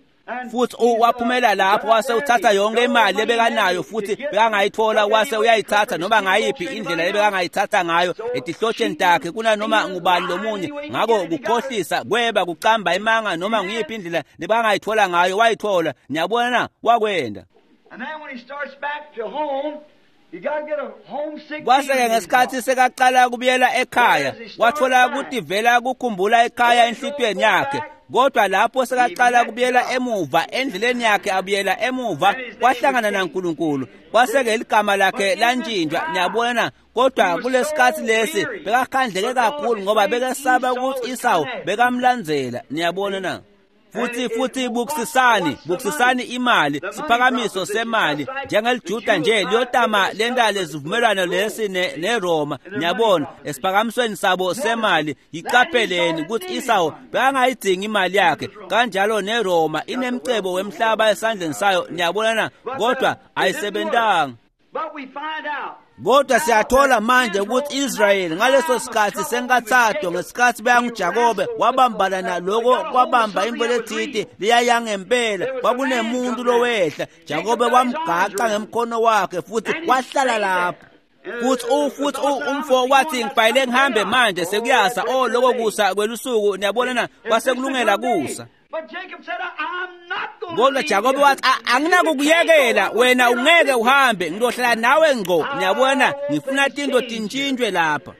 Futhi waphumela lapho wase uthatha yonke imali lebekanayo futhi bekangayithola wase uyayithatha noma ngayiphi indlela lebekangayithatha ngayo etihlotsheni takhe kunanoma ngubani lomunye. Ngako kukhohlisa kweba kucamba imanga noma nguyiphi indlela lebekangayithola ngayo wayithola. Niyabona na wakwenda. Kwase-ke ngesikhathi sekaqala kubuyela ekhaya wathola ukuthi vela kukhumbula ekhaya enhlitiyweni yakhe. Kodwa lapho sekaqala kubuyela emuva endleleni yakhe abuyela emuva kwahlangana naNkulunkulu kwase-ke ligama lakhe lantshintshwa. Niyabona na. Kodwa kulesikhathi lesi bekakhandleke kakhulu ngoba bekesaba ukuthi Esau bekamlandzela. Niyabona na. Futhi futhi bukusisani bukusisani imali siphakamiso semali njengelijuda nje liyotama lenta lesivumelwano lesi neRoma. Niyabona esiphakamisweni sabo semali yiqapheleni ukuthi Esau bekangayidingi imali yakhe kanjalo neRoma inemcebo wemhlaba esandleni sayo. Niyabona na. Kodwa ayisebentanga. Kodwa siyathola manje ukuthi Israyeli ngaleso sikhathi senkathatho ngesikhathi beyanguJakobe wabambana naloko kwabamba imvo lethiti liyayangempela kwakunemuntu lowehla. Jakobe wamgaqa ngemkhono wakhe futhi wahlala lapho. Futhi futhi umfo wathi ngibhayile ngihambe manje sekuyasa. Oh lokho kusa kwelusuku. Niyabona na kwase kulungela kusa. Kodwa Jakobe wathi anginakukuyekela wena ungeke uhambe ngizohlala nawe ngqo. Niyabona ngifuna tinto tintshintshwe lapha.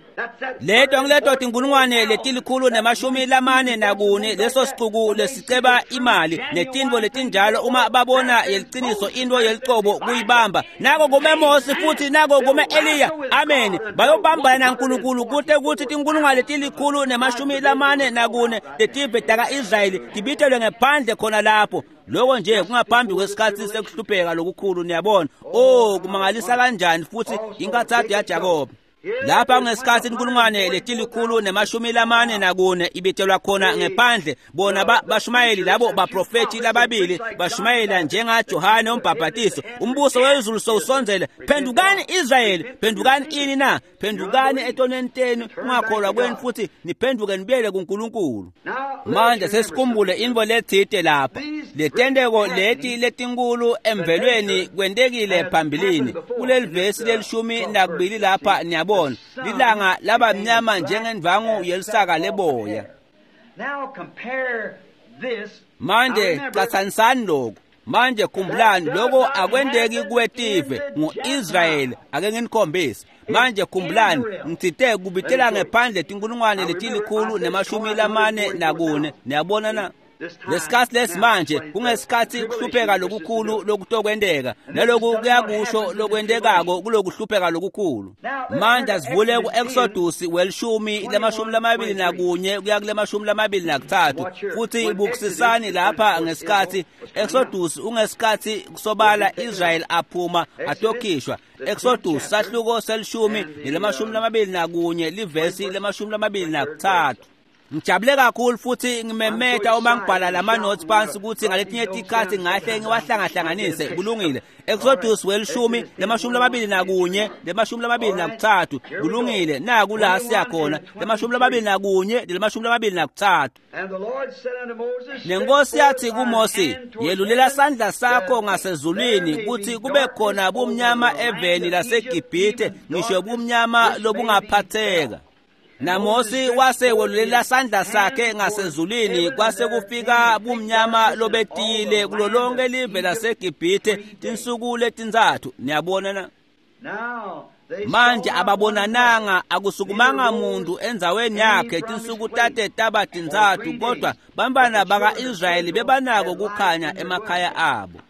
Leto ngileto tinkulungwane letilikhulu nemashumi lamane nakune leso sicuku lesiceba imali netinto letinjalo uma babona yeliciniso into yelicobo kuyibamba. Nako kume Mose futhi nako kume Eliya. Amen. Bayobambana naNkulunkulu kute kuthi tinkulungwane letilikhulu nemashumi lamane nakune letive taka-Israyeli tibitelwe ngephandle khona lapho. Lokho nje kungaphambi kwesikhathi sekuhlupheka lokukhulu. Niyabona. Oh kumangalisa kanjani futhi inkathatho yaJakobe. Lapha ngesikhathi inkulungwane letilikhulu nemashumi lamane nakune ibitelwa khona ngephandle bona bashumayeli labo baprofethi lababili bashumayela njengaJohane umbhabhatiso. Umbuso wezulu sowusondzele. Phendukani Israyeli, phendukani ini na? Phendukani etonweni tenu ungakholwa kwenu futhi niphenduke nibuyele kuNkulunkulu. Manje sesikhumbule intfo letsite lapha. Letenteko leti letinkulu emvelweni kwentekile phambilini. Kuleli vesi lelishumi nakubili lapha niyabona lilanga laba mnyama njengendvangu yelisaka leboya. Manje catsanisani lokhu. Manje khumbulani lokho akwenteki kwetive ngu-Israyeli. Ake nginikhombise. Manje khumbulani ngitsite kubitela ngephandle tinkulungwane letilikhulu nemashumi lamane nakune. Niyabona na. Lesikhathi lesimanje kungesikhathi kuhlupheka lokukhulu lokutokwenteka naloku kuyakusho lokwentekako kulokuhlupheka lokukhulu. Manje asivule ku-Exodus welishumi lemashumi lamabili nakunye kuya kulemashumi lamabili nakuthathu futhi bukusisani lapha ngesikhathi Exodus ungesikhathi kusobala Israel aphuma atokhishwa. Exodus sahluko selishumi nelemashumi lamabili nakunye livesi lemashumi lamabili nakuthathu. Ngijabule kakhulu futhi ngimemeta uma ngibhala lama notes phansi ukuthi ngaletinye tikhathi ngahle ngiwahlangahlanganise. Kulungile. Exodus welishumi lemashumi lamabili nakunye lemashumi lamabili nakuthathu. Kulungile. Naku la siyakhona lemashumi lamabili nakunye lemashumi lamabili nakuthathu. Nenkosi yathi kuMose, yelulela sandla sakho ngasezulwini kuthi kube khona bumnyama eveni laseGibhithe ngisho bumnyama lobungaphatheka. NaMose wase welulela sandla sakhe ngasezulwini kwase kufika bumnyama lobetile kulo lonke live laseGibhithe tinsuku letintsatfu. Niyabona na. Manje ababonananga akusukumanga muntu endzaweni yakhe tinsuku tate taba tintsatfu kodwa bantfwana baka-Israyeli bebanako kukhanya emakhaya abo.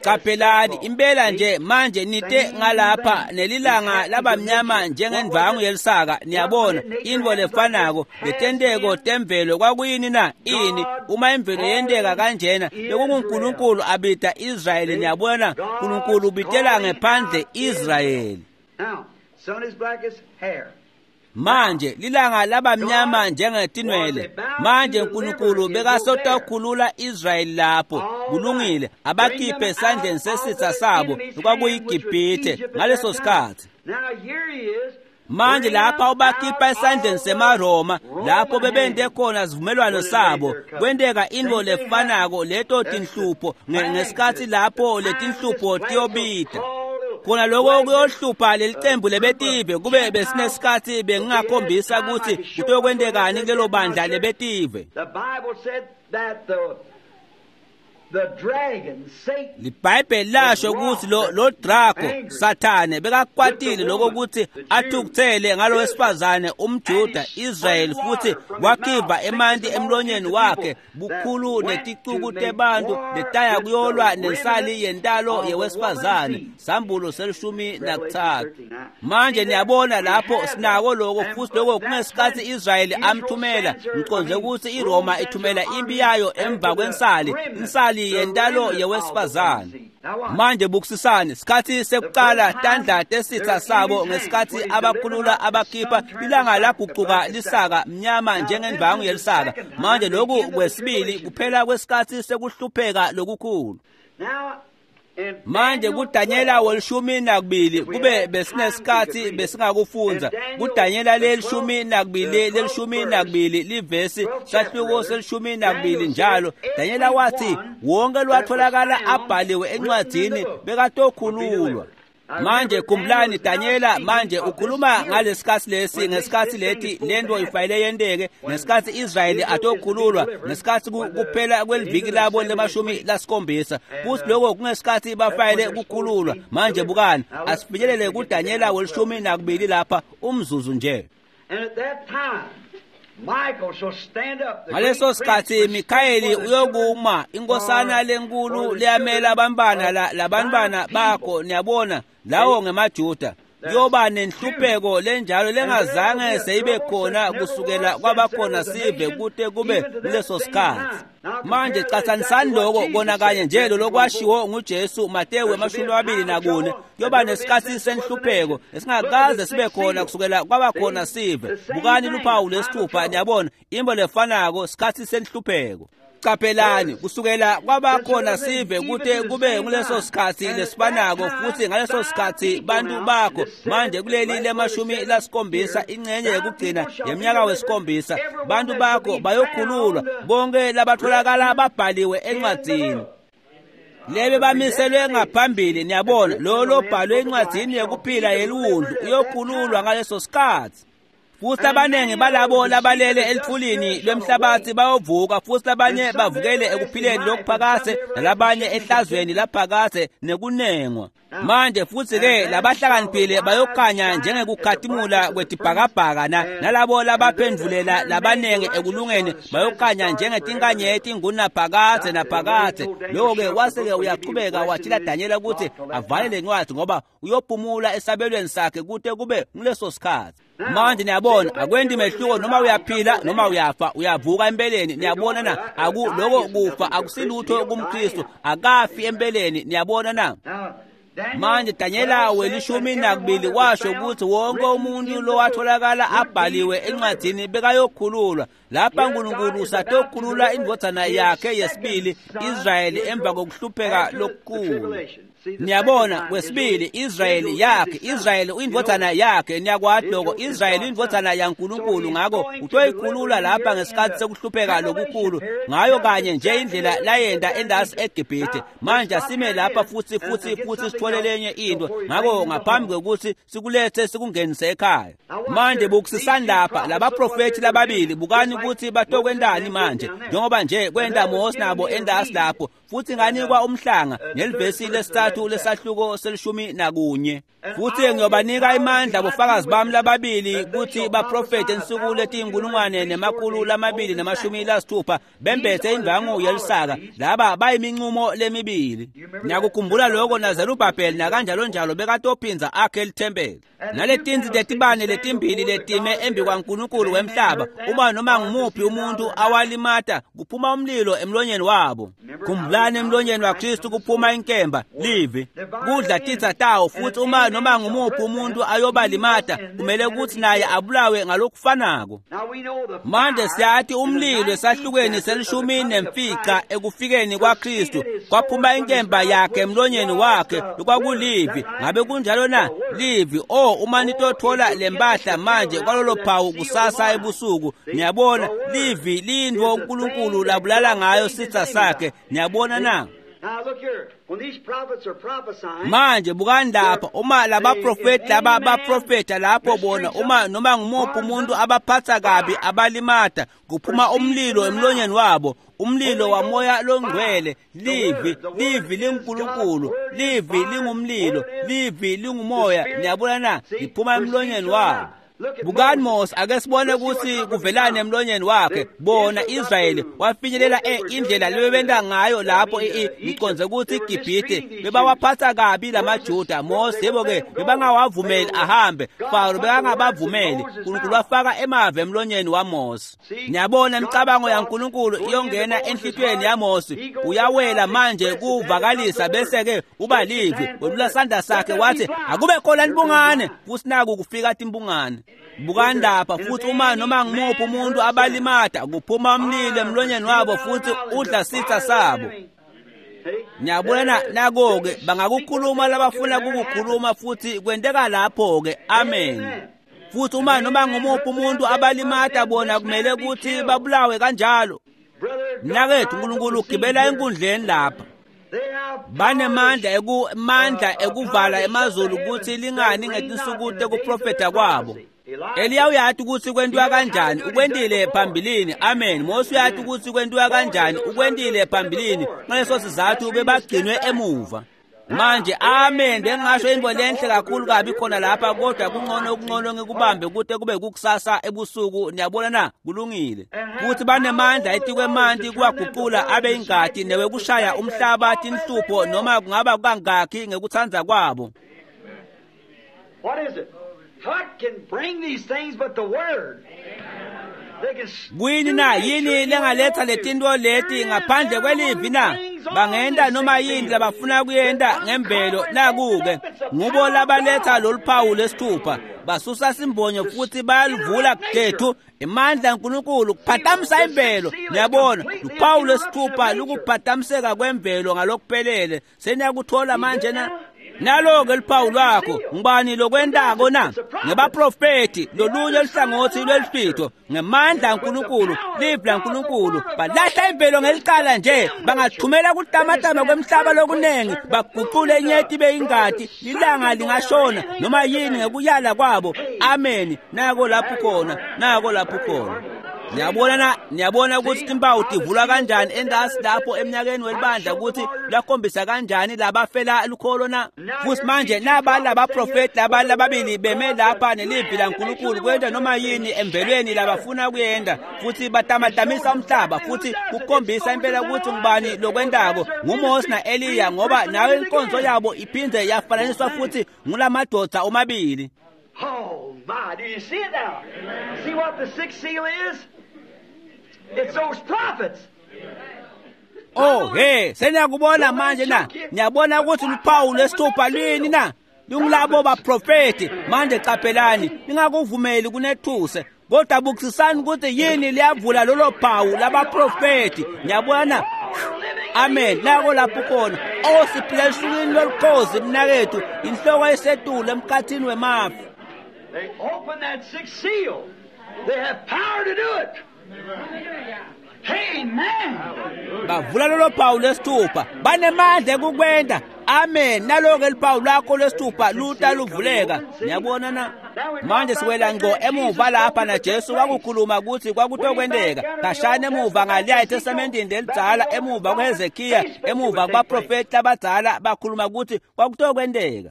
Qaphelani impela nje manje nite ngalapha nelilanga labamnyama njengendvangu yelisaka. Niyabona intfo lefanako letenteko temvelo kwakuyini na ini uma imvelo yenteka kanjena bekunguNkulunkulu abita Israyeli. Niyabona uNkulunkulu ubitela ngephandle Israyeli. Manje lilanga labamnyama njengetinwele. Manje uNkulunkulu bekasotokhulula Israyeli lapho kulungile abakhiphe esandleni sesitha sabo okwakuyiGibhithe ngaleso sikhathi. Manje lapha ubakhipha esandleni semaRoma lapho bebente khona sivumelwano sabo kwenteka intfo lefanako leto tinhlupho ngesikhathi lapho letinhlupho tiyobita khona lokho kuyohlupha lelicembu lebetive kube besinesikhathi bengingakhombisa ukuthi kutokwentekani kulelo bandla lebetive. LiBhayibheli lasho ukuthi lo lo Drago Sathane bekakwatile lokho ukuthi athukuthele ngalo wesifazane umJuda Israel futhi wakhipha emanti emlonyeni wakhe bukhulu neticuku tebantu letaya kuyolwa nensali yentalo yewesifazane. Sambulo selishumi nakutsatfu. Manje niyabona lapho sinako lokho futhi lokho kungesikhathi Israel amthumela ngiconze ukuthi iRoma ithumela impi yayo emva kwensali insali yentalo yewesifazane. Manje bukusisane sikhathi sekuqala tandla tesitha sabo ngesikhathi abakhulula abakhipha ilanga laguquka lisaka mnyama njengendvangu yelisaka. Manje lokhu kwesibili kuphela kwesikhathi sekuhlupheka lokukhulu. Manje kuDanyela welishumi nakubili kube besinesikhathi besingakufundza kuDanyela lelishumi nakubili lelishumi nakubili livesi sahluko selishumi nakubili njalo Danyela wathi wonke lwatholakala abhaliwe encwadzini bekatokhululwa. Manje khumbulani Danyela manje ukhuluma ngalesikhathi lesi ngesikhathi leti lento ifanele yenteke ngesikhathi Israyeli atokhululwa ngesikhathi kuphela kweliviki labo lemashumi lasikhombisa futhi lokho kungesikhathi bafanele ukukhululwa. Manje bukani asifinyelele kuDanyela welishumi nakubili lapha umzuzu nje. Ngaleso sikhathi Mikhayeli uyokuma inkosana lenkulu leyamela abantwana labantwana bakho. Niyabona lawo ngemaJuda kuyoba nenhlupheko lenjalo lengazange seyibe khona kusukela kwabakhona sive kute kube kuleso sikhathi. Manje cathanisani lokho kona kanye nje lokwashiwo nguJesu Mateyu emashumi amabili nakune kuyoba nesikhathi senhlupheko esingakaze sibe khona kusukela kwabakhona sive. Bukani luphawu lesithupha. Niyabona imbo lefanako sikhathi senhlupheko. Qaphelani kusukela kwabakhona sive kute kube nguleso sikhathi lesifanako futhi ngaleso sikhathi bantu bakho manje kuleli lemashumi lasikhombisa ingcenye yekugcina yeminyaka wesikhombisa bantu bakho bayokhululwa bonke labatholakala babhaliwe encwadzini lebe bamiselwe ngaphambili. Niyabona lo lobhalwe encwadzini yekuphila yeliwundlu uyokhululwa ngaleso sikhathi. Futhi abaningi balabo labalele elithulini lwemhlabathi bayovuka futhi labanye bavukele ekuphileni lokuphakade nalabanye ehlazweni laphakade nekunengwa. Manje futhi ke labahlakaniphile bayokhanya njengekukhatimula kwetibhakabhaka na nalabo labaphendvulela labanengi ekulungeni bayokhanya njengetinkanyeti ngunaphakade naphakade. Lokho-ke wase-ke uyaqhubeka watshela Danyela ukuthi avale le ncwadi ngoba uyophumula esabelweni sakhe kute kube nguleso sikhathi. Manje niyabona akwendi mehluko noma uyaphila noma uyafa uyavuka empeleni. Niyabona na aku lokho kufa akusilutho kumKristu akafi empeleni. Niyabona na Manje Danyela welishumi nakubili washo ukuthi wonke umuntu lowatholakala abhaliwe encwadini bekayokhululwa. Lapha uNkulunkulu usatokhulula indvodzana yakhe yesibili Israyeli emva kokuhlupheka lokukhulu. Niyabona kwesibili Israyeli yakhe Israyeli uyindvodzana yakhe. Niyakwati lokho Israyeli uyindvodzana yaNkulunkulu ngakho utoyikhulula lapha ngesikhathi sekuhlupheka lokukhulu ngayo kanye nje indlela layenta endasi eGibhithe. Manje asime lapha futhi futhi futhi sithole lenye into ngakho ngaphambi kokuthi sikulethe sikungenise ekhaya. Manje bukusisani lapha labaprofethi lababili bukani ukuthi batokwentani manje njengoba nje kwenta Mose nabo endasi lapho futhi nganikwa umhlanga nelivesi lesithathu lesitsatfu lesahluko selishumi nakunye. Futsi ngiyobanika imandla bofakazi bami lababili kutsi baprofete insuku letiyinkulungwane nemakhulu lamabili nemashumi lasitfupha bembethe indvangu yelisaka. Laba bayimincumo lemibili. Niyakukhumbula lokho naZerubhabheli nakanjalonjalo bekatophindza akhe lithempeli. Naletinsi tetibane letimbili letime embi kwaNkulunkulu wemhlaba, uma noma ngumuphi umuntu awalimata kuphuma umlilo emlonyeni wabo. Khumbulani, emlonyeni waKristu kuphuma inkemba, livi, kudla titsa tawo. Futhi uma noma ngumuphi umuntu ayobalimata kumele ukuthi naye abulawe ngalokufanako. Manje siyati umlilo esahlukweni selishumi nemfica ekufikeni kwaKristu kwaphuma inkemba yakhe emlonyeni wakhe lokwakulivi. Ngabe kunjalo na? Livi. Oh, uma nitothola lempahla manje kwalolo phawu kusasa ebusuku, niyabona livi lintfo uNkulunkulu labulala ngayo sitsa sakhe. Niyabona na? Manje bukani lapha, uma labaprofeti laba baprofeta lapho bona, uma noma ngumuphi umuntu abaphatha kabi abalimata kuphuma umlilo emlonyeni wabo, umlilo wamoya longcwele. Livi, livi linguNkulunkulu, livi lingumlilo, livi lingumoya. Niyabona na? Liphuma emlonyeni wabo. Bukani Mose, ake sibone ukuthi kuvelani emlonyeni wakhe. Bona Israyeli wafinyelela indlela lebebenta ngayo lapho ngiconze ukuthi iGibhithe bebawaphatha kabi lamaJuda. Mose yebo ke bebangawavumeli ahambe, Faro bekangabavumeli. uNkulunkulu wafaka emave emlonyeni waMose. Niyabona imicabango yaNkulunkulu iyongena enhlitiyweni yaMose, uyawela manje kuvakalisa bese ke uba livi. Welula sandla sakhe wathi akube khona imbungane, futhi naku kufika timbungane. Bukani lapha, futhi uma noma ngumuphi umuntu abalimata kuphuma umlilo emlonyeni wabo futhi udla sitha sabo. Niyabona nako-ke bangakukhuluma labafuna kukukhuluma futhi kwenteka lapho-ke. Amen. Futhi uma noma ngumuphi umuntu abalimata bona kumele ukuthi babulawe kanjalo. Mnakethu, uNkulunkulu ugibela enkundleni lapha. Banemandla ekumandla ekuvala emazulu ukuthi lingani ngetinsuku tekuprofetha kwabo. Eliya uyati ukuthi kwentiwa kanjani, ukwentile phambilini. Amen. Mose uyati ukuthi kwentiwa kanjani, ukwentile phambilini. Ngaleso sizathu bebagcinwe emuva. Manje amen, bengingasho into lenhle kakhulu kabi khona lapha, kodwa kungcono okungcono ngikubambe kude kube kukusasa ebusuku. Niyabona na? Kulungile. Futhi banemandla etikwemanti kuwaguqula abe ingati newekushaya umhlaba tinhlupho noma kungaba kangakhi ngekutsandza kwabo. What is it? What can bring these things but the word? Kuyini na? Yini lengaletha letinto leti ngaphandle kwelivi na? Bangenta noma yini labafuna kuyenta ngemvelo. Naku-ke ngubo labaletha lolu phawu lesithupha, basusa simbonyo futhi bayalivula gethu imandla kaNkulunkulu kuphatamisa imvelo. Niyabona luphawu lesithupha lukuphatamiseka kwemvelo ngalokuphelele. Seniyakuthola manje na? Nalo-ke luphawu lwakho. Ngubani lokwentako na? Ngebaprofeti lolunye luhlangothi lwelifitho ngemandla kaNkulunkulu, livi laNkulunkulu. Balahla imvelo ngelicala nje, bangathumela kutamatama kwemhlaba lokunengi, baguqule inyeti beyingati, lilanga lingashona noma yini ngekuyala kwabo. Amen. Nako lapho khona, nako lapho khona. Niyabona na? Niyabona ukuthi timpawu tivulwa kanjani entasi lapho eminyakeni welibandla, ukuthi lwakhombisa kanjani labafela lukholo na? Futhi manje naba labaprofeti laba lababili beme lapha nelivi laNkulunkulu kwenta noma yini emvelweni labafuna kuyenta, futhi batamatamisa umhlaba futhi kukhombisa impela ukuthi ngubani lokwentako, nguMose na-Eliya, ngoba nayo inkonzo yabo iphindze yafananiswa futhi ngulamadoda omabili. Oh my, do you see it now? See what the sixth seal is? It's those prophets. Oh, hey, seniyakubona manje na? Niyabona ukuthi luphawu lwesithupha lwini na? Lungulabo baprofeti. Manje qaphelani, ningakuvumeli kunethuse. Kodwa bukisisani ukuthi yini liyavula lolo phawu labaprofeti. Niyabona? Amen. Nako lapho khona. Oh, siphila esukwini lolukhozi mnakethu, inhloko esetulu emkhathini wemafu. They open that sixth seal. They have power to do it. Amen. Bavula lolo phawu lwesithupha, banemandla ekukwenta. Amen. Naloko liphawu lwakho lwesithupha luta luvuleka. Niyabona na? Manje siwela ngqo emuva lapha na Jesu wakukhuluma ukuthi kwakutokwenteka. Kashana emuva ngaliya eTestamentini lelidzala, emuva kuHezekiya, emuva kubaprofeti labadzala bakhuluma ukuthi kwakutokwenteka.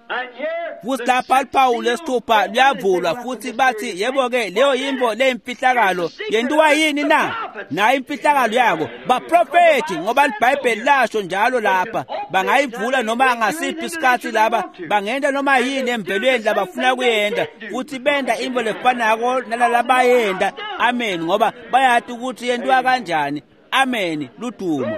And here, Futhi the lapha sixth luphawu seal lwesithupha luyavulwa futhi bathi yebo-ke leyo yintfo leyimfihlakalo yentiwa yini na? Nayo imfihlakalo yako baprofethi, ngoba libhayibheli lasho njalo lapha bangayivula noma ngasiphi isikhathi laba bangenta noma yini emvelweni labafuna kuyenta futhi benta intfo lefanako nalalabayenta. Amen. Ngoba bayati ukuthi yentiwa kanjani. Amen. Ludumo.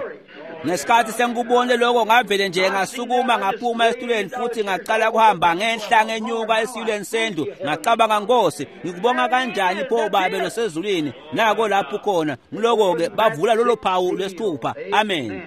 Ngesikhathi sengikubonile lokho ngavele nje ngasukuma ngaphuma esitulweni futhi ngaqala kuhamba ngenhla ngenyuka esitulweni sendlu. Ngacabanga, Nkosi, ngikubonga kanjani pho Babe losezulwini. Nako lapho khona ngiloko-ke bavula lolo phawu lwesithupha. Amen.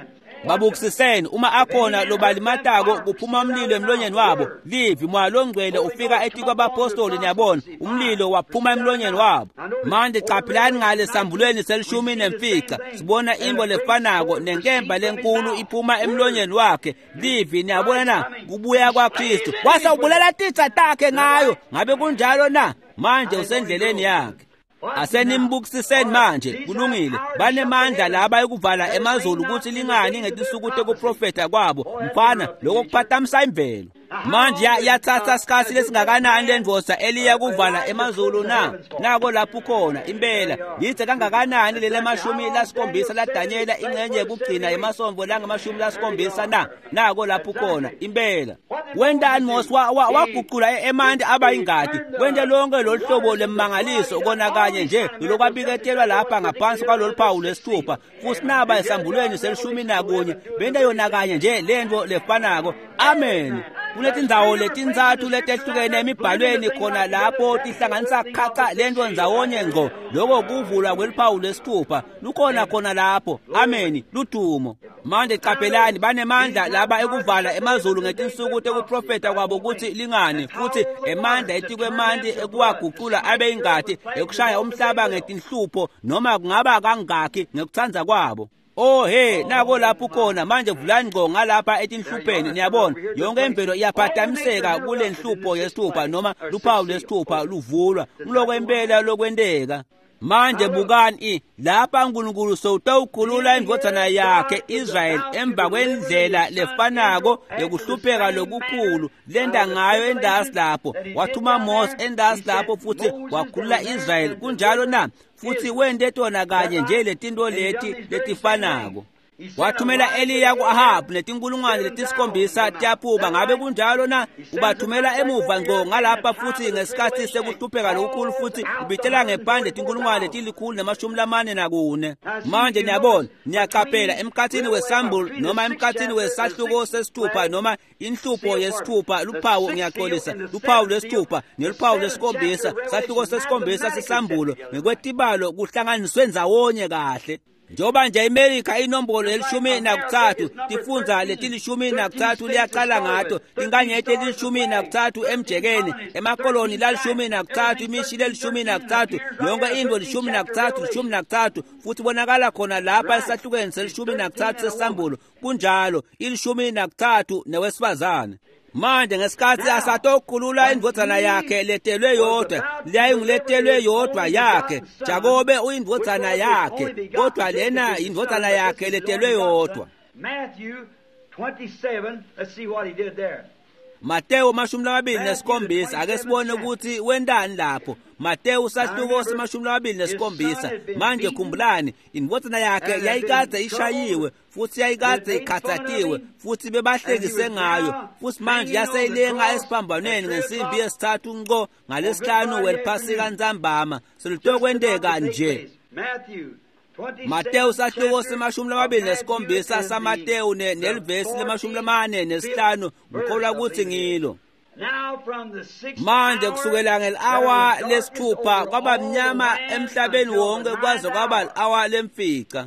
Babukisiseni uma akhona lobalimatako kuphuma umlilo emlonyeni wabo. Livi moya longcwele ufika etikwabapostoli, niyabona umlilo waphuma emlonyeni wabo. Manje caphilani ngale sambulweni selishumi nemfica sibona intfo lefanako nenkemba lenkulu iphuma emlonyeni wakhe. Livi, niyabona na? Kubuya kwaKristu wase ubulala titsa takhe ngayo. Ngabe kunjalo na? Manje usendleleni yakhe. Asenimbukisiseni manje. Kulungile. Banemandla laba ekuvala emazulu ukuthi lingani ngetinsuku tekuprofetha kwabo. Mfana, lokho kuphatamisa imvelo. Manje yathatha isikhathi lesingakanani lendvodza eliya kuvala emazulu na? Nako lapho khona impela. Yithe kangakanani lele mashumi lasikhombisa laDanyela ingxenye yekugcina emasonvo langamashumi lasikhombisa na? Nako lapho khona impela. Wentani Mose waguqula emanti aba ingadi. Wente lonke lolu hlobo lemangaliso kona kanye nje lokwabiketelwa lapha ngaphansi kwalolu phawu lwesithupha. Futhi naba esambulweni selishumi nakunye benta yona kanye nje lento lefanako. Amen. Kunetindzawo letintsatfu letehlukene emibhalweni khona lapho tihlanganisa khaca lento ndzawonye ngqo. Loko kuvulwa kweliphawu lwesithupha lukhona khona lapho. Amen. Ludumo. Manje qaphelani, banemandla laba ekuvala emazulu ngetinsuku tekuprofetha kwabo ukuthi lingani, futhi emandla etikwemanti ekuwaguqula abe ingati, ekushaya umhlaba ngetinhlupho noma kungaba kangakhi ngekutsandza kwabo. Oh hey, nako lapho khona manje. Vulani ngqo ngalapha etinhlupheni, niyabona yonke imvelo iyaphatamiseka kule nhlupho yesithupha noma luphawu lwesithupha luvulwa. Ngiloko impela lokwenteka. Manje bukani lapha uNkulunkulu sowutawukhulula indvodzana yakhe Israyeli emva kwendlela lefanako yokuhlupheka lokukhulu lenda ngayo endasi lapho. Wathuma Mose endasi lapho futhi wakhulula Israyeli. Kunjalo na? Futhi wente tona kanye nje letinto leti letifanako. Wathumela Eliya ku-Ahabu netinkulungwane letisikhombisa tiyaphuma. Ngabe kunjalo na? Ubathumela emuva ngqo ngalapha futhi ngesikhathi sekuhlupheka lokukhulu, futhi ubitela ngephandle tinkulungwane letilikhulu nemashumi lamane nakune. Manje niyabona, niyaqaphela emkhathini wesambulo noma emkhathini wesahluko sesithupha noma inhlupho yesithupha, luphawu, ngiyaxolisa, luphawu lwesithupha neluphawu lwesikhombisa, sahluko sesikhombisa sesambulo ngekwetibalo kuhlanganiswe ndzawonye kahle. Njengoba nje iMelika inombolo yelishumi nakutsatfu, tifundza letilishumi nakutsatfu liyaqala ngato, tinkanyeti letilishumi nakutsatfu emjekeni, emakoloni lalishumi nakutsatfu, imishi lelishumi nakutsatfu, yonke intfo lishumi nakutsatfu, lishumi nakutsatfu, futhi bonakala khona lapha esahlukweni selishumi nakutsatfu sesambulo. Kunjalo, ilishumi nakutsatfu newesifazane. Manje ngesikhathi asatokhulula indvodzana yakhe letelwe yodwa, leyayinguletelwe yodwa yakhe. Jakobe uyindvodzana yakhe, kodwa lena indvodzana yakhe letelwe yodwa. Matthew twenty-seven, let's see what he did there. Mateo mashumi lamabili nesikhombisa, ake sibone ukuthi wentani lapho. Mateo sahluko semashumi lamabili nesikhombisa. Manje khumbulani, indvodzana yakhe yayikadze ishayiwe futhi yayikadze ikhathatiwe futhi bebahlekise ngayo, futhi manje yaseyilenga esiphambanweni ngensimbi yesithathu nqo ngalesihlanu weliphasika ntsambama. Selutokwenteka nje. Mateo sahluko semashumi lamabili nesikhombisa saMateo nelivesi lemashumi lamane nesihlanu, ngikholwa ukuthi ngilo. Manje kusukela ngeli-awa lesithupha kwaba mnyama emhlabeni wonke kwaze kwaba li-awa lemfica.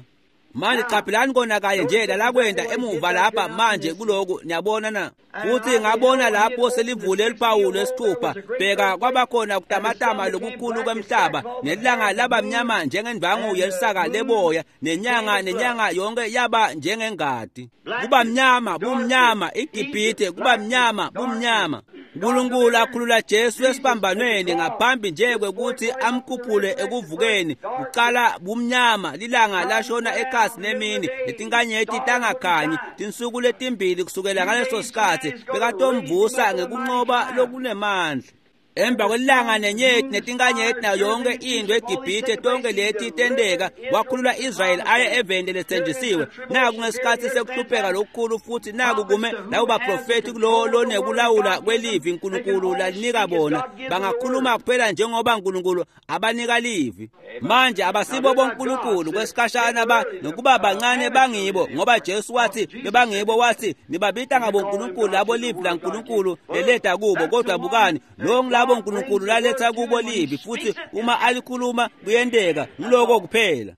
Manje qaphelani kona kanye nje lalakwenda emuva lapha manje kuloku, niyabona na? Futhi ngabona lapho selivule luphawu lwesithupha, bheka kwabakhona kutamatama lokukhulu kwemhlaba, nelanga laba mnyama njengendwangu yelisaka leboya, nenyanga nenyanga yonke yaba njengengadi. Kuba mnyama, bumnyama, iGibhithe kuba mnyama, bumnyama. uNkulunkulu akhulula Jesu esiphambanweni ngaphambi nje kwekuthi amkhuphule ekuvukeni. Kuqala bumnyama, lilanga lashona ekhasi nemini, letinkanyeti tangakhanyi tinsuku letimbili kusukela ngaleso sikhathi bekatomvusa ngekunqoba lokunemandla. Emva kwelanga nenyeti netinkanyeti nayo yonke into eGibhithe, tonke leti tenteka, wakhulula Israyeli aye eveni lethenjisiwe. Naku ngesikhathi sekuhlupheka lokukhulu, futhi naku kume labo baprofethi kulowo lonekulawula kwelivi uNkulunkulu lalinika bona. Bangakhuluma kuphela njengoba uNkulunkulu abanika livi. Manje abasibo boNkulunkulu kwesikhashana ba nokuba bancane bangibo, ngoba Jesu wathi bebangibo, wathi nibabita ngaboNkulunkulu labo livi laNkulunkulu leleta kubo. Kodwa bukani, lo ngilabo uNkulunkulu laletha kubo livi, futhi uma alikhuluma kuyenteka, ngiloko kuphela.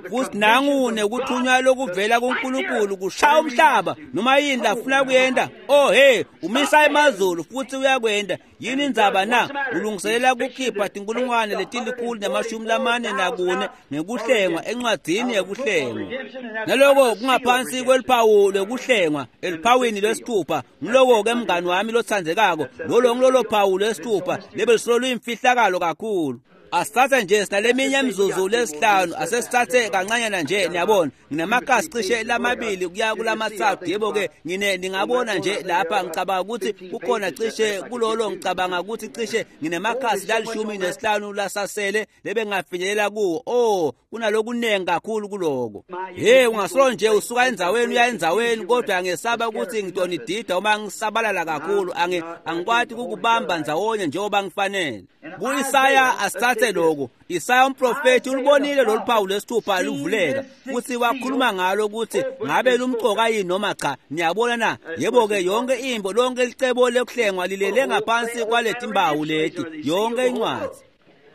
Futhi nangu nekuthunywa lokuvela kuNkulunkulu kushaya umhlaba noma yini lafuna kuyenta. Oh hey, umisa emazulu futhi uyakwenda. Yini indzaba na? Ulungiselela kukhipha tinkulungwane letilikhulu namashumi lamane nakune ngekuhlengwa encwadzini yekuhlengwa. Naloko kungaphansi kweliphawu lwekuhlengwa eliphawini lwesithupha. Ngiloko-ke mngani wami lotsandzekako, lolo ngilolo phawu lwesithupha lebelisolo luyimfihlakalo kakhulu. Asithathe nje sinaleminye imizuzu lesihlanu, asesithathe kancanyana nje, niyabona. Nginamakhasi cishe lamabili kuya kulamathathu. Yebo-ke ngine ningabona nje lapha, ngicabanga ukuthi kukhona cishe kulolo, ngicabanga ukuthi cishe nginemakhasi lalishumi nesihlanu lasasele lebengafinyelela kuwo. Oh, kunalokunengi kakhulu kuloko. Hey, ungasolo nje usuka endzaweni uya endzaweni, kodwa ngesaba ukuthi ngitonidida uma ngisabalala kakhulu. Angi angikwati ukubamba ndzawonye njengoba ngifanele. Ku-Isaya asithathe lokhu. Isaya umprofethi ulibonile lolu phawu lwesithupha luvuleka, futhi wakhuluma ngalo ukuthi ngabe lumcoka yini noma cha. Niyabona na? Yebo-ke, yonke imbo, lonke licebo lekuhlengwa lilele ngaphansi kwaleti mbawu leti, yonke incwadzi.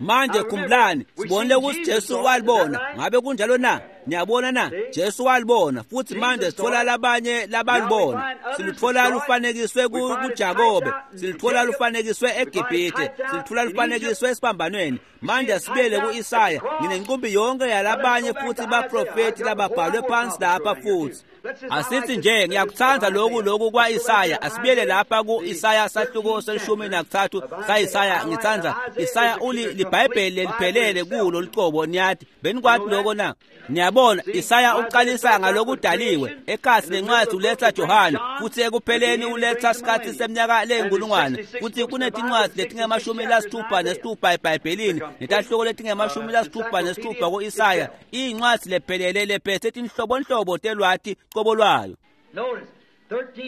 Manje khumbulani, sibonile ukuthi Jesu walibona. Ngabe kunjalo na? Niyabona na? Jesu walibona, futhi manje sithola labanye labalibona. Siluthola lufanekiswe kuJakobe, siluthola lufanekiswe eGibhithe, siluthola lufanekiswe esiphambanweni. Manje sibuyele ku-Isaya. Nginenqumbi yonke yalabanye futhi baprofethi lababhalwe phansi lapha futhi. Asithi nje ngiyakuthanda lokhu lokhu kwa-Isaya. Asibuyele lapha ku-Isaya sahluko selishumi nakuthathu sa-Isaya. Ngithanda Isaya uli liBhayibheli leliphelele kulo lucobo. Niyathi benikwati lokho na? Niyabona, Isaya uqalisa ngalokudaliwe, ekhasi lencwadi uletha Johane, futhi ekupheleni uletha sikhathi seminyaka leyinkulungwane. Futhi kunetincwadi letingemashumi lasithupha nesithupha eBhayibhelini, netahloko letingemashumi lasithupha nesithupha ku-Isaya. Iyincwadi lephelele lephethe tinhlobonhlobo telwati cobo lwayo.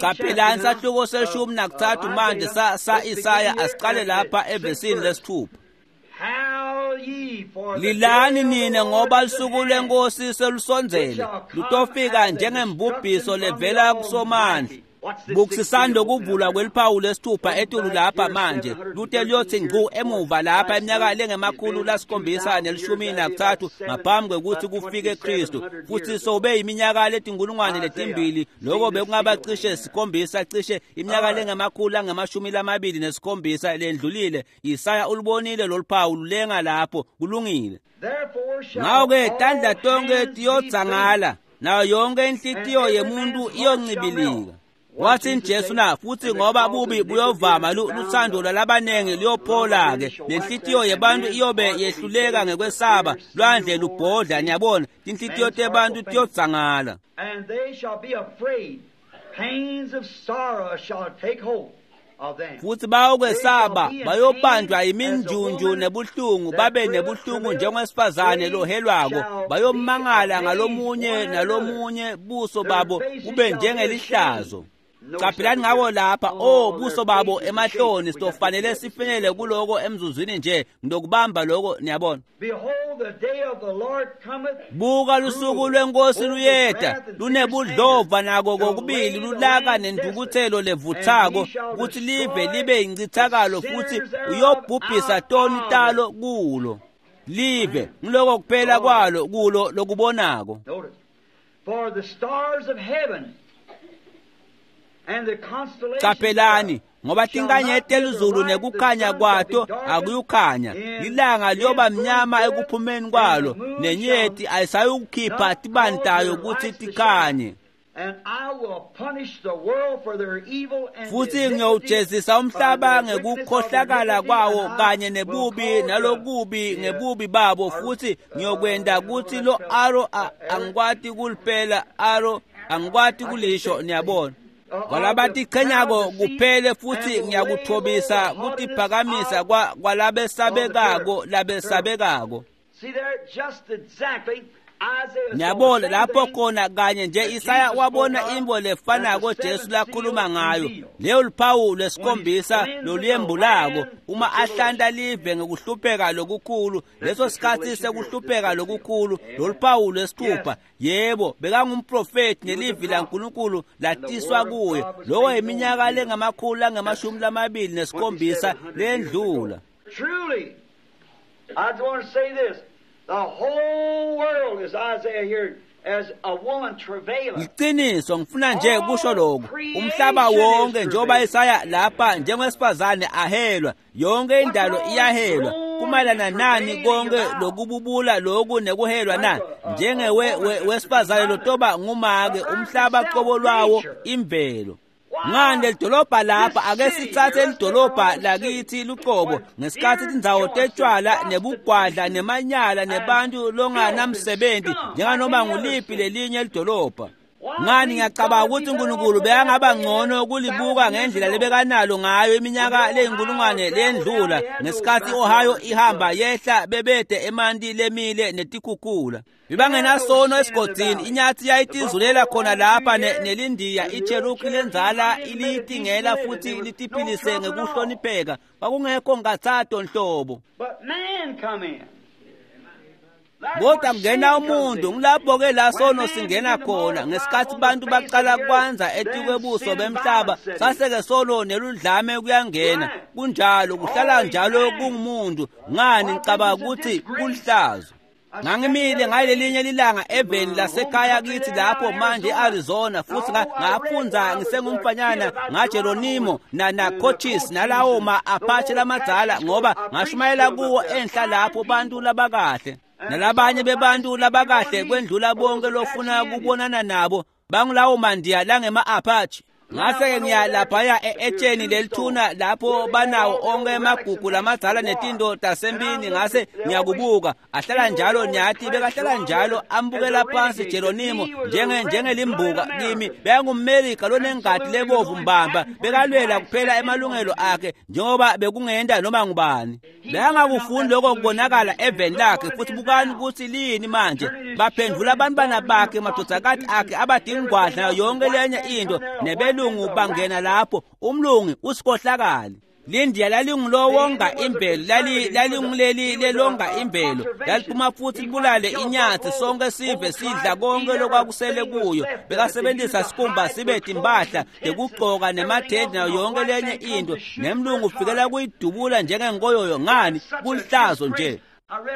Qaphelani sahluko seshumi nakuthathu manje sa sa-Isaya. Asiqale lapha evesini lesithupha. Lilani nina ngoba lusuku lwenkosi selusondzele, lutofika njengembubhiso levela kuSomandla. Bukisisani lokuvulwa kweliphawu lesithupha etulu lapha manje, lute luyothi ngcu emuva lapha iminyaka lengemakhulu lasikhombisa nelishumi nakuthathu ngaphambi kwekuthi kufike Kristu, futhi sobe iminyaka letinkulungwane letimbili. Lokho bekungaba cishe sikhombisa, cishe iminyaka lengemakhulu angemashumi lamabili nesikhombisa lendlulile. Isaya ulibonile lolu phawu lulenga lapho. Kulungile. Ngako-ke tandla tonke tiyodzangala, nayo yonke inhlitiyo yemuntu iyoncibilika. Wathi Jesu na, futhi ngoba bubi buyovama, luthando lwalabanengi luyophola-ke, nenhlitiyo yebantu iyobe yehluleka ngekwesaba, lwandle lubhodla. Niyabona, tinhlitiyo tebantu tiyodzangala. And they shall be afraid. Pains of sorrow shall take hold of them. Futhi bayokwesaba, bayobanjwa iminjunju nebuhlungu, babe nebuhlungu njengowesifazane lohelwako. Bayomangala ngalomunye nalomunye, buso babo kube njengelihlazo. Qaphelani ngako lapha, oh, buso babo emahloni. Sitofanele sifinyele kuloko emzuzwini nje, ngitokubamba lokho, niyabona. Behold, the day of the Lord cometh. Buka, lusuku lwenkosi luyeta, lunebudlova nako kokubili lulaka nentukuthelo levuthako, kuthi live libe yincithakalo, futhi uyobhubhisa toni talo kulo. Live ngiloko kuphela kwalo kulo lokubonako. For the stars of heaven and the constellations Caphelani ngoba tinkanyeti telizulu nekukhanya kwato akuyukhanya, lilanga liyoba mnyama ekuphumeni kwalo, nenyeti ayisayukukhipha tibani tayo kutsi tikhanye. Futhi ngiyawujezisa umhlaba ngekukhohlakala kwawo kanye nebubi nalokubi ngebubi babo, futhi ngiyokwenta kutsi lo aro angikwati kulipela aro angikwati kulisho, niyabona. Kwalabatichenyako kuphele, futhi ngiyakuthobisa kutiphakamisa kwalabesabekako labesabekako. Niyabona lapho khona kanye nje Isaya wabona intfo lefanako Jesu lakhuluma ngayo, leyo luphawu lwesikhombisa loluyembulako uma ahlanta live ngekuhlupheka lokukhulu, leso sikhatsi sekuhlupheka lokukhulu, loluphawu lwesithupha. Yebo, bekangumprofethi nelivi laNkulunkulu latiswa kuye. Loko iminyaka lengamakhulu langemashumi lamabili nesikhombisa lendlula. Truly, I just want to say this. The whole world is Isaiah here as a woman travaileth. Iqiniso ngifuna nje kusho lokho. Umhlaba wonke njengoba Isaya lapha njengowesifazane ahelwa, yonke indalo iyahelwa. Kumayelana nani konke lokububula lokhu nekuhelwa na? Njengewe wesifazane lotoba ngumake, umhlaba qobo lwawo imvelo. Ngani lidolobha lapha, ake sitsatse lidolobha lakithi luqobo ngesikhathi tindzawo tetshwala nebugwadla nemanyala nebantu longanamsebenzi njenganoma nguliphi lelinye lidolobha. Ngani ngiyacabanga ukuthi uNkulunkulu bekangaba ngcono kulibuka ngendlela lebekanalo ngayo iminyaka leyinkulungwane lendlula ngesikhathi Ohio ihamba yehla bebede emanti lemile netikhukhula. Bebangenasono esigodini, inyathi yayitizulela khona lapha nelindiya iCherokee lenzala iliyitingela futhi litiphilise ngekuhlonipheka. Kwakungekho nkatsato nhlobo. Kodwa kungena umuntu, ngilapho-ke la sono singena khona. Ngesikhathi bantu baqala kwanza etikwebuso bemhlaba, saseke solo neludlame kuyangena. Kunjalo, kuhlala njalo kungumuntu. Ngani ngicabanga ukuthi kulihlazo. Ngangimile ngalelinye lilanga eveni lasekhaya kithi lapho manje e-Arizona, futhi ngafundza ngisengumfanyana ngaGeronimo na na Cochise nalawo ma-Apache lamadzala, ngoba ngashumayela kuwo enhla lapho bantu labakahle nalabanye bebantu labakahle kwendlula bonke lofuna kubonana nabo bangulawo mandiya langema-Apache. Ngase-ke ngiya laphaya etsheni lelithuna lapho banawo onke emagugu lamadzala netinto tasempini. Ngase ngiyakubuka ahlala njalo, nyathi bekahlala njalo ambukela phansi Geronimo njenge njengelimbuka kimi. BekangumMelika lonengadi lebovu mbamba, bekalwela kuphela emalungelo akhe njengoba bekungenta noma ngubani. Bekangakufuni lokho kubonakala eveni lakhe. Futhi bukani ukuthi lini manje baphendvula abantwana bakhe, madodakati akhe abadingwadla nayo yonke lenye into, nebelungu bangena lapho. Umlungu usikhohlakali. Lindiya lalingulowonga imvelo, lalinguleli lelonga imvelo, laliphuma futhi libulale inyathi sonke sive sidla konke lokwakusele kuyo. Bekasebenzisa sikhumba sibe timpahla tekugcoka nemathende nayo yonke lenye into, nemlungu ufikela kuyidubula njengenkoyoyo. Ngani kulihlazo nje.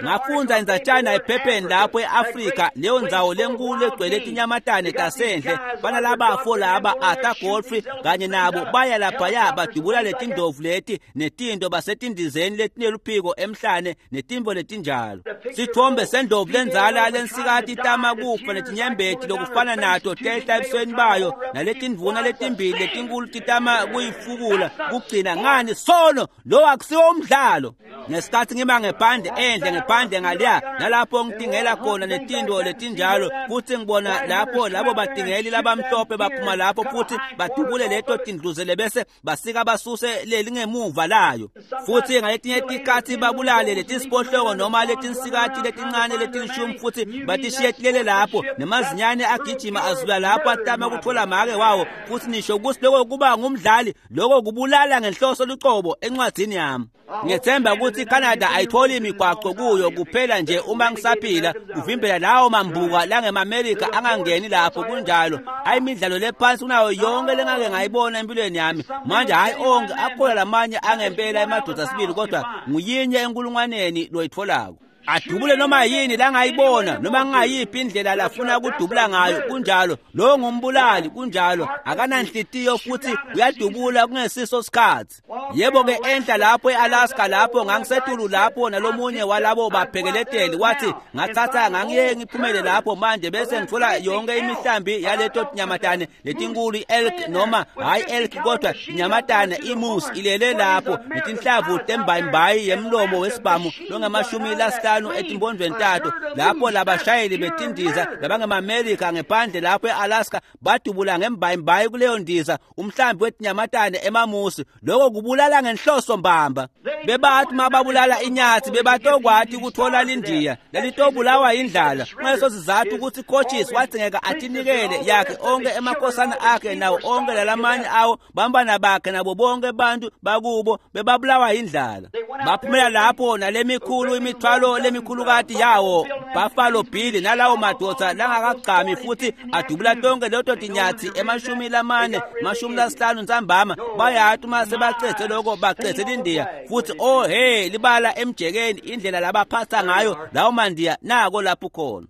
Ngafundza indzatshana ephepheni lapho e-Afrika, leyo ndzawo lenkulu egcwele tinyamatane tasendle. Banalabafo laba Arthur Godfrey kanye nabo baya laphaya badubula letindovu leti netinto basetindizeni letineluphiko emhlane netimvo letinjalo. Sithombe sendlovu lenzala lensikati itama kufa netinyembeti lokufana nato tehla ebusweni bayo, naletindvuna letimbili letinkulu titama kuyifukula kugcina. Ngani sono lo akusiwo umdlalo. Ngesikhathi ngima ngephandle endle ngephandle ngaliya nalapho ngitingela khona netinto letinjalo, futhi ngibona lapho labo batingeli labamhlophe baphuma lapho futhi badubule leto tindluzele bese basika basuse lelingemuva layo. Futhi ngaletinye tikhatsi babulale letisiphohloko noma letinsikati letincane letilishumi futhi batishiye tilele lapho, nemazinyane agijima azula lapho atama kutfola make wawo. Futhi nisho kutsi loko kuba ngumdlali, loko kubulala ngenhloso lucobo encwadzini yami. Ngiyethemba ukuthi iCanada ayitholi imigwaqo kuyo kuphela nje uma ngisaphila kuvimbela lawo mambuka langemaMelika angangeni lapho. Kunjalo, ayimidlalo lephansi kunayo yonke lengake ngayibona empilweni yami. Manje hayi onke akhona lamanye angempela emadoda sibili, kodwa nguyinye enkulungwaneni loyitfolako. Adubule noma yini langayibona noma ngayiphi indlela lafuna kudubula ngayo. Kunjalo, lo ngumbulali. Kunjalo, akananhlitiyo futhi uyadubula kungesiso sikhathi. Yebo ke, enhla lapho eAlaska lapho ngangisetulu lapho nalomunye walabo baphekeleteli wathi ngathatha ngangiye ngiphumele lapho manje bese ngithola yonke imihlambi yaleto nyamatane letinkulu, elk noma hayi elk kodwa inyamatane imusi ilele lapho netinhlavu tembayimbayi yemlomo wesibhamu longamashumi lasihlanu etimpondvweni tato, lapho labashayeli betindiza labangemaMelika ngephandle lapho eAlaska badubula ngembayimbayi kuleyo ndiza umhlambi wetinyamatane emamusi. Lokho kubulala ngenhloso mbamba. Bebathi mababulala inyathi bebatokwati ukuthola lindiya lelitobulawa indlala. Ngaleso sizathu ukuthi coaches wadzingeka atinikele yakhe onke emakhosana akhe nawo onke lalamanye awo bambana bakhe nabo bonke bantu bakubo bebabulawa indlala. Baphumela lapho nalemikhulu imithwalo lemikhulukati yawo Buffalo Bill nalawo madoda langakagqami futhi adubula tonke leto tinyathi emashumi lamane mashumi lasihlanu ntsambama. Bayathi uma sebacethe lokho bacethe lindiya futhi oh hey libala emjekeni indlela labaphatha ngayo lawo mandiya nako lapho khona.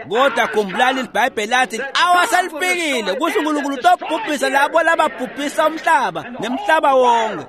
Kodwa khumbulani iBhayibheli lathi awaselifikile kusho uNkulunkulu utobhubhisa labo lababhubhisa umhlaba nemhlaba wonke.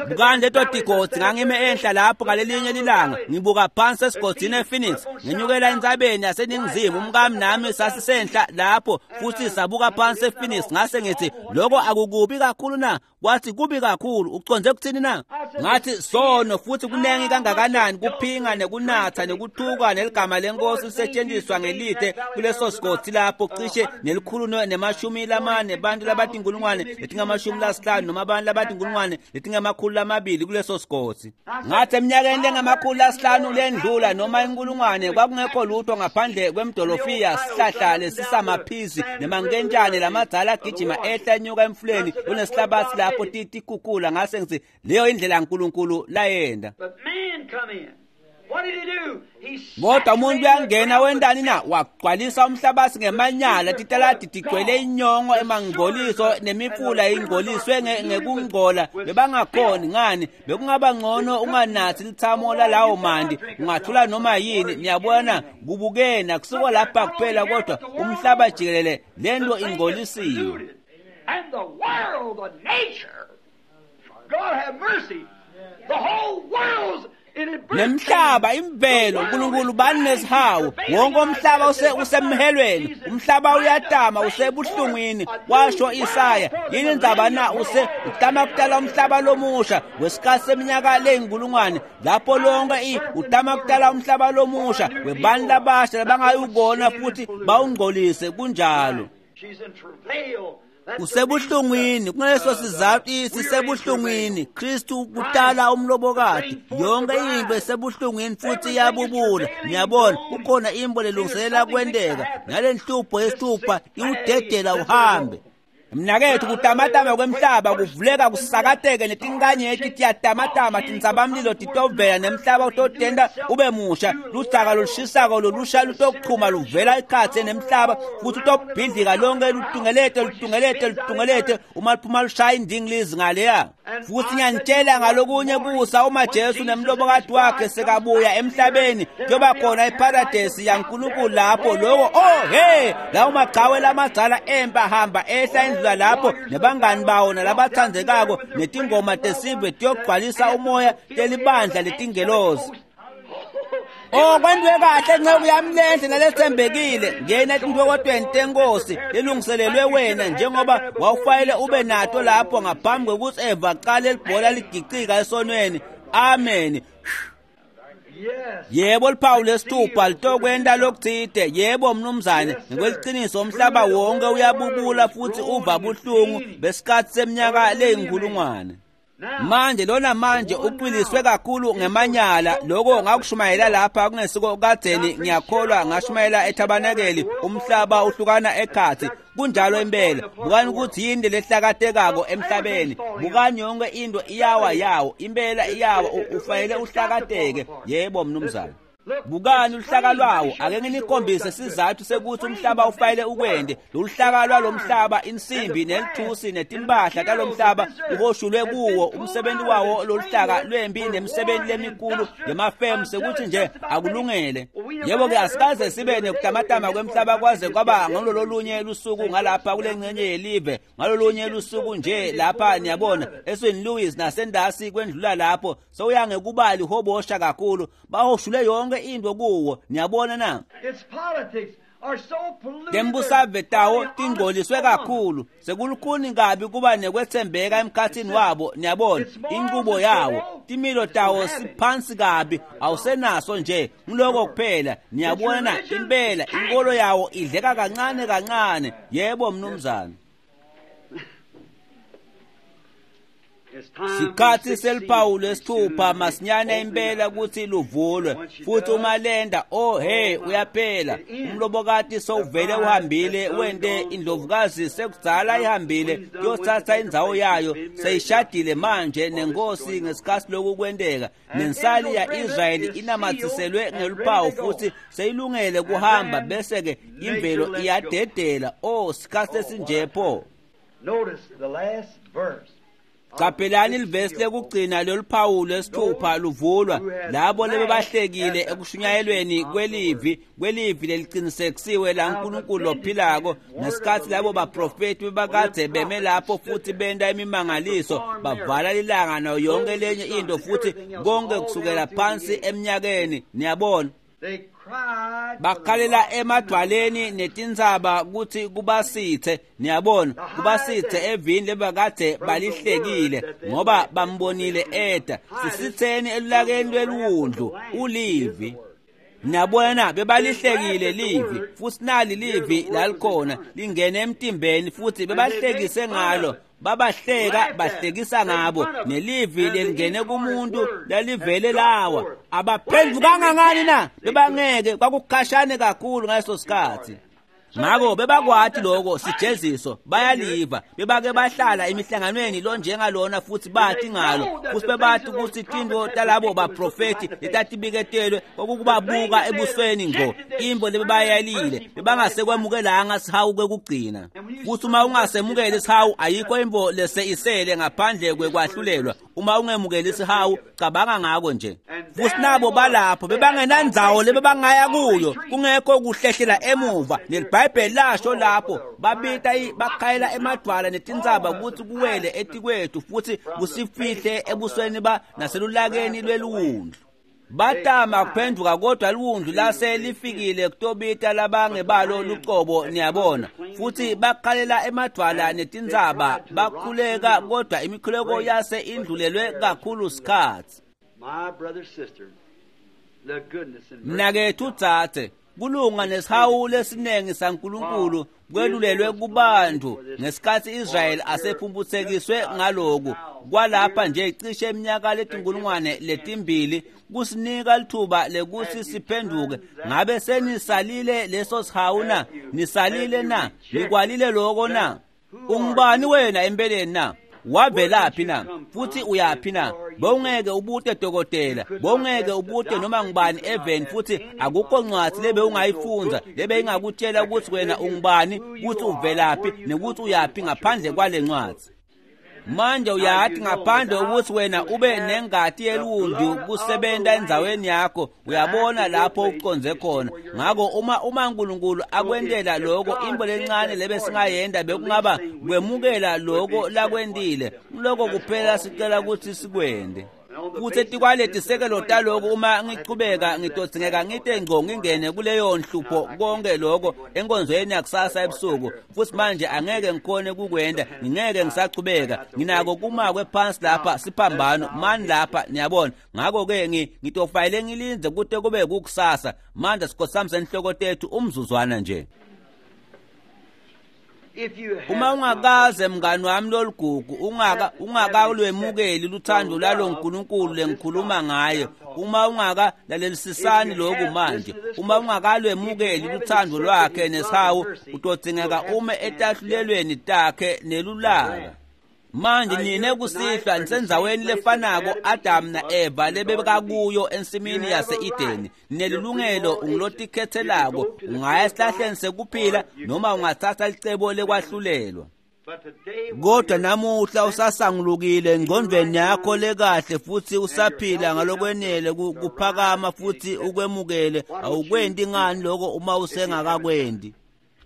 Bukani leto tigodzi, ngangime enhla lapho ngalelinye lilanga ngibuka phansi esigodzini ePhoenix, ngenyukela entsabeni yaseningizimu. Umkami nami sasisenhla lapho futhi sabuka phansi ePhoenix. Ngase ngithi lokho akukubi kakhulu na? Wathi kubi kakhulu. Uconze kuthini na? Ngathi sono futhi kunengi kangakanani kuphinga nekunatha nekuthuka neligama lenkosi lisetshenziswa ngelide kuleso sigodzi lapho cishe nelikhulu nemashumi lamane bantu labatinkulungwane letingamashumi lasihlanu noma abantu labatinkulungwane letingamakhulu lamabili kuleso sigodzi. Ngathi eminyakeni lengamakhulu lasihlanu lendlula noma inkulungwane kwakungekho lutho ngaphandle kwemdolofiya sihlahla lesisamaphizi nemankentshane lamadzala agijima ehla enyuka emfuleni kunesihlabathi lapho tikukula. Ngase ngithi leyo indlela uNkulunkulu layenda. Kodwa umuntu uyangena wendani na? Wagcwalisa umhlabathi ngemanyala, titaladi tigcwele inyongo emangcoliso nemifula ingcoliswe ngekungcola. Bebangakhoni ngani? Bekungaba ngcono unganathi lithamo lalawo mandi, ungathula noma yini. Niyabona, kubukena kusuka lapha kuphela kodwa umhlaba jikelele lento ingcolisiwe. And the world, the nature, God have mercy, the whole world's Nemhlaba imvelo uNkulunkulu banesihawu wonke umhlaba usemhelweni, umhlaba uyatama usebuhlungwini, washo Isaya. Yini indzaba na? Use utama kudala umhlaba lomusha wesikhathi seminyaka leyinkulungwane lapho lonke utama kudala umhlaba lomusha webantu labasha labangayubona futhi bawungcolise. Kunjalo, usebuhlungwini. Kungaleso sizathu sisebuhlungwini. Kristu kutala umlobokati, yonke into isebuhlungwini futhi iyabubula. Niyabona kukhona imbo lelungiselela kwenteka nalenhlupho yesithupha iwudedela uhambe. Mnakethu, kutamatama kwemhlaba kuvuleka kusakateke netinkanyeti tiyatamatama, tintsabamlilo titovela nemhlaba utotenda ube musha. Ludzaka lolushisako lolusha lutokuchuma luvela ekhatsi nemhlaba futhi utobhidlika lonke lutungelete lutungelete lutungelete uma luphuma lushaya indingilizi ngaleya. Futhi ngiyanitshela ngalokunye kusa, uma Jesu nemlobokati wakhe sekabuya emhlabeni kuyoba khona iparadesi yaNkulunkulu lapho. Lokho oh hey, lawo maqhawe lamadzala empa hamba ehla endlula lapho nebangani bawo nalabathandzekako netingoma tesive tiyogcwalisa umoya telibandla letingelozi. Oh, kwentiwe kahle nceku yami lenhle naletsembekile, ngena etintokotweni tenkosi lelungiselelwe wena njengoba wawufanele ube nato lapho ngaphambi kwekutsi Eva aqale libhola ligicika esonweni. Amen. Yebo, liphawu lesithupha litokwenta lokutsite. Yebo mnumzane, ngokweliciniso umhlaba wonke uyabubula futhi uva buhlungu besikhathi seminyaka leyinkulungwane. Manje lona manje uqiliswe kakhulu ngemanyala. Lokho ngakushumayela lapha kungesiko kadzeni, ngiyakholwa ngashumayela ethabanekeli, umhlaba uhlukana ekhatsi. Kunjalo impela. Bukani ukuthi yini lehlakatekako emhlabeni. Bukani yonke into iyawa yawo, impela iyawa, ufanele uhlakateke. Yebo mnumzane. Bukani luhlaka lwawo, ake nginikhombise sizathu sekuthi umhlaba ufayele ukwende. Loluhlaka lwalomhlaba, insimbi nelithusi netimpahla talomhlaba uhoshulwe kuwo umsebenzi wawo loluhlaka lwempi nemisebenzi lemikhulu yemafemu sekuthi nje akulungele. Yebo-ke asikaze sibe nekutamatama kwemhlaba kwaze kwaba ngalololunye lusuku ngalapha kule ngcenye yelive, ngalolunye lusuku nje lapha niyabona eSaint Louis nasendasi kwendlula lapho sewuya ngekubali hobosha kakhulu, bahoshule yonke into kuwo, niyabona na. Tembusave tawo tingcoliswe kakhulu, sekulukhuni kabi kuba nekwethembeka emkhathini wabo, niyabona inqubo yawo, timilo tawo siphansi kabi, awusenaso nje ngiloko kuphela, niyabona impela inkolo yawo idleka kancane kancane. Yebo mnumzane. Sikhathi seliphawu lesithupha masinyane impela kuthi luvulwe, futhi uma lenda, oh hey, uyaphela umlobokati sowuvele uhambile, wente indlovukazi sekudzala ihambile kuyothatha indzawo yayo, seyishadile manje nenkosi ngesikhathi lokhu kwenteka. Nensali ya-Israyeli inamathiselwe ngeluphawu futhi seyilungele kuhamba, bese-ke imvelo iyadedela. Oh, sikhathi esinje pho. Notice the last verse. Qaphelani livesi lekugcina loluphawu lwesithupha luvulwa, labo lebebahlekile ekushunyayelweni kwelivi kwelivi leliqinisekisiwe laNkulunkulu lophilako, ngesikhathi labo baprofeti bebakade beme lapho futhi benta imimangaliso, bavala lilanga nayo yonke lenye into futhi konke kusukela phansi eminyakeni, niyabona. Bakhalela emadwaleni netintsaba kuthi kubasithe, niyabona, kubasithe evini lebakade balihlekile ngoba bambonile eda. Sisitheni elulakeni lwelwundlu ulivi. Niyabona bebalihlekile livi, futhi nali livi lalikhona lingene emtimbeni futhi bebahlekise ngalo, babahleka bahlekisa ngabo, nelivi lelingene kumuntu lalivele lawa. Abaphendukanga ngani na? Bebangeke, kwakukhashane kakhulu ngaleso sikhathi. Ngako bebakwati lokho sijeziso, bayaliva, bebake bahlala emihlanganweni lonjengalona futhi bathi ngalo, futhi bebathi ukuthi tinto talabo baprofeti letatibiketelwe kwakukubabuka ebusweni ngqo, imbo lebebayalile, bebangasekwamukelanga sihawu kwekugcina. Futhi uma ungasemukeli sihawu, ayikho imbo lese isele ngaphandle kwekwahlulelwa. Uma ungemukeli sihawu, cabanga ngako nje. Futhi nabo balapho bebangenandzawo lebebangaya kuyo, kungekho kuhlehlela emuva. NeliBhayibheli lasho lapho babita bakhayela emadwala netintsaba ukuthi kuwele etikwethu futhi kusifihle ebusweni ba naselulakeni lwelwundlu. Batama kuphenduka kodwa liwundlu lase lifikile kutobita labangebalo lucobo, niyabona. Futhi bakhalela emadwala netintsaba bakhuleka, kodwa imikhuleko yase indlulelwe kakhulu sikhathi. Mnakethu dzadze, kulunga nesihawu lesiningi saNkulunkulu kwelulelwe kubantu ngesikhathi Israyeli asephumphutsekiswe ngaloku kwalapha nje cishe iminyaka letinkulungwane letimbili, kusinika lithuba lekuthi siphenduke. Ngabe senisalile leso sihawu na? Nisalile na? Nikwalile loko na? Ungubani wena empeleni na? Wavelaphi na? Futhi uyaphi na? Bowungeke ubute dokotela, bowungeke ubute noma ngubani eveni, futhi akukho ncwadi lebe ungayifundza lebe ingakutshela ukuthi wena ungubani, ukuthi uvelaphi nekuthi uyaphi ngaphandle kwale ncwadi. Manje uyathi ngaphandle ukuthi wena ube nengati yelwundlu kusebenta endzaweni yakho, uyabona lapho uconze khona. Ngako uma uma uNkulunkulu akwentela lokho, imbo lencane lebe singayenda bekungaba kwemukela lokho lakwentile. Lokho kuphela sicela ukuthi sikwende. Futhi etikwaletisekelo taloko uma ngichubeka ngitodzingeka ngite ngco ngingene kuleyo nhlupho konke lokho enkonzweni yakusasa ebusuku. Futhi manje angeke ngikhone kukwenda, ngingeke ngisachubeka, nginako kumakwe phansi lapha siphambano mani lapha, niyabona. Ngako-ke ngitofayele ngilindze kute kube kukusasa. Manje sikhosamisa inhloko tethu umzuzwana nje. Uma ungakaze mngani wami loligugu, ungaka ungakalwemukeli luthando lalo nkulunkulu lengikhuluma ngaye, uma ungakalalelisisani lokhu manje, uma ungakalwemukeli luthando lwakhe nesihawu, utodzingeka ume etahlulelweni takhe nelulaka. Manje nine kusihlwa nisendzaweni lefanako Adam na-Eva lebekakuyo ensimini yase-Edeni. Ninelilungelo, ungulotikhetselako, ungaya esihlahleni sekuphila noma ungatsatsa licebo lekwahlulelwa. Kodwa namuhla usasangulukile engcondvweni yakho lekahle futhi usaphila ngalokwenele kuphakama futhi ukwemukele. Awukwenti ngani lokho uma usengakakwendi?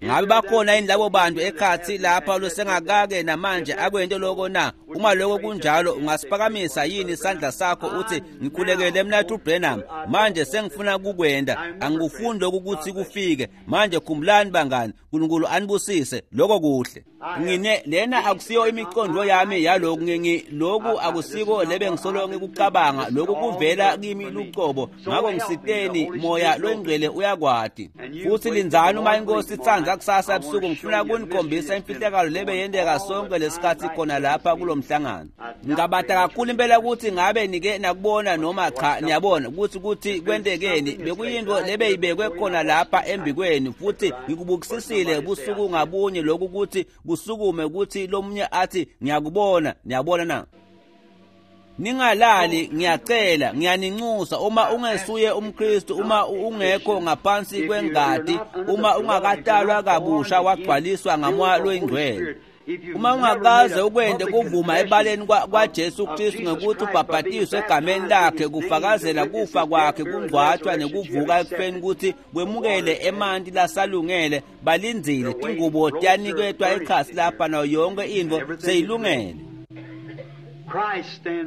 Ngabe bakhona yini labo bantu ekhatsi lapha losengakake namanje akwente lokho na? Uma lokho kunjalo, ungasiphakamisa yini isandla sakho uthi ngikhulekele Mnathu Branham, manje sengifuna kukwenda, angikufuni lokhu ukuthi kufike. Manje khumbulani bangani, uNkulunkulu anibusise, lokho kuhle. Ngine lena akusiyo imicondo yami yaloku, ngingi lokhu akusiko lebe ngisolo ngikucabanga, lokhu kuvela kimi lucobo. Ngakho ngisiteni, Moya loNgcwele uyakwati. Futhi lindzani uma iNkosi itsandza kusasa ebusuku, ngifuna kunikhombisa imfihlakalo lebe yenteka sonke lesikhathi khona lapha kulomhlangano. Ngingabata kakhulu impela ukuthi ngabe nike nakubona noma cha, niyabona ukuthi ukuthi kwentekeni. Bekuyinto lebe ibekwe khona lapha embikweni, futhi ngikubukisisile busuku ngabunye lokhu ukuthi kusukume ukuthi lomunye athi ngiyakubona. Niyabona na? Ningalali, ngiyacela, ngiyaninxusa, uma ungesuye umKristu, uma ungekho ngaphansi kwengati, uma ungakatalwa kabusha wagcwaliswa ngaMoya loyiNgcwele, uma ungakaze ukwente kuvuma ebaleni kwaJesu Kristu ngekuthi ubhabhatiswe egameni lakhe, kufakazela kufa kwakhe, kungcwatshwa nekuvuka ekufeni, ukuthi kwemukele emanti lasalungele balindzile, tingubo tiyaniketwa ekhasi lapha nayo yonke intfo seyilungele.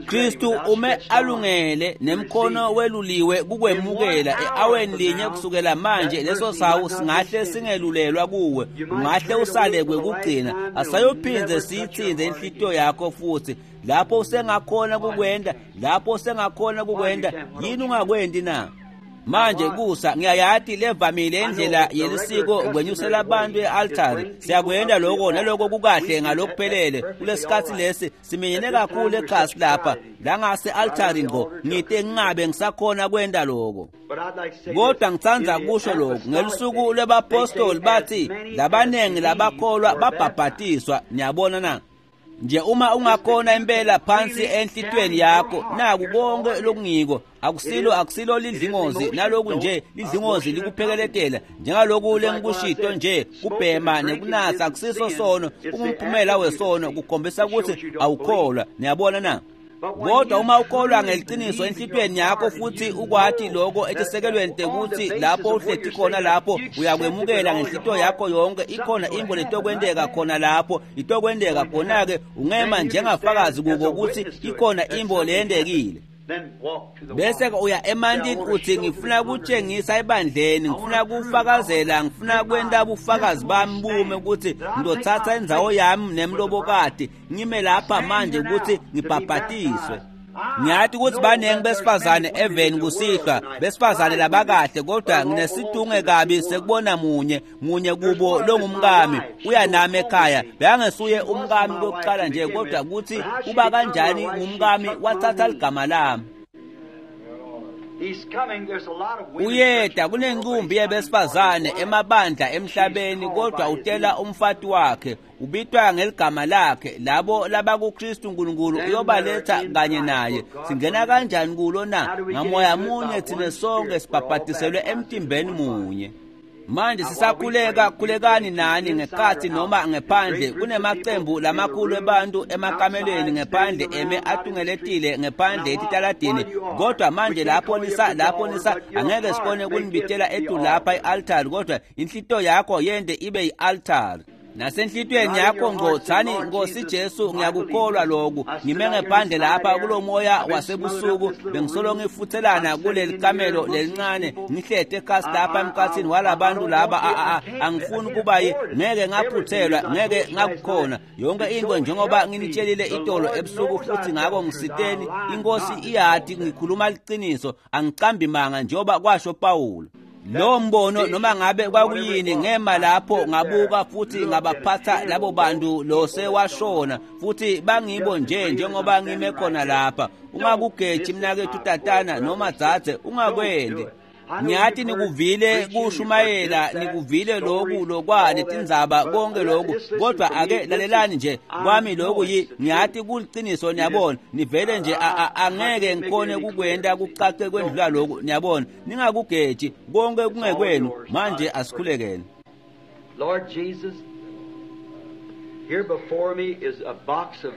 Kristu ume alungele nemkhono weluliwe kukwemukela e-aweni linye kusukela manje. Leso sawu singahle singelulelwa kuwe, ungahle usale kwekugcina, asayophindze siyitsintse inhlitiyo yakho futhi. Lapho usengakhona kukwenda, lapho usengakhona kukwenda, yini ungakwenti na? Manje kusa ngiyayati levamile indlela yelisiko kwenyusela abantu e-altari. Siyakwenda lokho naloko kukahle ngalokuphelele. Kulesikhathi lesi siminyene kakhulu ekhasi lapha langase-altari ngqo, ngite ngingabe ngisakhona kwenta lokho. Kodwa ngitsandza kusho lokhu, ngelusuku lwebapostoli bathi labanengi labakholwa babhabhatiswa. Niyabona na? Nje uma ungakhona impela phansi enhlitweni yakho, naku konke lokungiko, akusilo akusilo lidlingozi, naloku nje lidlingozi likuphekeletela njengaloku lengikushito nje, kubhema nekunatsa akusiso sono, kungumphumela wesono, kukhombisa ukuthi awukholwa. Niyabona na? Kodwa uma ukholwa ngeliciniso enhlitweni yakho futhi ukwati lokho etisekelweni tekuthi lapho uhleti khona lapho uyakwemukela ngenhlitiyo yakho yonke, ikhona intfo letokwenteka khona lapho, itokwenteka khona-ke, ungema njengafakazi kuko ukuthi ikhona intfo leyentekile. Bese uya emantini uthi ngifuna kutshengisa ebandleni, ngifuna kufakazela, ngifuna kwenta bufakazi bami bume ukuthi ngizothatha indzawo yami nemlobokati, ngime lapha manje ukuthi ngibhabhatiswe. Ngiyathi ukuthi baningi besifazane eveni kusihlwa, besifazane labakahle, kodwa nginesitunge kabi sekubona munye munye kubo longumkami uya nami ekhaya. Bekangesuye umkami kokuqala nje, kodwa ukuthi uba kanjani ngumkami, wathatha ligama lami. Uyeda kunencumbi yebesifazane emabandla emhlabeni, kodwa utela umfati wakhe, ubitwa ngeligama lakhe. Labo labakuKristu uNkulunkulu uyobaletha kanye naye. Singena kanjani kulo na? Ngamoya munye thina sonke sibhabhatiselwe emtimbeni munye. Manje sisakhuleka, khulekani nani ngekhathi noma ngephandle. Kunemacembu lamakhulu ebantu emakamelweni ngephandle eme atungeletile ngephandle etitaladini. Kodwa manje lapho nisa lapho nisa angeke sikhone kunibitela etu lapha i-altari, kodwa inhlitiyo yakho yende ibe i-altari. Nasenhlitiyweni yakho ngqo thani, Nkosi Jesu, ngiyakukholwa lokhu. Ngime ngephandle lapha kulomoya wasebusuku, bengisolo ngifuthelana kuleli kamelo lelincane, ngihlete ekhasi lapha emkhathini walabantu laba. Angifuni kuba ngeke ngaphuthelwa, ngeke ngakukhona yonke into njengoba nginitshelile itolo ebusuku. Futhi ngakho ngisiteni, iNkosi iyati ngikhuluma liqiniso, angicambi manga njengoba kwasho Pawulo. Lo mbono noma ngabe kwakuyini, ngema lapho ngabuka futhi ngabaphatha labo bantu lo sewashona, futhi bangibo nje njengoba ngime khona lapha. Ungakugeji mnakethu tatana noma dzadze, ungakwendi. Ngiyati nikuvile kushumayela, nikuvile loku lokwa netindzaba konke loku, kodwa ake lalelani nje kwami loku yi ngiyati kuliciniso, niyabona. Nivele nje angeke ngikhone kukwenta kucace kwendlula loku, niyabona. Ningakugeji konke kungekwenu. Manje asikhulekeni. Lord Jesus, here before me is a box of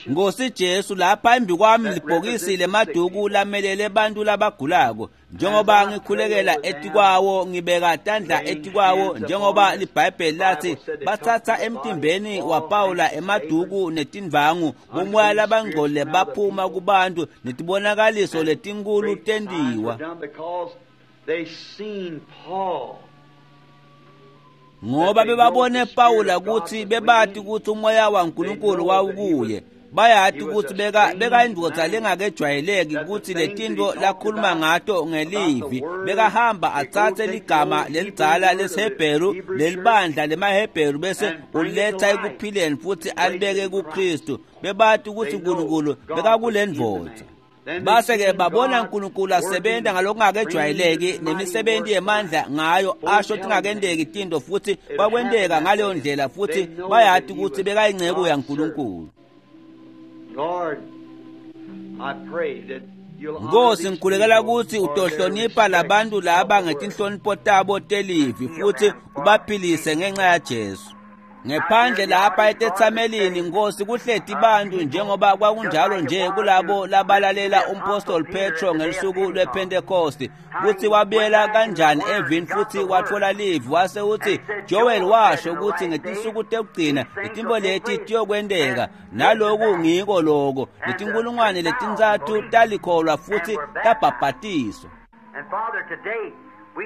Nkosi Jesu, lapha embi kwami libhokisi lemaduku lamelele bantu labagulako. Njengoba ngikhulekela etikwawo, ngibeka tandla etikwawo, njengoba liBhayibheli lathi bathatha emtimbeni waPawula emaduku netindvangu, bomoya labangcole baphuma kubantu netibonakaliso letinkulu tentiwa. Ngoba bebabone Pawula kutsi bebati kutsi umoya waNkulunkulu wawukuye. Bayati kutsi beka bekayindvodza lengakejwayeleki kutsi letintfo lakhuluma ngato ngelivi. Bekahamba atsatse ligama lelidzala lesiHebheru lelibandla lemaHebheru bese uletha ekuphileni futsi alibeke kuKristu. Bebati kutsi uNkulunkulu bekakulendvodza. Base-ke babona uNkulunkulu asebenta ngalokungakejwayeleki nemisebenti yemandla ngayo, asho tingakenteki tintfo futsi kwakwenteka ngaleyo ndlela, futsi bayati kutsi bekayinceku yaNkulunkulu. Nkosi, ngikhulekela kutsi utohlonipha labantu laba ngetinhlonipho tabo telivi futsi ubaphilise ngenxa yaJesu. Ngephandle lapha etetsamelini, Nkosi, kuhleti bantu njengoba kwakunjalo nje kulabo labalalela umpostoli Petro ngelusuku lwePhentekosti, kutsi wabuyela kanjani evini futsi watfola livi, wase utsi Joel washo kutsi ngetinsuku tekugcina letintfo leti tiyokwenteka, naloku ngiko loko. Letinkulungwane letintsatfu talikholwa futsi tabhabhatiswa.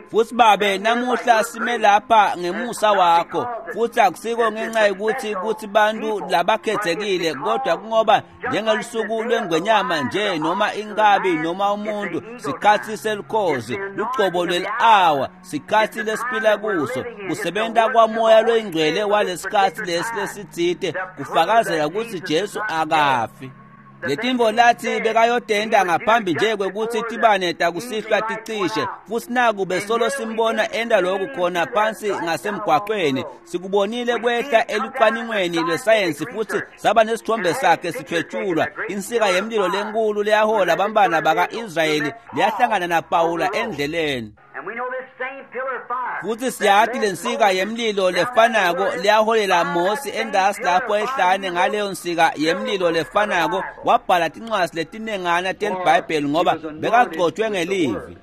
Futsi Babe, namuhla sime lapha ngemusa wakho, futsi akusiko ngenxa yokuthi kutsi bantu labakhethekile, kodwa kungoba njengelusuku lwengwenyama nje noma inkabi noma umuntu, sikhatsi selukhozi, lugcobo lweli-awa, sikhatsi lesiphila kuso, kusebenta kwamoya loyingcwele walesikhatsi lesi lesitsite kufakazela kutsi Jesu akafi. Letintfo lathi bekayotenta ngaphambi nje kwekutsi tibane takusihlwa ticishe, futsi naku besolo simbona enta loku khona phansi ngasemgwaqweni. Sikubonile kwehla elucwaningweni lwesayensi futsi saba nesithombe sakhe sithwetshulwa, insika yemlilo lenkulu leyahola bantfwana baka-Israyeli leyahlangana naPawula endleleni. Futsi siyati lensika yemlilo lefanako leyaholela Mosi endasi lapho ehlane. Ngaleyo nsika yemlilo lefanako wabhala tincwadzi letinengana teliBhayibheli ngoba bekagcotshwe ngelivi.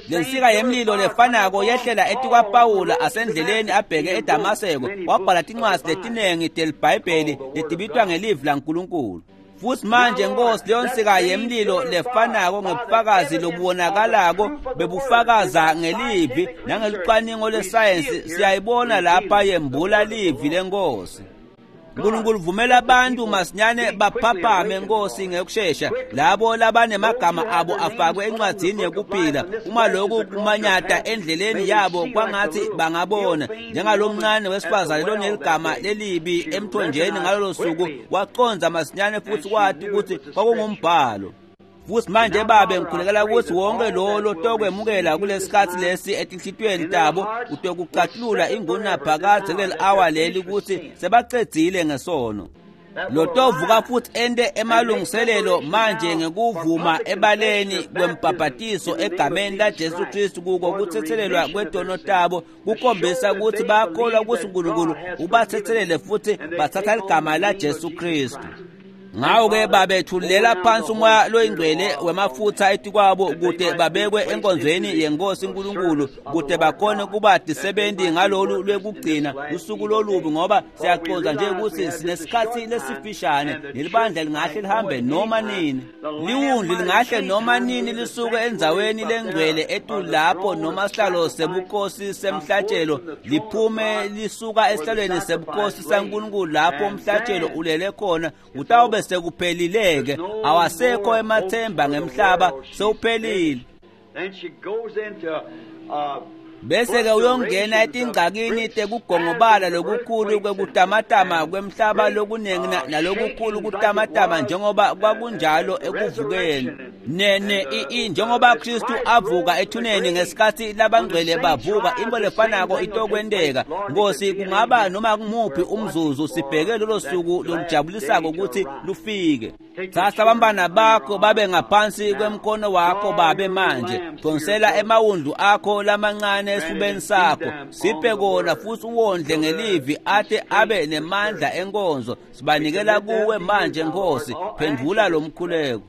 Lensika yemlilo lefanako yehlela etikwaPawula asendleleni abheke eDamaseko, wabhala tincwadzi letinengi teliBhayibheli letibitwa ngelivi laNkulunkulu. Futsi manje, Nkosi, leyo nsika yemlilo lefanako ngebufakazi lobubonakalako bebufakaza ngelivi nangelucwaningo lwesayensi siyayibona lapha yembula livi leNkosi. Nkulunkulu, vumela abantu masinyane baphaphame, Nkosi, ngekushesha, labo labanemagama abo afakwe encwadzini yekuphila. Uma loku kumanyata endleleni yabo, kwangatsi bangabona njengalomncane wesifazane loneligama lelibi emthonjeni ngalolo suku, wacondza masinyane futsi wati kutsi kwakungumbhalo. Futsi manje Babe, ngikhulekela kutsi wonke lo lotokwemukela kulesikhatsi lesi etinhlitiyweni tabo utokucatulula ingunaphakadze kuleli-awa leli kutsi sebacedzile ngesono. Lotovuka futsi ente emalungiselelo manje ngekuvuma ebaleni kwembhabhatiso egameni laJesu Kristu kuko kutsetselelwa kwetono tabo, kukhombisa kutsi bayakholwa kutsi uNkulunkulu ubatsetselele futsi batsatsa ligama laJesu Kristu. Ngako-ke Babe, thulela phansi umoya loyingcwele wemafutsa etikwabo kute babekwe enkonzweni yeNkosi uNkulunkulu, kute bakhone kuba tisebenti ngalolu lwekugcina lusuku lolubi, ngoba siyacondza nje kutsi sinesikhatsi lesifishane nelibandla lingahle lihambe noma nini, liwundlu lingahle noma nini lisuke endzaweni lengcwele etulu lapho, noma sihlalo sebukhosi semhlatshelo liphume lisuka esihlalweni sebukhosi saNkulunkulu lapho umhlatshelo ulele khona. Kutawube sekuphelile-ke, awasekho emathemba ngemhlaba, sewuphelile. Then she goes into uh, Bese-ke uyongena etingcakini tekugongobala lokukhulu kwekutamatama kwemhlaba lokuningi nalokukhulu kutamatama njengoba kwakunjalo ekuvukeni. Ne ne i njengoba Kristu avuka ethuneni ngesikhathi labangcwele bavuka, into lefanako itokwenteka. Nkosi, kungaba noma kumuphi umzuzu sibheke lolo suku lolujabulisako ukuthi lufike. Thatha abantwana bakho babe ngaphansi kwemkono wakho babe manje. Donsela emawundlu akho lamancane esifubeni sakho, siphe kona futhi uwondle ngelivi ate abe nemandla enkonzo. Sibanikela kuwe manje Nkosi, phendvula lo mkhuleko.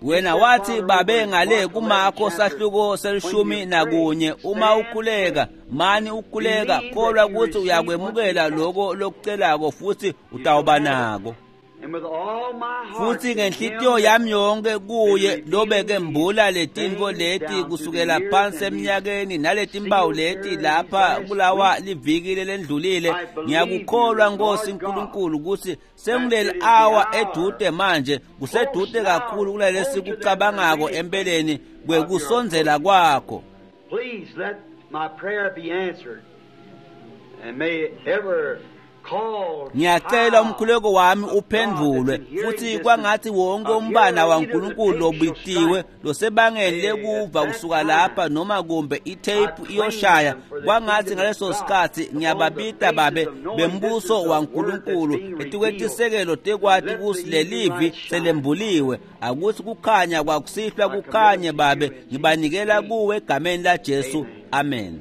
Wena wathi babe ngale kumakho sahluko selishumi nakunye, uma ukhuleka mani ukhuleka, kholwa ukuthi uyakwemukela lokho lokucelako futhi utawuba nako. Futhi ngenhlitiyo yami yonke kuye lobeke mbula letinto leti kusukela phansi eminyakeni naletimpawu leti lapha kulawa liviki lelendlulile, ngiyakukholwa Nkosi uNkulunkulu ukuthi senguleli awa edude manje, kusedude kakhulu kulalesi kucabangako empeleni kwekusondzela kwakho. Please let my prayer be answered and may ever Ngiyacela umkhuleko wami uphendvulwe futhi kwangathi wonke umbana waNkulunkulu lobitiwe losebangeni lekuva kusuka lapha noma kumbe itape iyoshaya, kwangathi ngaleso sikhathi ngiyababita babe bembuso waNkulunkulu etikwetisekelo tekwati kusi lelivi selembuliwe, akuthi kukhanya kwakusihlwa kukhanye babe, ngibanikela kuwe egameni la Jesu, amen.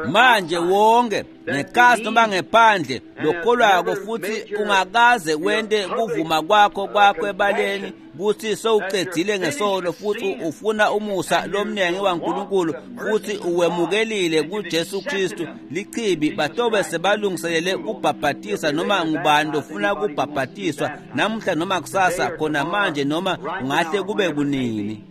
Manje wonke ngekasi noma ngephandle lokholwako futhi ungakaze wente kuvuma kwakho kwakho ebaleni kuthi sowucedzile ngesono futhi ufuna umusa lomnengi waNkulunkulu futhi uwemukelile kuJesu Kristu, lichibi batobe sebalungiselele kubhabhatisa noma ngubani lofuna kubhabhatiswa namuhla noma kusasa, khona manje noma ungahle kube kunini.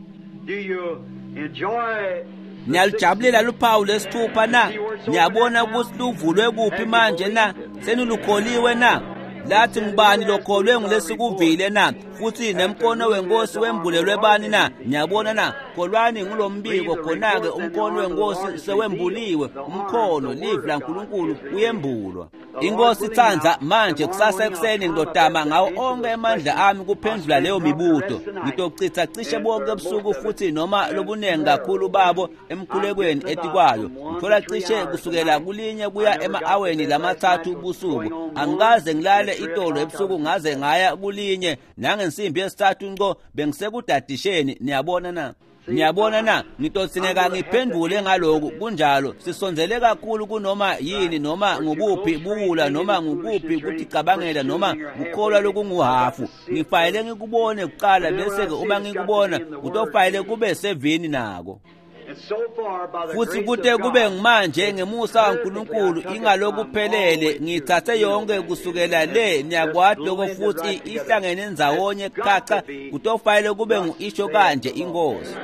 Niyalijabulela luphawu lesithupha na? Niyabona ukuthi luvulwe kuphi manje na? Senilukholiwe na? Lathi ngubani lokholwe ngulesikuvile na? Futhi nemkono wenkosi wembulelwe bani na? Niyabona na? Kholwani ngulombiko, khona-ke umkono wenkosi sewembuliwe, umkhono livi laNkulunkulu uyembulwa. Inkosi itsandza manje kusasa ekuseni ngidodama ngawo onke emandla ami kuphendvula leyo mibuto. Ngitochitha cishe bonke ebusuku futhi noma lobunengi kakhulu babo emkhulekweni etikwayo. Ngithola cishe kusukela kulinye kuya ema-aweni lamathathu busuku. Angikaze ngilale itolo ebusuku ngaze ngaya kulinye nangensimbi yesithathu nco bengisekudadisheni. Niyabona na? Niyabona na? Ngitodzingeka ngiphendvule ngaloku kunjalo. Sisondzele kakhulu kunoma yini noma ngukuphi buwula noma ngukuphi kuticabangela noma kukholwa lokunguhafu. Ngifayele ngikubone kuqala bese-ke uma ngikubona kutofayele kube sevini nako. Futhi kute kube ngimanje ngemusa waNkulunkulu ingalokuphelele ngithathe yonke kusukela le niyakwati lokho futhi ihlangene ndzawonye khaca kutofayele kube ngu-isho kanje inkosi.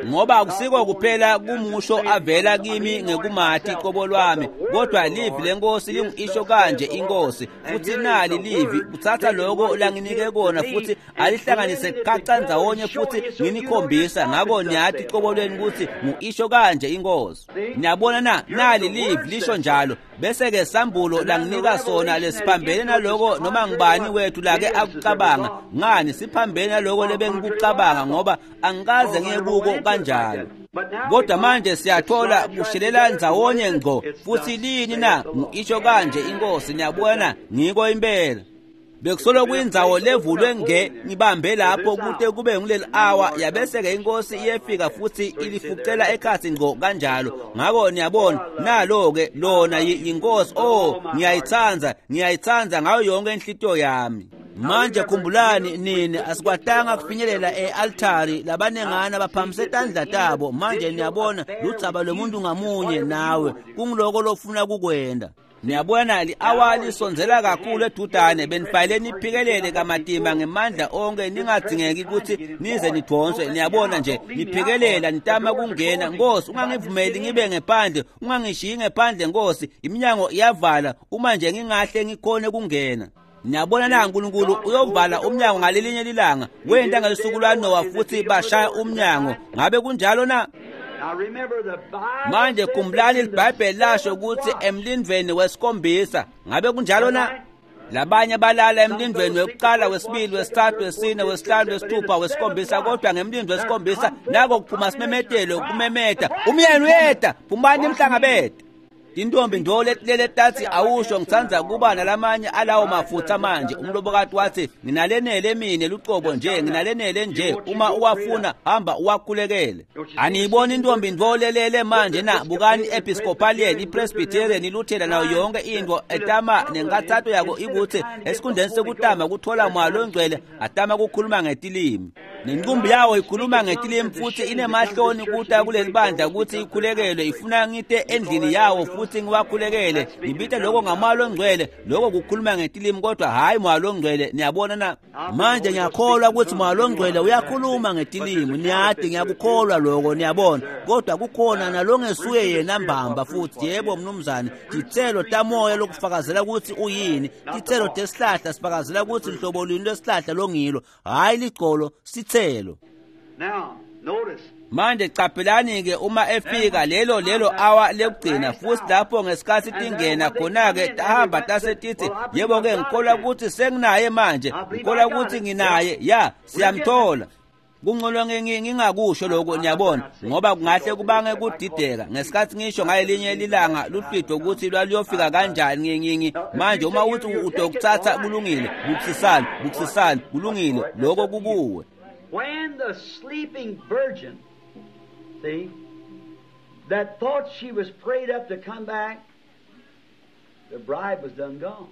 Ngoba akusiko kuphela kumusho avela kimi ngekumathi qobo lwami, kodwa livi lenkosi lingu-isho kanje inkosi. Futhi nali livi kuthatha lokho langinike kona futhi alihlanganise khaca ndzawonye futhi nginikhombisa ngako niyathi qobo lweni ukuthi ngu-isho kanje inkosi. Niyabona na? Nali livi lisho njalo. Bese-ke sambulo langinika sona lesiphambene naloko noma ngubani wethu lake akucabanga. Ngani siphambene naloko lebengikucabanga ngoba angikaze ngiye kuko kanjalo. Kodwa manje siyathola kushelela ndzawonye ngco futhi lini na? Ngu-isho kanje inkosi. Niyabona, ngiko impela. Bekusolo kuyindzawo levulwe nge ngibambe lapho kute kube nguleli awa, yabese-ke inkosi iyefika futhi ilifucela ekhathi ngco kanjalo. Ngako niyabona nalo-ke lona yinkosi. Oh, ngiyayitsandza, ngiyayitsandza ngayo yonke inhlitiyo yami. Manje khumbulani nini asikwatanga kufinyelela e-altari labanengana baphamise tandla tabo. Manje niyabona ludzaba lwemuntu ngamunye nawe kungiloko lofuna kukwenda. Niyabona li-awa lisondzela kakhulu edudane, benifayele niphikelele kamatima ngemandla onke ningadzingeki ukuthi nize nidonswe. Niyabona nje niphikelela nitama kungena. Nkosi, ungangivumeli ngibe ngephandle, ungangishiyi ngephandle Nkosi, iminyango iyavala uma nje ngingahle ngikhone kungena. Niyabona na uNkulunkulu uyovala umnyango ngalelinye lilanga. Wenta ngelusuku lwaNowa futhi bashaya umnyango. Ngabe kunjalo na? Manje khumbulani iBhayibheli lasho ukuthi emlindweni wesikhombisa. Ngabe kunjalo na? Labanye balala emlindweni wekuqala, wesibili, wesithathu, wesine, wesihlanu, wesithupha, wesikhombisa, kodwa ngemlindo wesikhombisa nako kuphuma simemetelo kumemeta umyeni uyeta, phumani nimhlangabete. Tintombi ndo letilele tathi awusho ngitsandza kuba nalamanye alawo mafutha manje. Umlobokati wathi nginalenele mine lucobo nje, nginalenele nje, uma uwafuna hamba uwakhulekele. Aniyiboni intombi ndo lelele manje na? Bukani Episcopalian, iPresbyterian, iLuthela nayo yonke into etama nenkathato yako ikuthi esikhundleni sekutama kuthola moya longcwele atama kukhuluma ngetilimi. Nenqumbi yawo ikhuluma ngetilimi futhi inemahloni kuta kuleli bandla ukuthi ikhulekelwe, ifuna ngite endlini yawo futhi ngiwakhulekele. Ngibita lokho ngamoya longcwele, lokho kukhuluma ngetilimi kodwa hayi moya longcwele. Niyabona na? Manje ngiyakholwa ukuthi moya longcwele uyakhuluma ngetilimi, niyati ngiyakukholwa lokho, niyabona, kodwa kukhona nalongesuye yena mbamba futhi. Yebo mnumzane, titselo tamoya lokufakazela ukuthi uyini, titselo tesihlahla sifakazela ukuthi nhlobo luni lwesihlahla longilo, hayi ligcolo, sitselo. Manje qaphelani-ke uma efika lelo lelo awa lekugcina futhi lapho ngesikhathi tingena khona-ke tahamba tase tithi yebo-ke ngikholwa ukuthi senginaye manje, ngikholwa ukuthi nginaye, ya siyamthola. Kungcono ngingakusho lokho, niyabona, ngoba kungahle kubange kudideka. Ngesikhathi ngisho ngalelinye lilanga luhlwitho ukuthi lwaluyofika kanjani ngingi manje uma uthi udokuthatha kulungile, bukusisani bukusisani kulungile, lokho kukuwe. When the sleeping virgin, see, that thought she was prayed up to come back, the bride was done gone.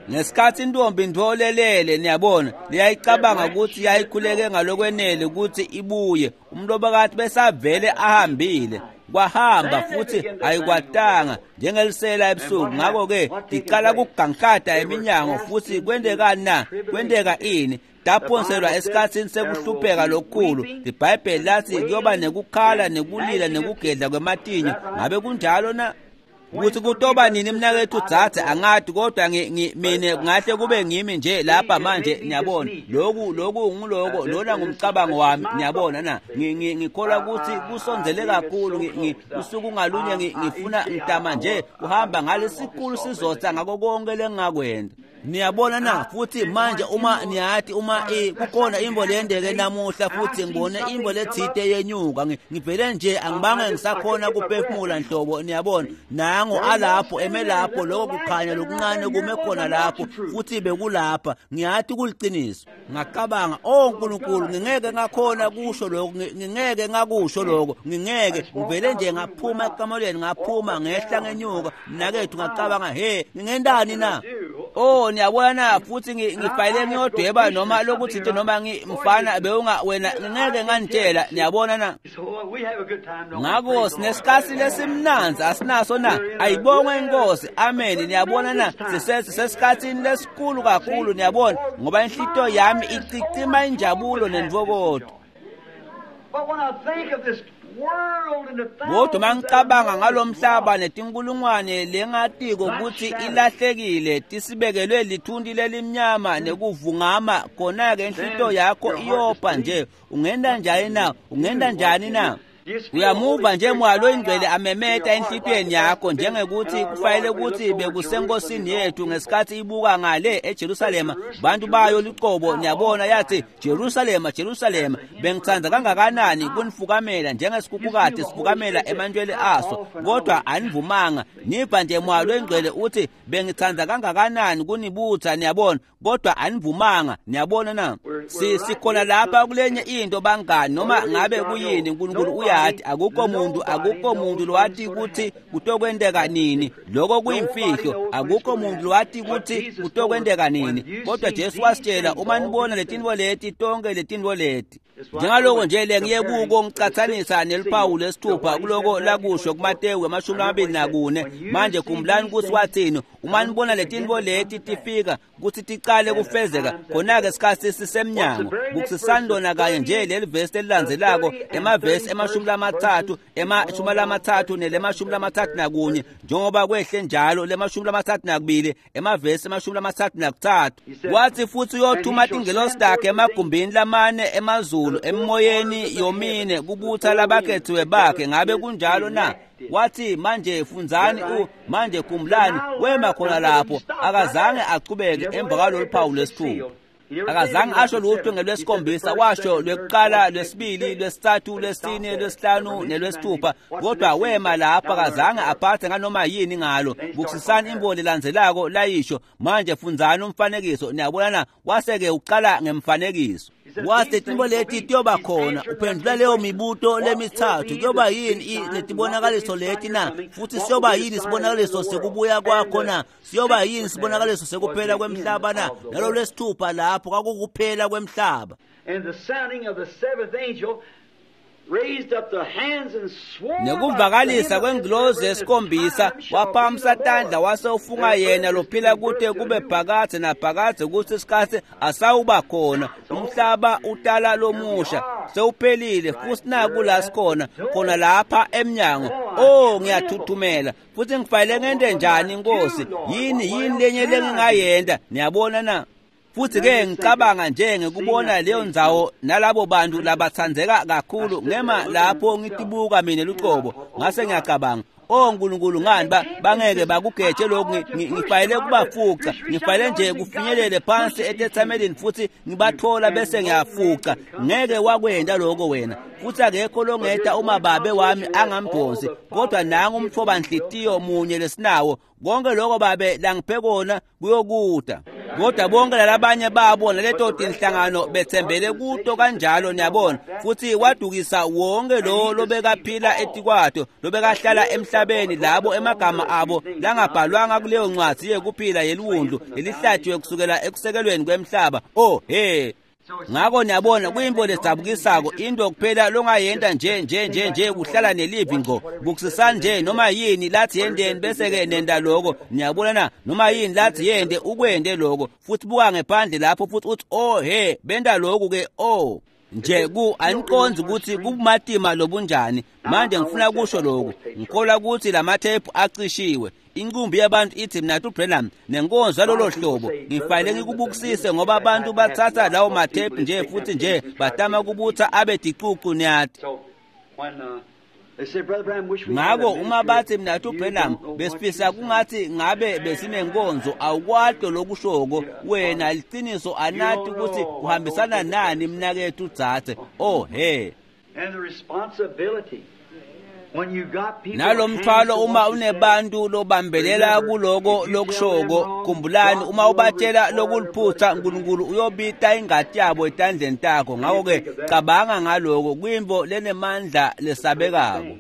Ngesikhathi intombi ntolelele, niyabona, liyayicabanga ukuthi yayikhuleke ngalokwenele ukuthi ibuye, umlobokati besavele ahambile. Kwahamba futhi ayikwatanga njengelisela ebusuku. Ngakho-ke iqala kuganklada eminyango futhi kwendekani na? Kwendeka ini? Taphonselwa esikhathini sekuhlupheka lokukhulu. IBhayibheli lathi kuyoba nekukhala nekulila nekugedla kwematinyo. Ngabe kunjalo na? Ukuthi kutoba nini mnakethu dzadze angati, kodwa mina ngahle kube ngimi nje lapha manje, niyabona. Lokhu lokhu ngiloko lona ngumcabango wami, niyabona na. Ngikholwa ukuthi kusondzele kakhulu, usuku ngalunye ngifuna ngitama nje kuhamba ngalesikhulu sizotha ngako konke lengingakwenda. Niyabona na? Futhi manje uma niyathi uma kukhona imbo leyendeke namuhla futhi ngibone imbo lethite yenyuka, ngivele nje angibange ngisakhona kuphefumula nhlobo, niyabona. Nango alapho emelapho lokho kukhanya lokuncane kume khona lapho futhi bekulapha, ngiyathi kuliciniso. Ngacabanga, oh uNkulunkulu, ngingeke ngakhona kusho lokho, ngingeke ngakusho lokho, ngingeke. Ngivele nje ngaphuma ekamelweni, ngaphuma ngehla ngenyuka mnakethu, ngacabanga, he ngingendani na? Oh niyabona, futhi ngifayile ngiyodweba noma lokuthi noma ngimfana bewunga wena ngingeke nganitshela, niyabona na. Ngakho sinesikhathi lesimnandzi asinaso na? Ayibongwe inkosi, amen. Niyabona na, sisesikhathini lesikhulu kakhulu, niyabona, ngoba inhlito yami icicima injabulo nentokozo. Kodwa mangicabanga ngalomhlaba netinkulungwane lengatiko ukuthi ilahlekile, tisibekelwe lithunti lelimnyama nekuvungama, khona-ke inhlito yakho iyopha nje. Ungenda njani na? Ungenda njani na? Uyamuva nje moya loyingcwele amemeta enhlitweni yakho, njengekuthi kufanele ukuthi bekusenkosini yethu ngesikhathi ibuka ngale eJerusalema, bantu bayo luqobo, niyabona, yathi Jerusalema, Jerusalema, bengithanda kangakanani kunifukamela njengesikhukhukati sifukamela emantwele aso, kodwa anivumanga. Niva nje moya loyingcwele uthi bengithanda kangakanani kunibutha, niyabona, kodwa anivumanga, niyabona na. Sikhona lapha kulenye into bangani, noma ngabe kuyini, uNkulunkulu uyathi akukho muntu, akukho muntu lwathi ukuthi kutokwenteka nini, lokho kuyimfihlo, akukho muntu lwathi ukuthi kutokwenteka nini, kodwa Jesu wasitshela uma nibona letinto leti, tonke letinto leti. Njengaloko nje lengiye kuko ngicatsanisa neluphawu lwesithupha kuloko lakusho kuMateyu emashumi lamabili nakune. Manje khumbulani kutsi wathini uma nibona letintfo leti tifika kutsi ticale kufezeka, khona-ke sikhatsi sisemnyango. Bukisisani lona kanye nje leli vesi lelilandzelako, emavesi emashumi lamatsatfu, emashumi lamatsatfu nelemashumi lamatsatfu nakunye, njengoba kwehle njalo lemashumi lamatsatfu nakubili, emavesi emashumi lamatsatfu nakutsatfu. Wathi futsi uyothuma tingelosi takhe emagumbini lamane emazulu, emoyeni yomine, kubutsa labakhethiwe bakhe. Ngabe kunjalo na? Wathi manje fundzani u manje khumbulani, wema khona lapho, akazange achubeke emva kwalolu phawu lwesithupha. Akazange asho lutho ngelwesikhombisa, washo lwekuqala, lwesibili, lwesithathu, lwesine, lwesihlanu nelwesithupha, kodwa wema lapho akazange aphathe nganoma yini ngalo. Bukisisani imvo lelandzelako layisho. Manje fundzani umfanekiso, niyabona na? Wase-ke uqala ngemfanekiso. Wathi tintfo leti tiyoba khona, uphendvula leyo mibuto lemitsatfu. Kuyoba yini letibonakaliso leti na? Futsi siyoba yini sibonakaliso sekubuya kwakho na? Siyoba yini sibonakaliso sekuphela kwemhlaba na? Nalo lwesithupha lapho kwakukuphela kwemhlaba. And the sounding of the seventh angel raised up the hands and swore Nekuvakalisa kwengilozi yesikhombisa waphakamisa tandla wase ufunga yena lophila kute kube phakadze naphakadze kutsi isikhatsi asawuba khona. Umhlaba utala lomusha sewuphelile, futsi naku la sikhona khona lapha emnyango. Oh, ngiyathuthumela futsi ngifanele ngente njani Nkosi? Yini yini lenye lengingayenta? Niyabona na? Futsi ke ngicabanga nje ngikubona leyo ndzawo nalabo bantu labatsandzeka kakhulu, ngema lapho ngitibuka mina lucobo, ngase ngiyacabanga, oh Nkulunkulu, ngani bangeke bakugeje lokhu? Ngifanele kubafuca, ngifanele nje kufinyelele phansi etetsamelini futsi ngibathola bese ngiyafuca. Ngeke wakwenta lokho wena, futsi akekho longeta uma babe wami angamdonsi, kodwa nangu umtfobanhlitiyo munye lesinawo. Konke lokho babe langiphe kona kuyokuta. Kodwa bonke lalabanye babo naleto tinhlangano betsembele kuto kanjalo, niyabona. Futsi wadukisa wonke lo lobekaphila etikwato, lobekahlala emhlabeni, labo emagama abo langabhalwanga kuleyo ncwadzi yekuphila yeliwundlu lelihlatshiwe kusukela ekusekelweni kwemhlaba. Oh he. Ngako niyabona kuyintfo ledzabukisako, into kuphela longayenta nje nje nje nje kuhlala nelivi ngco. Bukisisani nje noma yini lathi yenteni bese-ke nenta loko. Niyabona na? Noma yini lathi yente ukwente loko, futsi buka ngephandle lapho futsi utsi oh he, benta loku ke. Oh nje ku aniqondzi ukuthi kubumatima lobunjani. Manje ngifuna kusho lokhu, ngikholwa ukuthi lamathephu acishiwe. Inqumbi yabantu ithi mna Branham nenkonzo yalolo hlobo ngifanele ngikubukisise, ngoba abantu bathatha lawo mathephu nje futhi nje batama kubutha abe ticucu, niyati. Ngako uma bathi mna Branham besifisa kungathi ngabe besinenkonzo, awukwato lokushoko wena liciniso, anati ukuthi kuhambisana nani mnakethu dzadze. Oh he. And the responsibility Nalo mthwalo uma unebantu lobambelela kuloko lokushoko, khumbulani uma ubatshela lokuliphutha, Nkulunkulu uyobita ingati yabo etandleni takho. Ngako-ke cabanga ngaloko, kuyintfo lenemandla lesabekako.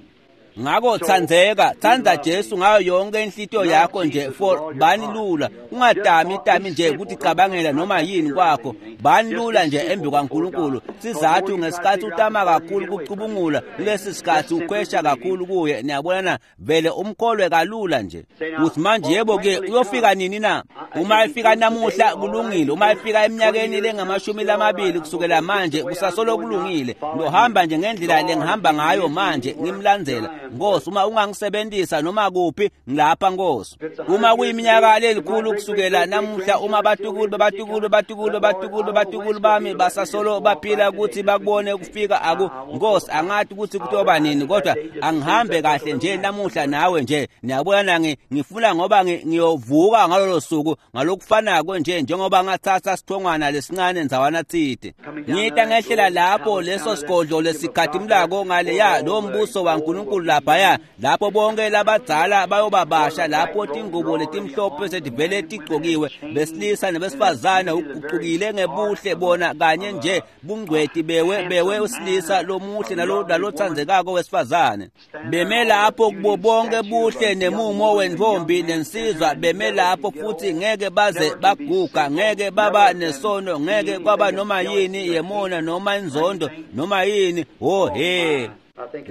Ngako tsandzeka, tsandza Jesu ngayo yonke inhlitiyo yakho nje, for bani lula, ungatami tami nje kuticabangela noma yini kwakho, bani lula nje embi kwaNkulunkulu. Sizathu ngesikhathi utama kakhulu kucubungula kulesi sikhathi ukhwesha kakhulu kuye, niyabona na? Vele umkholwe kalula nje. Uthi manje yebo ke uyofika nini na? Uma efika namuhla kulungile, uma efika eminyakeni lengamashumi lamabili kusukela manje kusasolo kulungile. Ngiyohamba nje ngendlela lengihamba ngayo manje, ngimlandzela. Nkosi, uma ungangisebenzisa noma kuphi ngilapha Nkosi. Uma kuyiminyaka lelikhulu kusukela namuhla, uma batukulu babatukulu batukulu batukulu batukulu bami basasolo baphila ukuthi bakubone kufika aku Nkosi, angathi ukuthi kutoba nini, kodwa angihambe kahle nje namuhla nawe nje. Niyabona, ngifuna ngoba ngiyovuka ngalolo suku ngalokufanako nje njengoba ngathatha sithongwana lesincane ndzawana tsite. Ngita ngehlela lapho leso sigodlo lesikhatimulako ngaleya lo mbuso waNkulunkulu lapha laphaya lapho bonke labadzala bayobabasha lapho tingubo letimhlophe setivele tigcokiwe besilisa nebesifazane uguqukile ngebuhle bona kanye nje bungcweti bewe bewe usilisa lomuhle nalotsandzekako wesifazane beme lapho kubo bonke buhle nemumo wentfombi nensizwa beme lapho futhi ngeke baze baguga ngeke baba nesono ngeke kwaba noma yini yemona noma inzondo noma yini oh he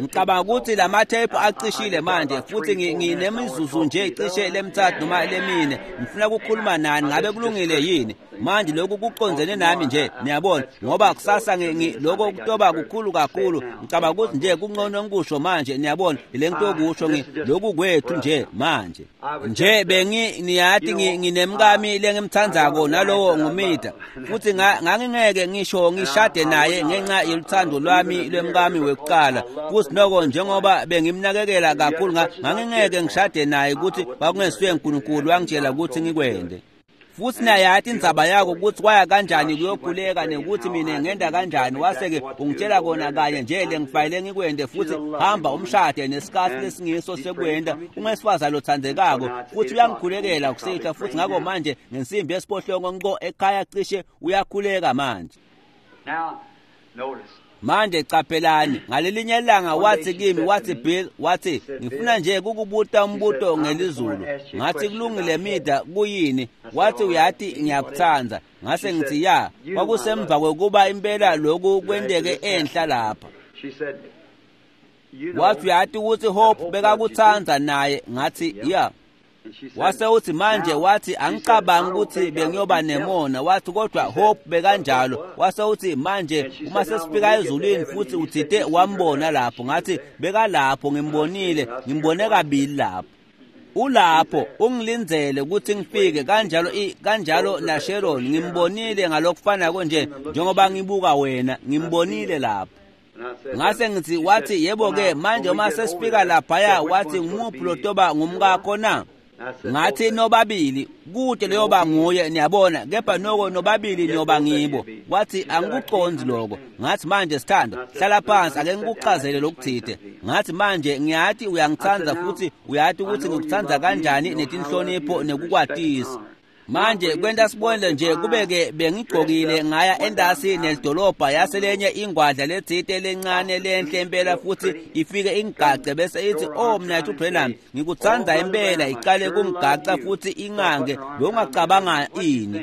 ngicabanga ukuthi lamathephu acishile manje futhi nginemizuzu nje cishe lemitsatfu noma lemine ngifuna ukukhuluma nani ngabe kulungile yini manje lokhu kucondzene nami nje niyabona ngoba kusasa lokho kutoba kukhulu kakhulu ngicabanga ukuthi nje kungcono ngikusho manje niyabona le ngitokusho lokhu kwethu nje manje nje bengi niyati nginemkami lengimthandzako nalowo ngumida futhi ngangingeke ngisho ngishade naye ngenxa yeluthando lwami lwemkami wekuqala futhi noko njengoba bengimnakekela kakhulu ngangingeke ngishade naye ukuthi kwakungesuye uNkulunkulu wangitshela ukuthi ngikwende futhi nayathi indzaba yakho ukuthi kwaya kanjani kuyokhuleka nekuthi mina ngenda kanjani wase-ke ungitshela kona kanye nje le ngifanele ngikwende futhi hamba umshade nesikhathi lesingiso sekwenda ungesifazane lothandekako futhi uyangikhulekela kusihlwa futhi ngakho manje ngensimbi yesiphohlongo nko ekhaya cishe uyakhuleka manje. Manje qaphelani ngalelinye ilanga wathi kimi wathi Bill wathi ngifuna nje ukukubuta umbuto ngelizulu ngathi kulungile mida kuyini wathi uyati ngiyakuthanda ngase ngithi ya kwakusemva kwekuba impela lokhu kwenteke enhla lapha wathi uyati ukuthi Hope bekakuthanda naye ngathi ya wase uthi manje wathi angicabangi ukuthi bengiyoba nemona wathi kodwa Hope bekanjalo wase uthi manje uma sesifika ezulwini futhi uthite wambona lapho ngathi bekalapho ngimbonile ngimbone kabili lapho ulapho ungilindzele ukuthi ngifike kanjalo kanjalo na Sharon ngimbonile ngalokufanako nje njengoba ngibuka wena ngimbonile lapho ngase ngithi wathi yebo ke manje uma sesifika laphaya wathi ngumuphi lotoba ngumkakho na ngathi nobabili kude leyoba nguye niyabona kepha noko nobabili niyoba ngibo wathi angikuconzi lokho ngathi manje sithando hlala phansi ake ngikuchazele lokuthide ngathi manje ngiyathi uyangithanda futhi uyathi ukuthi ngikuthanda kanjani netinhlonipho nekukwatisa manje kwenta sibonele nje kube-ke bengigqokile ngaya endasi nelidolobha yaselenye ingwadla letsite lencane lenhle impela futhi ifike ingigace bese ithi oh mnathu Branham ngikuthanda impela iqale kungigaca futhi ingange bewungacabanga ini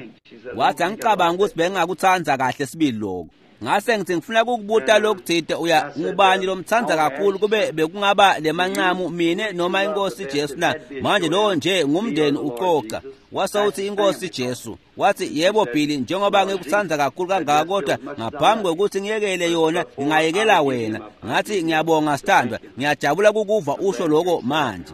wathi angicabanga ukuthi bengingakuthanda kahle sibili lokho ngase ngithi ngifuna ukukubuta lokuthide uya ngubani lomthanda kakhulu kube bekungaba lemancamu mine noma inkosi Jesu na manje lo nje ngumndeni ucoca wase uthi inkosi Jesu wathi yebo Billy njengoba ngikuthanda kakhulu kangaka kodwa ngaphambi kokuthi ngiyekele yona ngingayekela wena ngathi ngiyabonga sithandwa ngiyajabula ukukuva usho lokho manje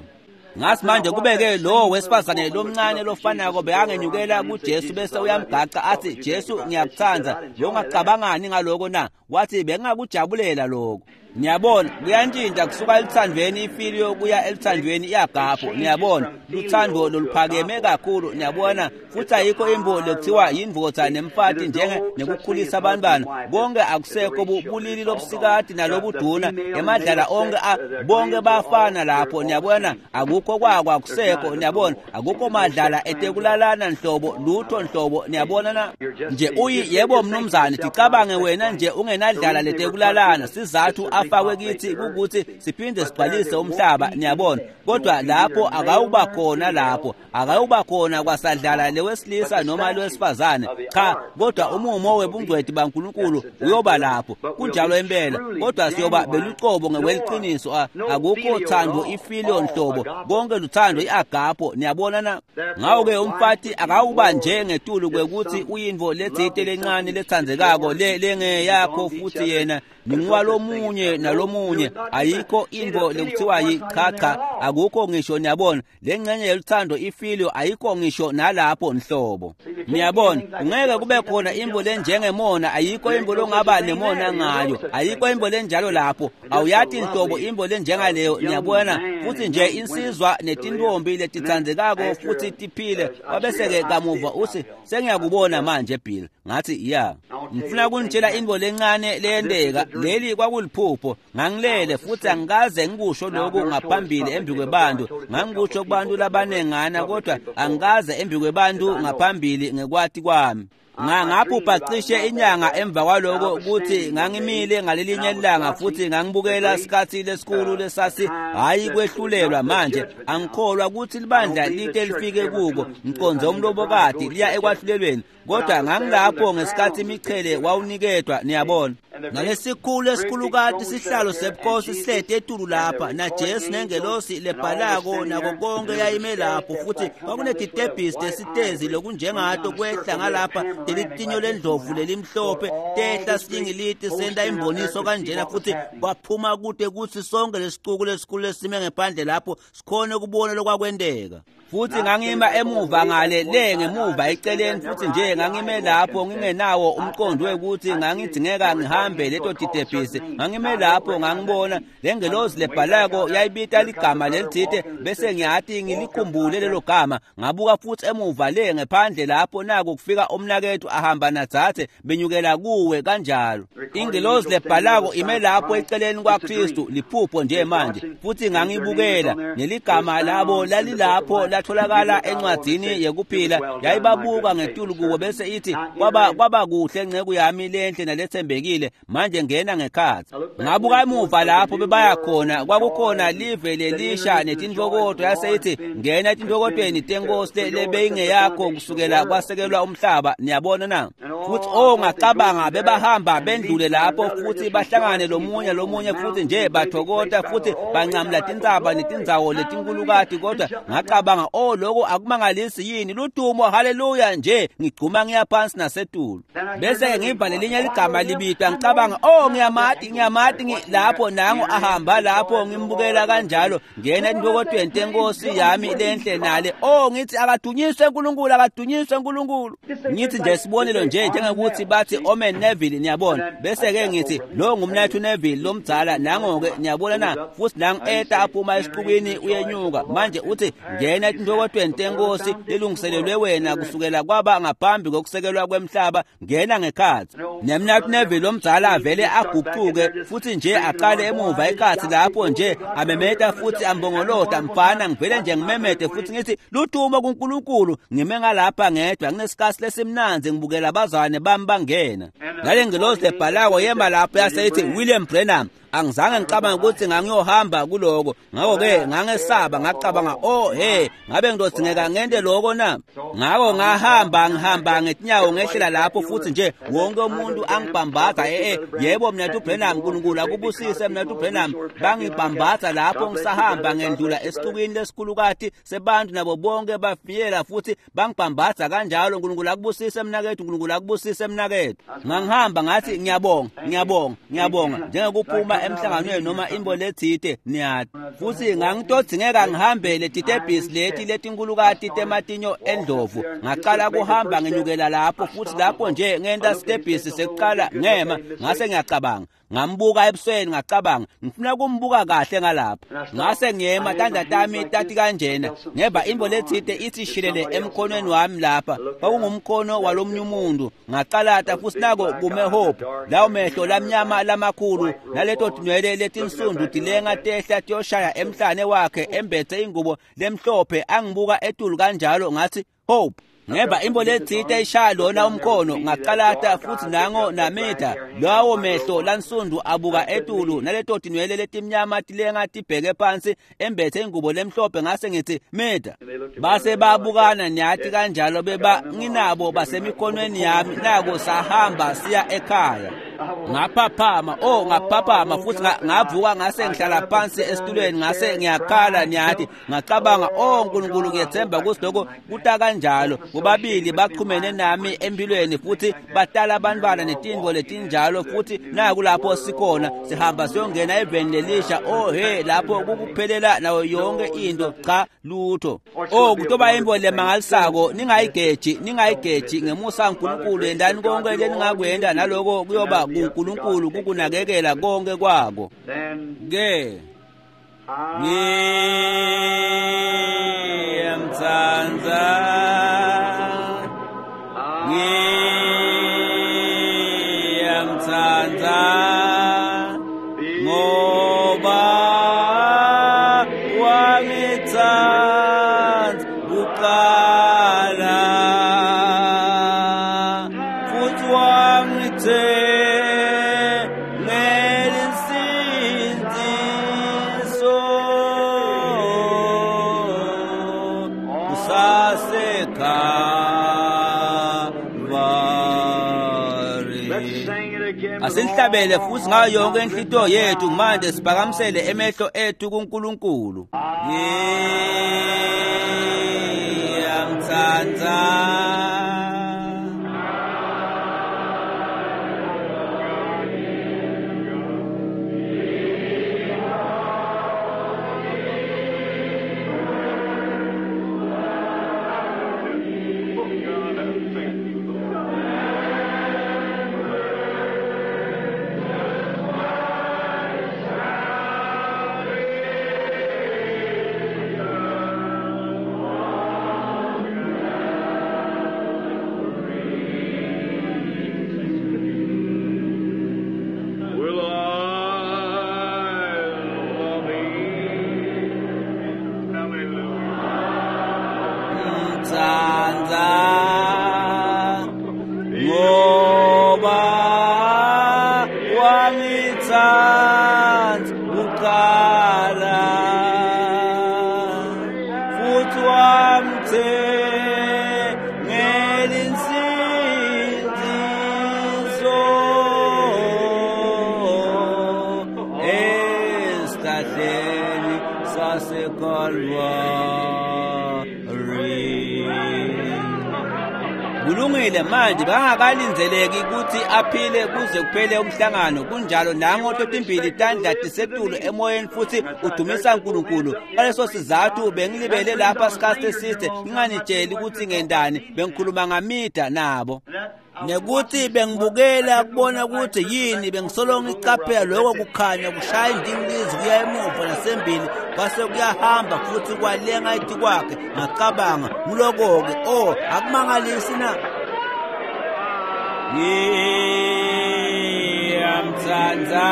ngathi manje kubeke lo wesifazane lomncane lofanako bekangenyukela kuJesu bese uyamgaca athi Jesu ngiyakuthanda bewungacabangani ngaloko na wathi bengakujabulela lokho niyabona kuyantshintsha kusuka eluthandweni ifiliyo kuya eluthandweni iyagapho niyabona luthando loluphakeme kakhulu niyabona futhi ayikho imbo lekuthiwa yindvodza nemfati njenge nekukhulisa abantwana bonke akusekho bulili lobusikati nalobuduna emadlala onke bonke bafana lapho niyabona akukho kwako akusekho niyabona akukho madlala etekulalana nhlobo lutho nhlobo niyabona na nje uyi yebo mnumzane ticabange wena nje ungenadlala letekulalana sizathu afakwe kithi ukuthi siphinde sigcwalise umhlaba niyabona kodwa lapho akawuba khona lapho akawuba khona kwasadlala lewesilisa noma lwesifazane cha kodwa umumo webungcweti baNkulunkulu uyoba lapho kunjalo impela kodwa siyoba belucobo ngekweliciniso akukho thando ifiliyo nhlobo konke luthando iagapho niyabona na ngawo-ke umfati akawuba nje ngetulu kwekuthi uyintfo letsite lencane letsandzekako le lengeyakho futhi yena ningwalomunye nalomunye ayikho intfo lekuthiwa yichacha akukho ngisho niyabona lengxenye yeluthando ifiliyo ayikho ngisho nalapho nhlobo niyabona ungeke kube khona imbo lenjengemona ayikho imbo longaba nemona ngayo ayikho imbo lenjalo lapho awuyati nhlobo imbo lenjengaleyo niyabona futhi nje insizwa netinsindzwa netintombi letitsandzekako futhi tiphile. Wabese-ke kamuva uthi sengiyakubona manje Bill. Ngathi ya, ngifuna kunitshela into lencane leyenteka. Leli kwakuliphupho. Ngangilele futhi angikaze ngikusho lokhu ngaphambili embi kwebantu. Ngangikusho kubantu labanengana kodwa angikaze embi kwebantu ngaphambili ngekwati kwami. Ngaphupha cishe inyanga emva kwaloko ukuthi ngangimile ngalelinye ilanga futhi ngangibukela isikhathi lesikhulu lesasi hayi kwehlulelwa. Manje angikholwa ukuthi libandla lite lifike kuko, ngiqonze umlobokati liya ekwahlulelweni, kodwa ngangilapho ngesikhathi imichele wawuniketwa, niyabona. Nalesikhulu esikhulukati sihlalo sebukhosi sihleti etulu lapha naJesu nengelosi lebhalako nako konke yayime lapho, futhi kwakunetitebhisi tesitezi lokunjengato kwehla ngalapha lelitinyo lendlovu lelimhlophe tehla siyingiliti senta imboniso kanjena, futhi kwaphuma kude kuthi sonke lesicuku lesikhulu lesime ngephandle lapho sikhone ukubona lokwakwenteka. Futhi ngangima emuva ngale le ngemuva eceleni, futhi nje ngangime lapho ngingenawo umqondo wekuthi ngangidingeka ngihambe leto titebhisi. Ngangime lapho ngangibona lengelosi lebhalako yayibita ligama lelithite, bese ngiyathi ngilikhumbule lelo gama. Ngabuka futhi emuva le ngephandle lapho naku kufika umnakethu ahamba nadzathe benyukela kuwe kanjalo. Ingelosi lebhalako ime lapho eceleni kwaKristu, liphupho nje manje. Futhi ngangibukela neligama labo lalilapho latholakala encwadini yekuphila, yayibabuka ngetulu kubo bese ithi kwaba kwaba kuhle nceku yami lenhle nalethembekile, manje ngena ngekhathi. Ngabuka emuva lapho bebaya khona, kwakukhona live lelisha netintokoto, yase ithi ngena etintokotweni tenkosi lebeyingeyakho kusukela kwasekelwa umhlaba, niyabona na? Futhi oh ngacabanga bebahamba bendlule lapho futhi bahlangane lomunye lomunye futhi nje bathokota futhi bancamla tintsaba netindzawo letinkulukati, kodwa ngacabanga oh lokho akumangalisi yini, ludumo haleluya, nje ngigcuma ngiya phansi nasetulu. Bese ngiva lelinye ligama libitwa, ngicabanga oh ngiyamati ngiyamati lapho nangu ahamba lapho ngimbukela kanjalo, ngena entokotweni tenkosi yami lenhle nale. Oh ngithi akadunyiswe uNkulunkulu, akadunyiswe uNkulunkulu. Ngithi nje sibonelo nje njengokuthi bathi Omen Neville, niyabona. Bese ke ngithi lo ngumnathu Neville lomdzala nango ke, niyabona na? Futhi nangu eta aphuma esiqubini uyenyuka. Manje uthi ngena entokotweni tenkosi lelungiselelwe wena kusukela kwaba ngaphambi kokusekelwa kwemhlaba, ngena ngekhathi. Nemnathu Neville lomdzala avele aguquke futhi nje aqale emuva ekhathi lapho nje amemeta futhi ambongolota, mfana ngivele nje ngimemete futhi ngithi ludumo kuNkulunkulu. Ngime ngalapha ngedwa nginesikhathi lesimnanzi ngibukela abazwane bami bangena. Ngale ngelosi lebhalako yema lapho yase ithi William Branham. Angizange ngicabanga ukuthi ngangiyohamba kuloko, ngakho-ke ngangesaba, ngacabanga oh he ngabe ngidodingeka ngente lokho na? Ngakho ngahamba ngihamba ngetinyawo ngehlela lapho futhi nje wonke umuntu angibhambatha, eh yebo mnathu Branham, uNkulunkulu akubusise mnathu Branham. Bangibhambatha lapho ngisahamba ngendlula esixukwini lesikhulukati sebantu nabo bonke bafikela futhi bangibhambatha kanjalo, uNkulunkulu akubusise mnakethu, uNkulunkulu akubusise mnakethu. Ngangihamba ngathi ngiyabonga ngiyabonga ngiyabonga njengokuphuma emhlanganweni noma imbo lethite, niyati. Futhi ngangitodingeka ngihambele titebhisi leti letinkulukati tematinyo endlovu. Ngaqala kuhamba ngenyukela lapho futhi lapho nje ngenta sitebhisi sekuqala ngema, ngase ngiyacabanga ngambuka ebusweni, ngacabanga ngifuna kumbuka kahle ngalapha. Ngase ngiyema tandla tami tati kanjena, ngeva imbo lethite ithi shilele emkhonweni wami lapha, kwakungumkhono walomnye umuntu. Ngaqalata futhi nako kume Hope, lawo mehlo lamnyama lamakhulu naleto tinwele letinsundu tilenga tehla tiyoshaya emhlane wakhe embethe ingubo lemhlophe, angibuka etulu kanjalo. Ngathi Hope. Ngeba imbo lethite ishaya lona umkhono, ngaqalata futhi nango namita lawo mehlo lansundu abuka etulu naleto tinwele letimnyama tilenga tibheke phansi embethe ingubo lemhlophe. Ngase ngithi Mida. Base babukana niyathi kanjalo, beba nginabo basemikhonweni yami, nako sahamba siya ekhaya. Ngaphaphama oh ngaphaphama futhi ngavuka ngase ngihlala phansi esitulweni ngase ngiyakhala niyathi. Ngacabanga oh uNkulunkulu ngiyethemba ukuthi lokho kuta kanjalo. Bobabili baqhumene nami empilweni futhi batala abantwana netinto letinjalo, futhi naku lapho sikhona sihamba siyongena eveni lelisha. Oh he lapho kukuphelela nayo yonke into, cha lutho. Oh kutoba imbo lemangalisako, ningayigeji ningayigeji ngemusa kaNkulunkulu, yendani konke leningakwenda naloko kuyoba kuNkulunkulu kukunakekela konke kwako. Ke Ngiyamtsandza, ngiyamtsandza, ngoba wangitsandza kuqala futhi wangithengela insindiso kusaseKalvari. Asinihlabele futhi ngayo yonke inhlitiyo yethu manje, siphakamisele emehlo ethu kuNkulunkulu. Ngiyamtsandza, Will I love thee? Hallelujah. mtsandza, ngoba wangitsandza kuqala futhi wamthengela insindiso esihlahleni saseKalvari. Kulungile manje, bangakalindzeleki ukuthi aphile kuze kuphele umhlangano. Kunjalo nango totimbili tandla tisetulu emoyeni futhi udumisa uNkulunkulu. Ngaleso sizathu bengilibele lapha sikhathi eside nginganitsheli ukuthi ngendani, bengikhuluma ngamida nabo. Nekuthi bengibukela kubona ukuthi yini, bengisolo ngicaphela lokho kukhanya kushaya indingilizi kuya emuva nasembili, kwase kuyahamba futhi kwalenga etikwakhe. Ngacabanga nguloko-ke, oh, akumangalisi na? Ngiyamtsandza,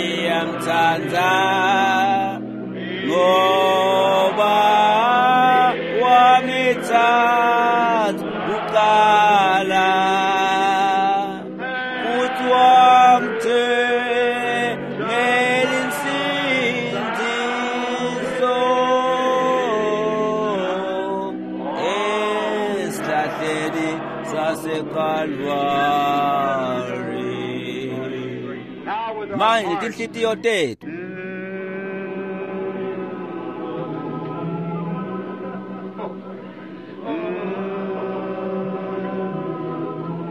ngiyamtsandza, ngoba wangitsandza kuqala futhi wamthengela insindiso esihlahleni saseKalvari. Now with our Manje hearts tinhlitiyo tethu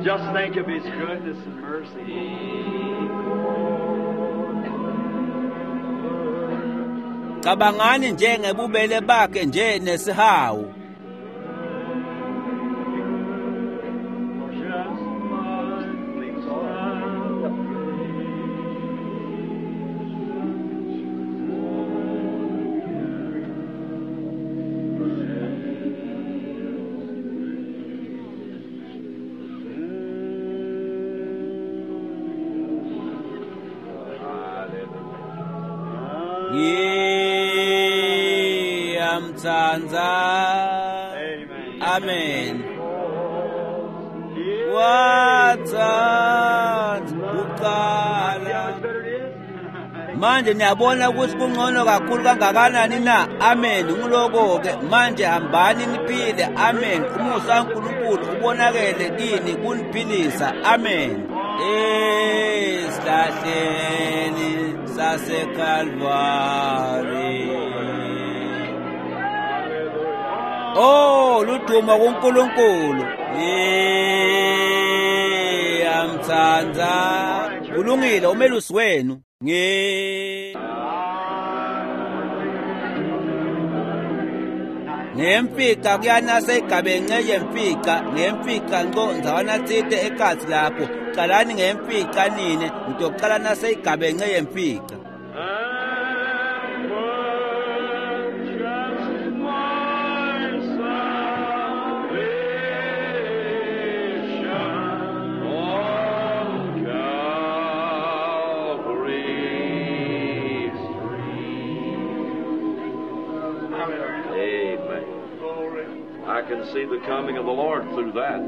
Just think of His goodness and mercy. cabangani nje ngebubele bakhe nje nesihawu. Ngiyamtsandza. Amen. Amen. Watsandza kuqala. How much better it is? Manje niyabona ukuthi kungcono kakhulu kangakanani na? Amen. Nguloko-ke manje, hambani niphile. Amen. Umusa kaNkulunkulu ubonakele kini kuniphilisa. Amen. Esihlahleni saseKalvari. Oh, ludumo kuNkulunkulu. Ngiyamtsandza. Kulungile, umelusi wenu. Ngi Ngemfica kuyanase igabence yemfica, ngemfica nco ndzawana tsite ekhatsi lapho. Calani ngemfica nine, ngitocala nase igabence yemfica. And purchased my salvation on Calvary's tree. Amen. I can see the coming of the Lord through that.